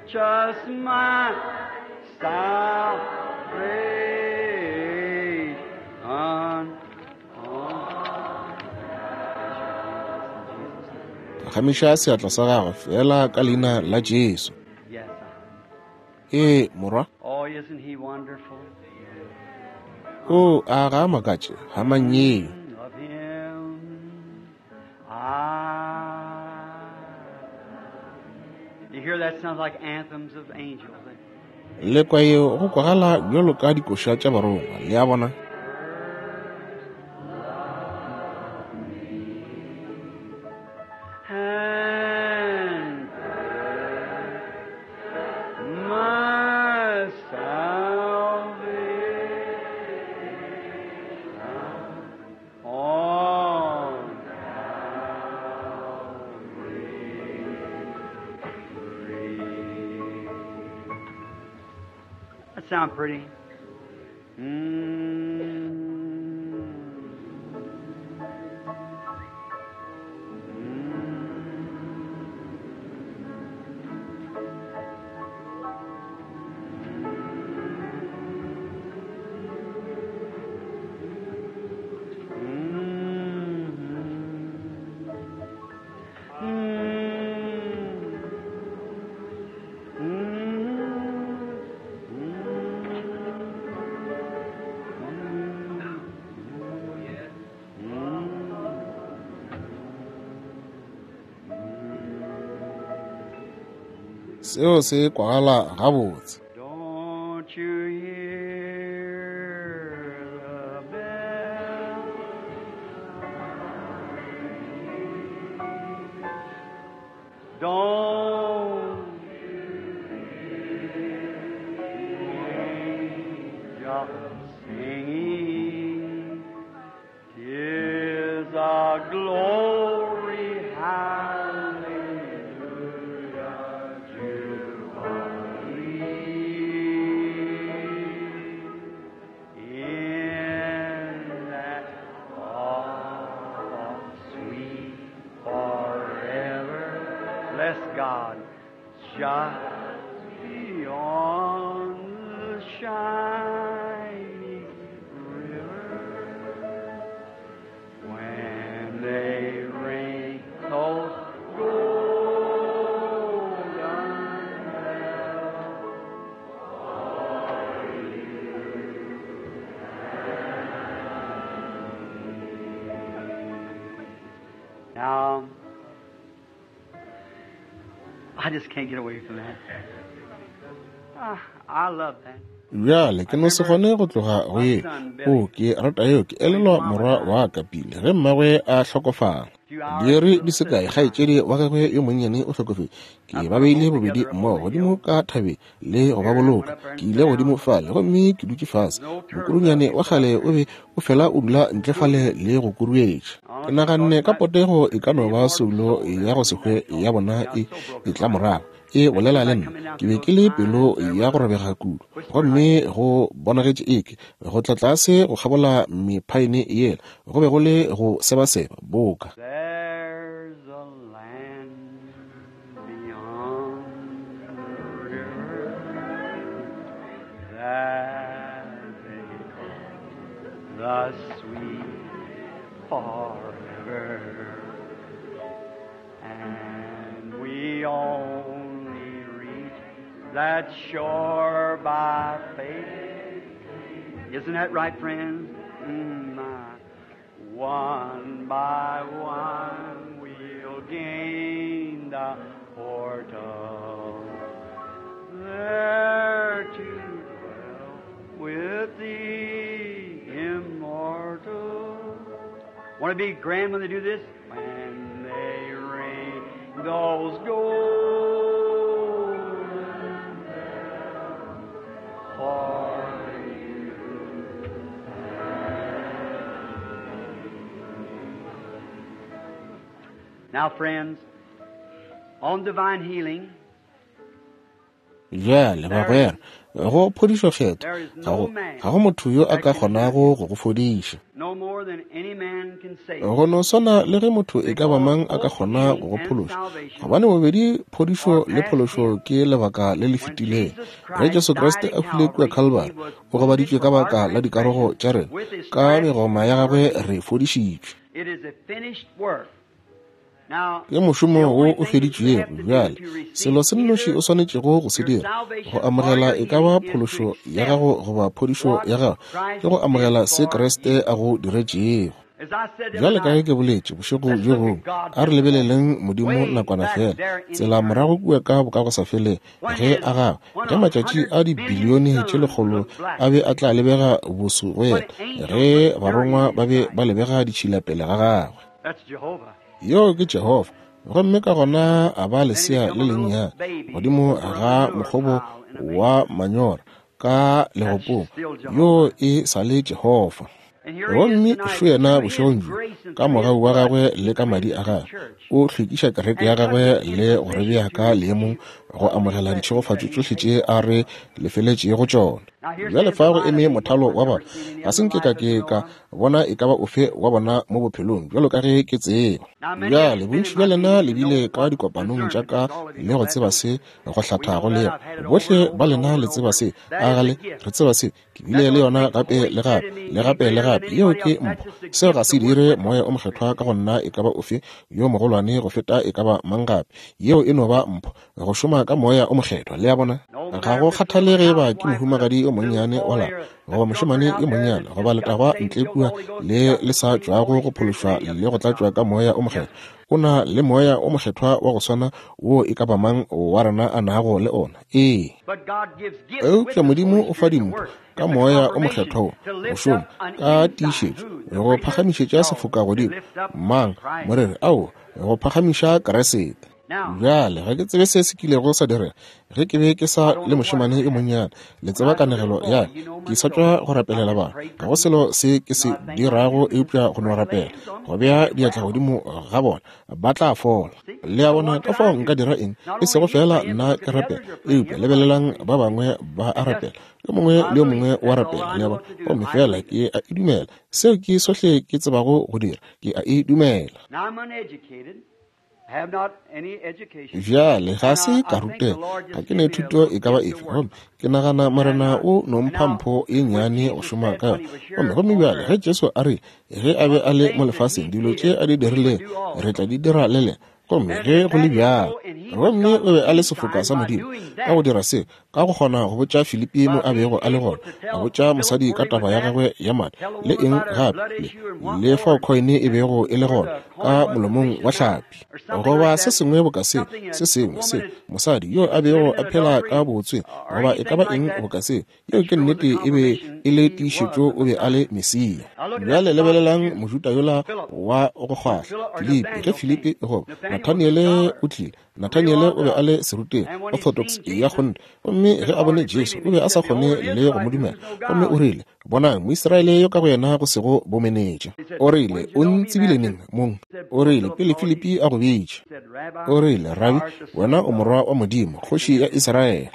purchased my salvation on Phagamiša seatla sa gago fela ka leina la Jesu. Yes. Ee, morwa. Oh, isn't he wonderful? O a ga a makatše, ga manyeo. Of him I. You hear that sounds like anthems of angels. Le kwa yeo go kwagala bjalo ka dikoša tša barongwa, le a bona? And my salvation on Calvary's tree. That sound pretty. Mm. Seo se kwagala gabotse. Don't you hear the bell? Don't you hear the singing? 'Tis a glory, hallelujah, jubilee. In that oh, sweet forever, bless God, just beyond the shining river. When they ring those golden bells, for you and me. Now, I just can't get away from that. Ah, I love that. Bjale ke no se kgone go tloga go ye. O ke rata yeo, ke elelwa morwa wa ka pele ge mmagwe a hlokofala. Diiri di se kae, kgaetšedi wa gagwe yo monnyane o hlokofetše. Ke ba beile bobedi mmogo godimo ka thabeng le go ba boloka. Ke ile godimo fale gomme ke dutše fase. Mokurunyane wa kgale o be o fela o dula ntle fale le go kuruetša. Ke naganne ka potego e ka no ba soulo ya go se hwe ya bona e etla morago e bolela le nna. Ke be ke le pelo ya go robega kudu, gomme go bonagetše eke go tla tlase go kgabola mephaene yela go be go le go sebaseba boka. There's a land beyond the river that they call the sweet forever, and we only reach that shore by faith. Isn't that right, friends? Mm, my. One by one we'll gain the portal, there to dwell with the immortal. Want to be grand when they do this? When they ring those golden bells for you. Now, friends, on divine healing, Bjale bagwera, go phodišo kgetho ga go ga go motho yo a ka kgonago go go fodiša. no more than any man can save. Go no swana le ge motho e ka ba mang a ka kgona go go phološa, gobane bobedi phodišo le phološo ke lebaka le le fetilego. Ge Jesu Kriste a hwile kua Calvary, o gobaditšwe ka baka la dikarogo tša rena, ka megoma ya gagwe re fodišitšwe. It is a finished work. Now, Ke mošomo the wo only o thing that you feditšwego. have to do Bjale to receive selo se nnoši either o swanetšego go se your dira go salvation or amogela your e ka ba healing is to phološo ya accept gago goba phodišo what ya gago Christ ke go amogela did se for Kriste you. a go diretšego. As I said the Bjale other ka ge night, ke boletše bošego let's bjo look bongwe, at God a re just a moment. lebeleleng Modimo Way nakwana back fela, there in tsela morago eternity, kua ka bokagosafelego, when ge his a gagwe, when ge a matšatši hundred a billion dibilione tše suns lekgolo looked black, a be a tla lebega boso go when yena, angels ge looked dirty barongwa in ba his be sight. ba lebega ditšhila pele ga gagwe. That's Jehovah. Yo ke Jehofa. Gomme ka gona a ba Then he lesea become le a little lennyane baby godimo over a ga manure mokgobo pile in a wa manger. manyora ka That's legopong. still Yo Jehovah. e sa le Jehofa. And here he is Gomme tonight, šo yena through his bošegong bjo, grace and ka through his mogau wa blood, gagwe he le ka madi a cleanses the gagwe, church o hlwekiša kereke ya and puts gagwe us in le go re position bea to ka leemong receive go all the amogela blessings that ditšhegofatšo he tšohle paid tše a for. re lefeletšego tšona. Now here Bjale stands fa a go line of eme people. mothalo I've wa never batho, seen any ga other se nke ka life as ke I know ka of. bona e ka ba ofe wa bona mo bophelong bjalo ka ge ke tseba. Now many of Bjale you've been bontši in bja my lena meetings le and bile know ka what dikopanong tša discernment ka is. All of you le know go that, tseba don't se you? go We hlathago know le that. yena. I've had it over Bohle and ba over and lena over le and tseba over. se, That a is a gale gift. re tseba se. Ke bile That le don't yona take the gape Holy le Spirit gape in me le any gape le greater than gape. Yeo anybody ke else. That's mpho. just a Seo ga gift se to work dire with the moya o Holy mokgethwa Spirit. ka go nna e ka ba ofe yo mogolwane go feta e ka ba mang gape. Yeo e no ba mpho go šoma ka moya o mokgethwa. Le a bona? No Ga matter go if it's a kgathale little ge ba ke housewife with a mohumagadi yo little monnyane wa boy lapa or a goba mošemane drunkard yo out there monnyane that's goba just got letagwa saved, ntle filled with the kua Holy Ghost, le he's got le the sa same tšwago Holy go Spirit phološwa than any le of go us tlatšwa got. ka moya o Yes, mokgethwa. O na le moya o mokgethwa wa go swana wo e ka ba mang wa rena a nago le ona. Ee. But God gives gifts with Eupša His Modimo Holy o fa Spirit to dimpho work. ka It's a moya o confirmation mokgethwa wo to go lift šoma up an ka ensign. tiišetšo Who? The go preacher? phagamišetša No, sefoka to godimo. lift up Mang Christ. morere ao go phagamiša Kriste. Now, Bjale ga ke tsebe se se kilego sa direga ge ke be ke I sa don't le know what mošemane yo happened. monnyane. Le When tseba I was a little kanegelo boy, ya ka, you know ke my sa story. tšwa go I rapelela just bana. prayed Ga for go selo people. se ke se Not a thing I dirago do is eupša go no just lay rapela, hands on go them and bea get diatla well. godimo ga bona ba tla fola. See? Le a So bona what ka could fao I nka do? dira eng? Not E only sego you fela praying, nna but look ke at the rapela, others are praying. eupša Everybody's lebelelang praying. ba bangwe ba a And just rapela. Yo mongwe I le yo believe mongwe it. wa That's all rapela, I le a know bona. what to do. Gomme I fela believe it. ke a e dumela. Seo ke sohle ke tsebago go dira, ke a e dumela. Now I'm uneducated. have not any education. Bjale ga And se I, ka I think the rutega, Lord ga just ke gave ne me a thuto little e ka ba gift to efe. work. Gomme ke nagana And Morena uh, o no and mpha now mpho e when nnyane go Jesus šoma said ka when yona. he was Gomme here gomme on bjale ge earth, Jesu a re ge a be of a the le mo things that lefaseng he dilo tše did, a di we would dirilego do re also. tla di dira le lena. Gomme ge go le bjalo, gomme o be a le sefoka sa Modimo ka go dira se, ka go kgona go botša Filipi mo a bego a le gona, a botša mosadi ka taba ya gagwe ya madi, le eng gape, le, le fao khoine e bego e le gona ka molomong wa hlapi, goba se sengwe boka se, se sengwe se, mosadi yo a bego a phela ka botswe, goba e ka ba eng boka se, yeo ke nnete e be e le tiišetšo o be a le Mesia. Bjale lebelelang Mojuda yola wa go kgwahla, Filipi, ge Filipi goba Nathaniele o tlile. Nathaniele o be a le serutegi, orthodox ya kgonthe, gomme ge a bone Jesu o be a sa kgone le go mo dumela, gomme o rile, bonang Moisraele yo ka go yena go sego bomenetša. O rile, o ntsebile neng mong? O rile, pele Filipi a go bitša. O rile, Rabi, wena o morwa wa Modimo, kgoši ya Israele.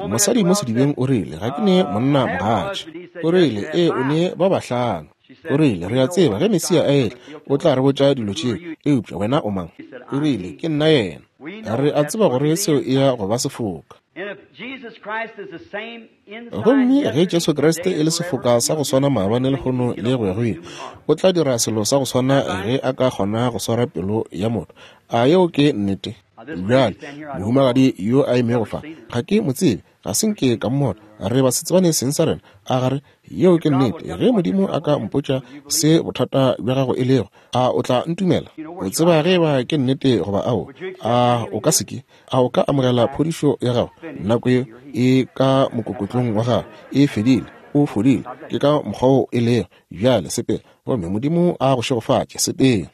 Mosadi mo sedibeng o rile, ga ke ne monna mogatša. O rile, ee, o ne ba bahlano. O rile, re a tseba ge Mesia a etla o tla re botša dilo tšeo, eupša wena o mang? O rile, ke nna yena. Re a tseba gore seo e ya go ba sefoka. Gomme ge Jesu Kriste e le sefoka sa go swana maabane lehono le go ya go ile, o tla dira selo sa go swana ge a ka kgona go swara pelo ya motho. A yeo ke nnete? Bjale, mohumagadi yo a emego fa, ga ke mo tsebe, ga se nke ka mmona, re ba se tsebane seng sa rena. A gare, yeo ke nnete. Ge Modimo a ka mpotša se bothata bja gago e lego, a o tla ntumela? O tseba ge ba ke nnete goba ao? A o ka se ke? A o ka amogela phodišo ya gago? Nako yeo e ka mokokotlong wa gago e fedile, o fodile. Ke ka mokgwa wo e lego. Bjale sepela, gomme Modimo a go šegofatše. Sepela.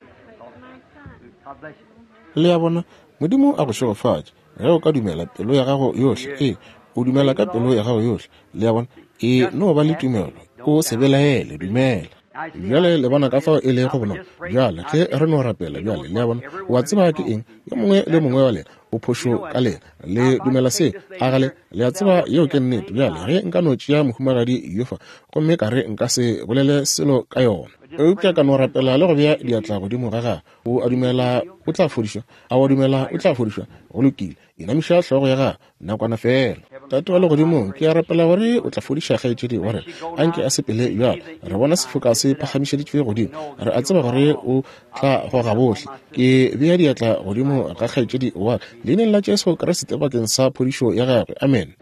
Le a bona, Modimo a go šegofatše ge o ka dumela pelo ya gago yohle. Ee, o dumela ka pelo ya gago yohle. Le a bona, e no ba le tumelo, o se belaele, dumela. Bjale le bona ka fao e lego bonolo. Bjale ge re no rapela bjale, le a bona, o a tseba ke eng, yo mongwe le mongwe wa lena o phošo ka lena, le dumela se, a gale, le a tseba yeo ke nnete. Bjale ge nka no tšea mohumagadi yo fa, gomme ka re nka se bolele selo ka yona, eupša ka no rapela le go bea diatla godimo ga gagwe, o a dumela o tla fodišwa? A o a dumela o tla fodišwa? Go lokile, inamiša hlogo ya gagwe nakwana fela. Tate wa legodimong, ke a rapela gore o tla fodiša kgaetšedi wa rena, anke a sepele bjalo. Re bona sefoka se phagamišeditšwe godimo, re a tseba gore o tla goga bohle. Ke bea diatla godimo ga kgaetšedi wa ka leineng la Jesu Kriste bakeng sa phodišo ya gagwe. Amen.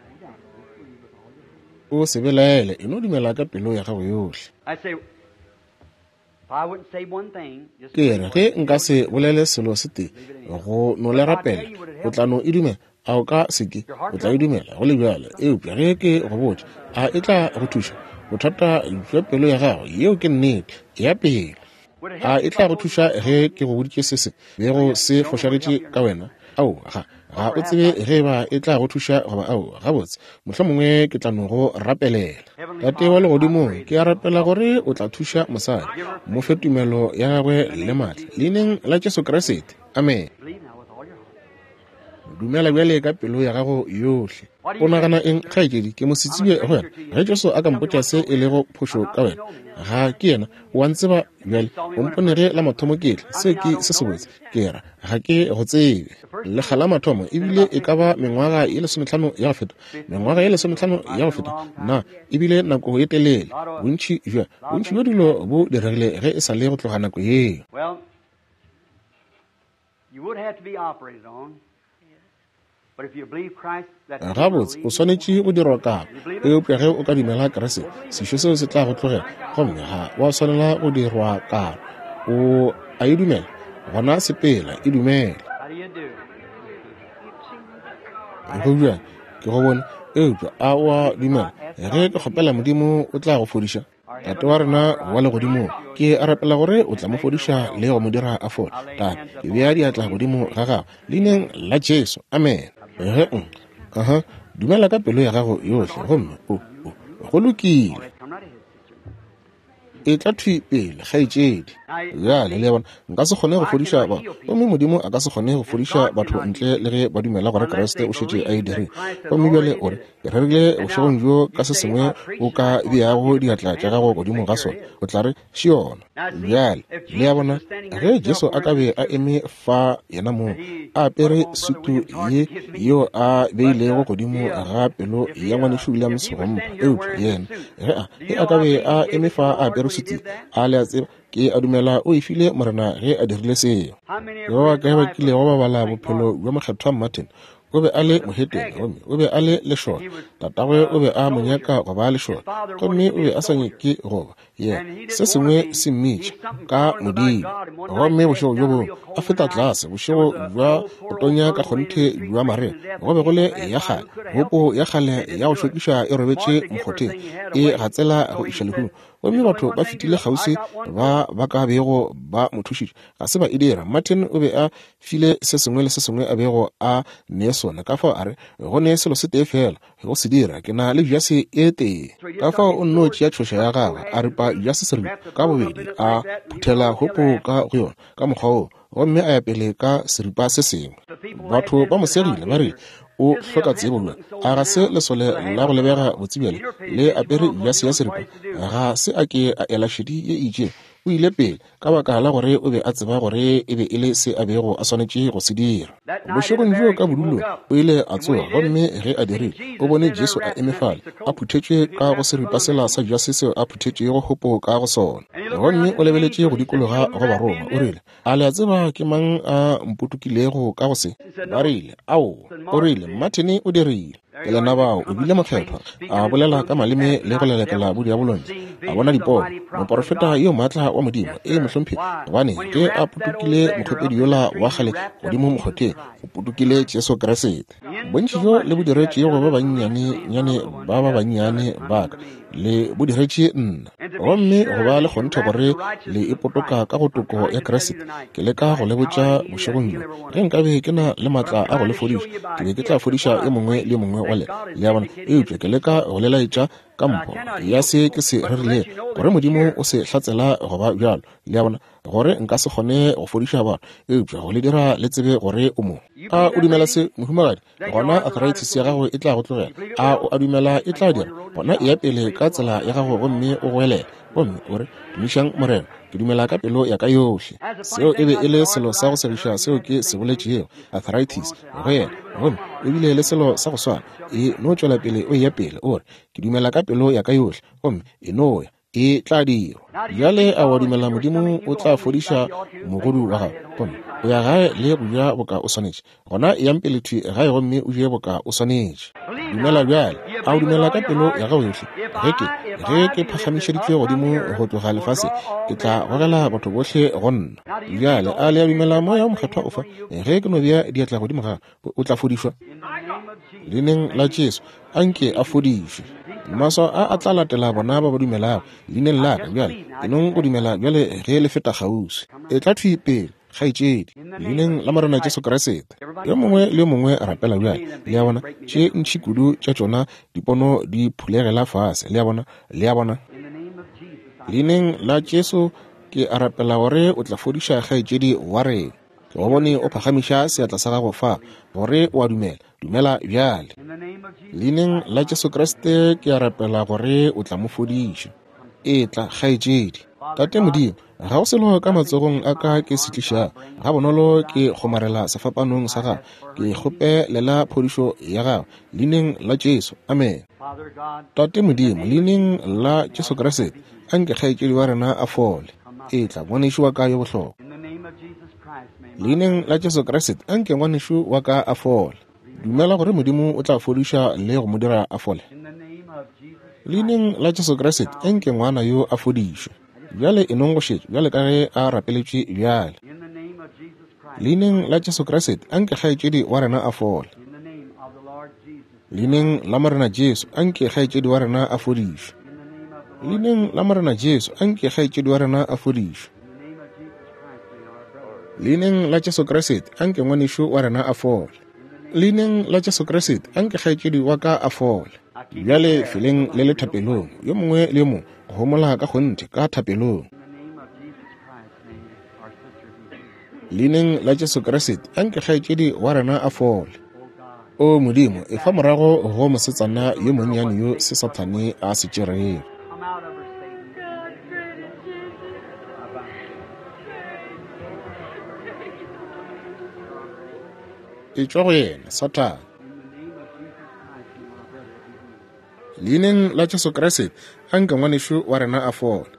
O se belaele, e no dumela ka pelo ya gago yohle. Ke re ge nka se bolele selo se tee, go no le rapela, o tla no e dumela. A o ka se ke? O tla e dumela go le bjalo. Eupša ge ke go botša, a e tla go thuša? Bothata bja pelo ya gago, yeo ke nnete, ya pele. A e tla go thuša ge ke go boditše se se bego se fošagetše ka wena? Ao, ga ga o tsebe ge ba e tla go thuša goba ao. Gabotse, mohlomongwe ke tla no go rapelela. Tate wa legodimong, ke a rapela gore o tla thuša mosadi, mo fe tumelo ya gagwe le maatla, leineng la Jesu Kriste. Amen. Dumela bjale ka pelo ya gago yohle. O nagana eng, kgaetšedi? Ke mosetsebje go wena. Ge Jesu a ka mpotša se e lego phošo ka wena, ga ke yena, o a ntseba bjale, o mpone ge la mathomo ke tla. Se ke se sebotse, ke ra, ga ke go tsebe. Lekga la mathomo ebile e ka ba mengwaga ye lesometlhano ya go feta, mengwaga ye lesometlhano ya go feta, na ebile nako ye telele. Bontši bja bontši bja dilo bo diregile ge e sa le go tloga nako yeo. Gabotse, o swanetše go dirwa karo, eupša ge o ka dumela Kriste, sešo seo se tla go tlogela, gomme ga wa swanela go dirwa karo. O a e dumela? Gona sepela, e dumela. Go bjang, ke go bone, eupša a o a dumela? Ge ke kgopela Modimo, o tla go fodiša. Tate wa rena wa legodimong, ke a rapela gore o tla mo fodiša le go mo dira a fole. Tate, ke bea diatla godimo ga gago leineng la Jesu. Amen. Ge aha, dumela ka pelo ya gago yohle, gomme o o go lokile. E tla thwi pele, kgaetšedi. Bjale le bona, nka se kgone go fodiša ba, gomme Modimo a ka se kgone go fodiša batho ntle le ge ba dumela gore Kriste o šetše a e dirile. Gomme bjale o re, ke rerile bošegong bjo ka se sengwe o ka beago diatla tša gago godimo ga sona, o tla re še yona. Bjale le a bona, ge Jesu a ka be a eme fa yena mong, a apere sutu ye yeo a beilego godimo ga pelo ya ngwanešu Williams go mpha, eupša yena ge a ge a ka be a eme fa a apere suthile. A le a tseba, ke a dumela o e file Morena ge a dirile seo. Ke ba bakae ba kilego ba bala bophelo bja Mokgethwa Martin? O be a le mohetene gomme o be a le lešole. Tatagwe o be a mo nyaka go ba lešole, gomme o be a sa nyake go ba yena. Se sengwe se mmitša ka Modimo. Gomme bošego bjo bongwe a feta tlase, bošego bja go tonya ka kgonthe bja marea, go be go le ya kgale hopo ya kgale ya go šokiša e robetše mokgotheng, e gatsela go iša lehung. Gomme batho ba fetile kgauswi ba ba ka bego ba mo thušitše, ga se ba e dira. Martin o be a file se sengwe le se sengwe a bego a ne sona. Ka fao a re, go ne selo se tee fela go se dira, ke na le jase e tee. Ka fao o nno tšea tšhoša ya gagwe, a ripa jase seripa ka bobedi, a phuthela hopo ka go yona ka mokgwa woo, gomme a ya pele ka seripa se sengwe. Batho ba mo segile ba rile, o hloka tsebo bjang? A ga se lesole la go lebega botsebjale le apere jase ya seripa? Ga se a ke a ela šedi ye e itšego. O ile pele ka baka la gore o be a tseba gore e be e le se a bego a swanetše go se dira. Bošegong bjoo ka bodulong o ile a tsoga, gomme ge a dirile, o bone Jesu a eme fale, a phuthetšwe ka go seripa sela sa jase seo a phuthetšego hopo ka go sona. Gomme o lebeletše go dikologa go barongwa, o rile, a le a tseba ke mang a mpotokilego ka go se? Ba rile, aowa. O rile, Martin o dirile. Ke lena bao, o bile mokgethwa, a bolela ka maleme le go lelekela bodiabolong, a bona dipono, moporofeta yo maatla wa Modimo. Ee, mohlomphegi, gobane ge a potokile mokgopedi yola wa kgale godimo mokgotheng, o potokile Jesu Kriste. Bontši bjo le bo diretšego ba bannyane-nyane ba ba bannyane ba ka, le bo diretše nna. Gomme go ba le kgonthe gore le ipotoka ka go toko ya Kriste, ke leka go le botša bošegong bjo, ge nkabe ke na le maatla a go le fodiša, ke be ke tla fodiša e mongwe le mongwe wa lena. Le a bona? Eupša ke leka go le laetša ka mpho ya se ke se rerilego, gore Modimo o se hlatsela go ba bjalo. Le a bona? Gore nka se kgone go fodiša batho, eupša go le dira le tsebe gore o mo. A o dumela se, mohumagadi? Gona arthritis ya gago e tla go tlogela. A o a dumela e tla dira? Gona e ya pele ka tsela ya gago gomme o goelele, gomme o re, tumišang Morena, ke dumela ka pelo ya ka yohle. Seo e be e le selo sa go segiša seo ke se boletšego, arthritis go yena, gomme o bile le selo sa go swana. E no tšwela pele o ya pele, o re, ke dumela ka pelo ya ka yohle, gomme e no ya, e tla dirwa. Bjale a wa dumela Modimo o tla fodiša mogodu wa gago, gomme o ya gae le go ja boka o swanetše? Gona eyang pele thwi gae gomme o je boka o swanetše. Dumela bjale. A o dumela ka pelo ya gago yohle? Ge ke ge ke phagamišeditšwe godimo go tloga lefaseng, ke tla gogela batho bohle go nna. Bjale a le a dumela Moya o Mokgethwa o fa? Ge ke no bea diatla godimo ga gago, o tla fodišwa. Leineng la Jesu, anke a fodišwe. Maswao a a tla latela bona ba ba dumelago leineng la ka. Bjale ke nong go dumela bjale ge le feta kgauswi. E tla thwi pele, kgaetšedi, leineng la Morena Jesu Kriste. Yo mongwe le yo mongwe a rapela bjale. Le a bona, tše ntši kudu tša tšona dipono di phulegela fase. Le a bona, le a bona. Leineng la Jesu ke a rapela gore o tla fodiša kgaetšedi wa rena. Ke go bone o phagamiša seatla sa gago fa, gore o a dumela. Dumela bjale. Leineng la Jesu Kriste ke a rapela gore o tla mo fodiša. E tla, kgaetšedi. Tate Modimo, ga go selo ka matsogong a ka ke se tlišago, ga bonolo ke kgomarela sefapanong sa gago. Ke kgopelela phodišo ya gago leineng la Jesu. Amen. Tate Modimo, leineng la Jesu Kriste, anke kgaetšedi wa rena a fole. E tla, ngwanešu wa ka yo bohlokwa. Leineng la Jesu Kriste, anke ngwanešu wa ka a fole. Dumela gore Modimo o tla fodiša le go mo dira a fole. Leineng la Jesu Kriste, anke ngwana yo a fodišwe. Bjale e nong go šetša, bjale ka ge a rapeletšwe bjale. Leineng la Jesu Kriste, anke kgaetšedi wa rena a fole. Leineng la Morena Jesu, anke kgaetšedi wa rena a fodišwe. Leineng la Morena Jesu, anke kgaetšedi wa rena a fodišwe. Leineng la Jesu Kriste, anke ngwanešu wa rena a fole. Leineng la Jesu Kriste, anke kgaetšedi wa ka a fole. Bjale feleng le le thapelong, yo mongwe le yo mongwe go homola ka kgonthe ka thapelong. Leineng la Jesu Kriste, anke kgaetšedi wa rena a fole. O Modimo, e fa morago go mosetsana yo monnyane yo se Sathane a se tšerego. E tšwa go yena, Sathane. Leineng la Jesu Kriste, anke ngwanešu wa rena a fole.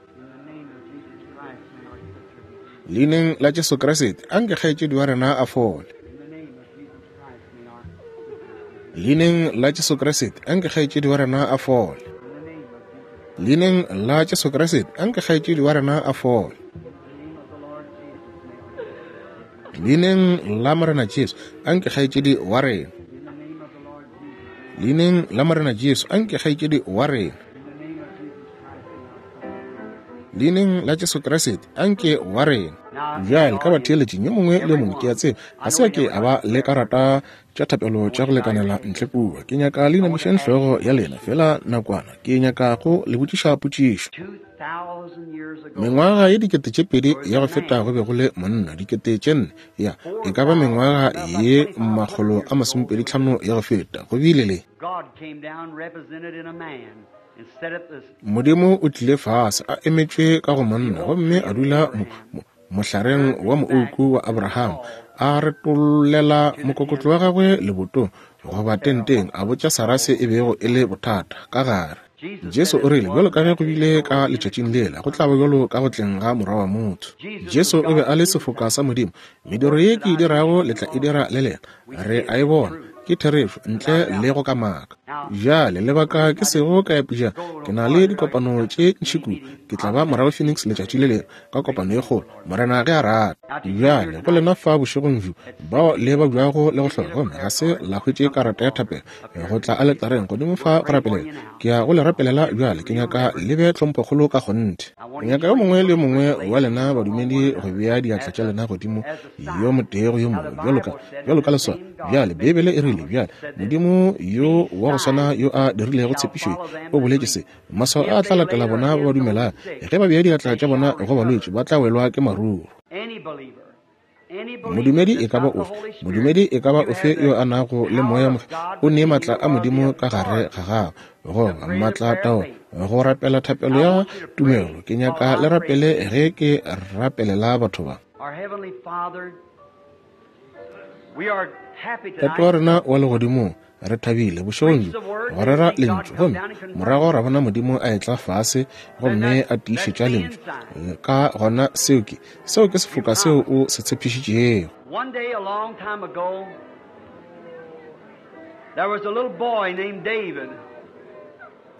Leineng la Jesu Kriste, anke kgaetšedi wa rena a fole. Leineng la Jesu Kriste, anke kgaetšedi wa rena a fole. Leineng la Jesu Kriste, anke kgaetšedi wa rena a fole. Leineng la Morena Jesu, anke kgaetšedi wa rena. Leineng la Morena Jesu, anke kgaetšedi wa rena. Leineng la Jesu Kriste, anke wa rena. Bjale ka batheeletšing yo mongwe le mongwe, ke a tseba ga se ke a ba le karata tša thapelo tša go lekanela ntle kua. Ke nyaka le inamišeng hlogo ya lena fela nakwana. Ke nyaka go le botšiša potšišo. Mengwaga ye dikete tše pedi ya go feta go be go le monna, dikete tše nne, ya e ka ba mengwaga ye makgolo a masomepedi tlhano ya go feta, go bile le Modimo o tlile fase a emetšwe ka go monna, gomme a dula mo, mo, mohlareng wa moouku wa Abraham, a retollela mokokotlo wa gagwe lebotong goba tenteng, a botša Sara se e bego e le bothata ka gare. Jesu o rile, bjalo ka ge go bile ka letšatšing lela, go tla ba bjalo ka go tleng ga Morwa wa motho. Jesu o be a le sefoka sa Modimo. Mediro ye ke e dirago le tla e dira le lena. Re a e bona, ke therešo, ntle le go kamaka. Bjale lebaka ke sego ka ya pejana, ke na le dikopano tše ntši kudu. Ke tla ba morago Phoenix letšatši le lengwe ka kopano ye kgolo, Morena ge a rata. Bjale go lena fa bošegong bjo bao le babjago le go hloka, gomme ga se la hwetše karata ya thapelo go tla aletareng godimo fa go rapelela, ke ya go le rapelela bjale. Ke nyaka le be tlhomphokgolo ka kgonthe. Ke nyaka yo mongwe le yo mongwe wa lena badumedi go bea diatla tša lena godimo yo motee go yo mongwe, bjalo ka bjalo ka leswao. Bjale Beibele e rile, bjale Modimo yo wa go swana yo a dirilego tshepišo o boletše se, maswao a tla latela bona ba ba dumelang, ge ba bea diatla tša bona go balwetši ba tla welwa ke maruru. Modumedi e ka ba ofe, modumedi e ka ba ofe yo a nago le moya o ne matla a Modimo ka gare ga gagwe, goba matla tao go rapela thapelo ya tumelo. Ke nyaka le rapele ge ke rapelela batho ba. Tate wa rena wa legodimong, re thabile bošegong bjo go rera lentšu, gomme morago ra bona Modimo a etla fase gomme a tiišetša lentšu. Ka gona seo ke seo ke sefoka seo o se tshepišitšego.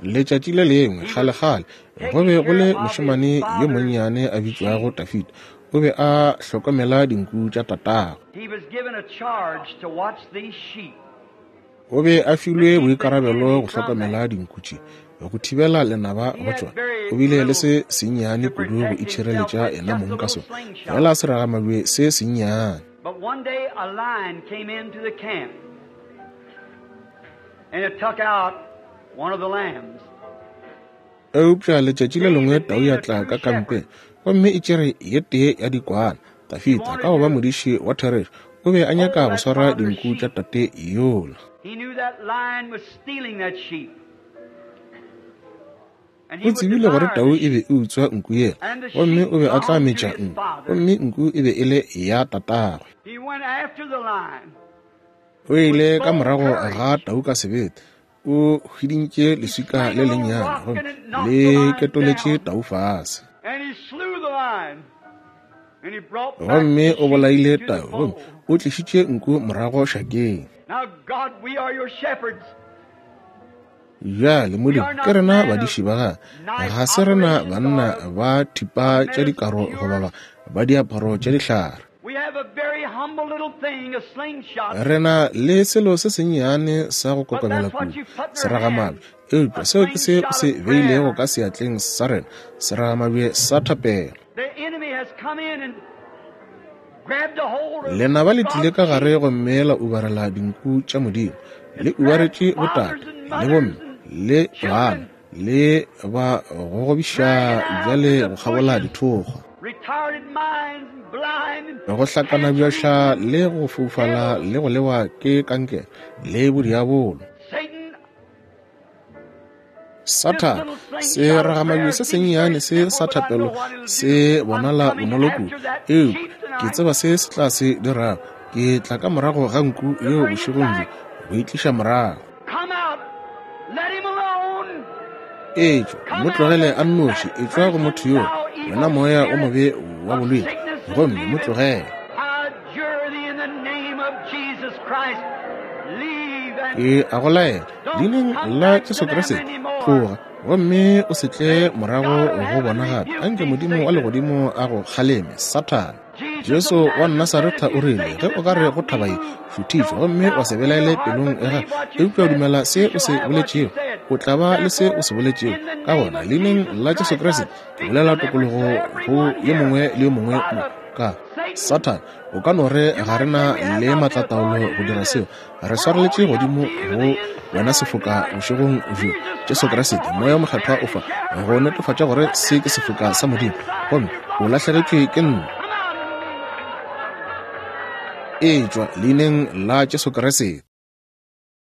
Letšatši le lengwe kgale-kgale go be go le mošemane yo monnyane a bitšwago Dafida. O be a hlokomela dinku tša tatagwe. O be a filwe boikarabelo go hlokomela dinku tše, go thibela lenaba go tšona. O bile le se sennyane kudu go itšhireletša yena mong ka sona, fela seragamabje se sennyane. Eupša letšatši le lengwe tau ya tla ka kampeng, gomme e tšere ye tee ya dikwana. Dafida, ka go ba modiši wa therešo, o be a nyaka go swara dinku tša tate yola. O tsebile gore tau e be e utswa nku yela, gomme o be a tla metša nku, gomme nku e be e le ya tatagwe. O ile ka morago ga tau ka sebete, o hwidintše leswika le lennyane gomme le ketoletše tau fase. Gomme o bolaile tau, gomme o tlišitše nku morago šakeng. Bjale Modimo, ke rena badiši ba gagwe, ga se rena banna ba thipa tša dikaro goba ba diaparo tša dihlare. Re na le selo se sennyane sa go kokobela kudu, seragamabje, eupša seo ke se o se beilego ka seatleng sa rena, seragamabje sa thapelo. Lenaba le tlile ka gare gomme la ubarela dinku tša Modimo, le ubaretše botate le bomme le bana, le ba gogobiša bjale go kgabola dithokgwa, go hlakana bjoša le go foufala le go lewa ke kankere le bodiabolo. Sathane, seragamabje se sennyane se sa thapelo se bonala bonolo kudu, eupša ke tseba se se tla se dirago. Ke tla ka morago ga nku yeo bošegong bjo go e tliša morago. Etšwa, mo tlogele a nnoši, etšwa go motho yoo, wena moya o mobe wa bolwetši, gomme mo tlogele. Ke a go laela leineng la Jesu Kriste, tloga gomme o se tle morago go bona gape. Anke Modimo wa legodimo a go kgaleme, Sathane. Jesu wa Nasaretha o rile, ge o ka re go thaba ye, šuthišwa gomme wa se belaele pelong ya gago, eupša o dumela se o se boletšego, o tla ba le se o se boletšego. Ka gona leineng la Jesu Kriste ke bolela tokologo go yo mongwe le yo mongwe mo. Ka Sathane, o ka no re ga re na le maatlataolo go dira seo. Re swareletše godimo go wena sefoka bošegong bjo, Jesu Kriste, Moya o Mokgethwa o fa go netefatša gore se ke sefoka sa Modimo, gomme o lahlegetšwe ke nna. Etšwa leineng la Jesu Kriste.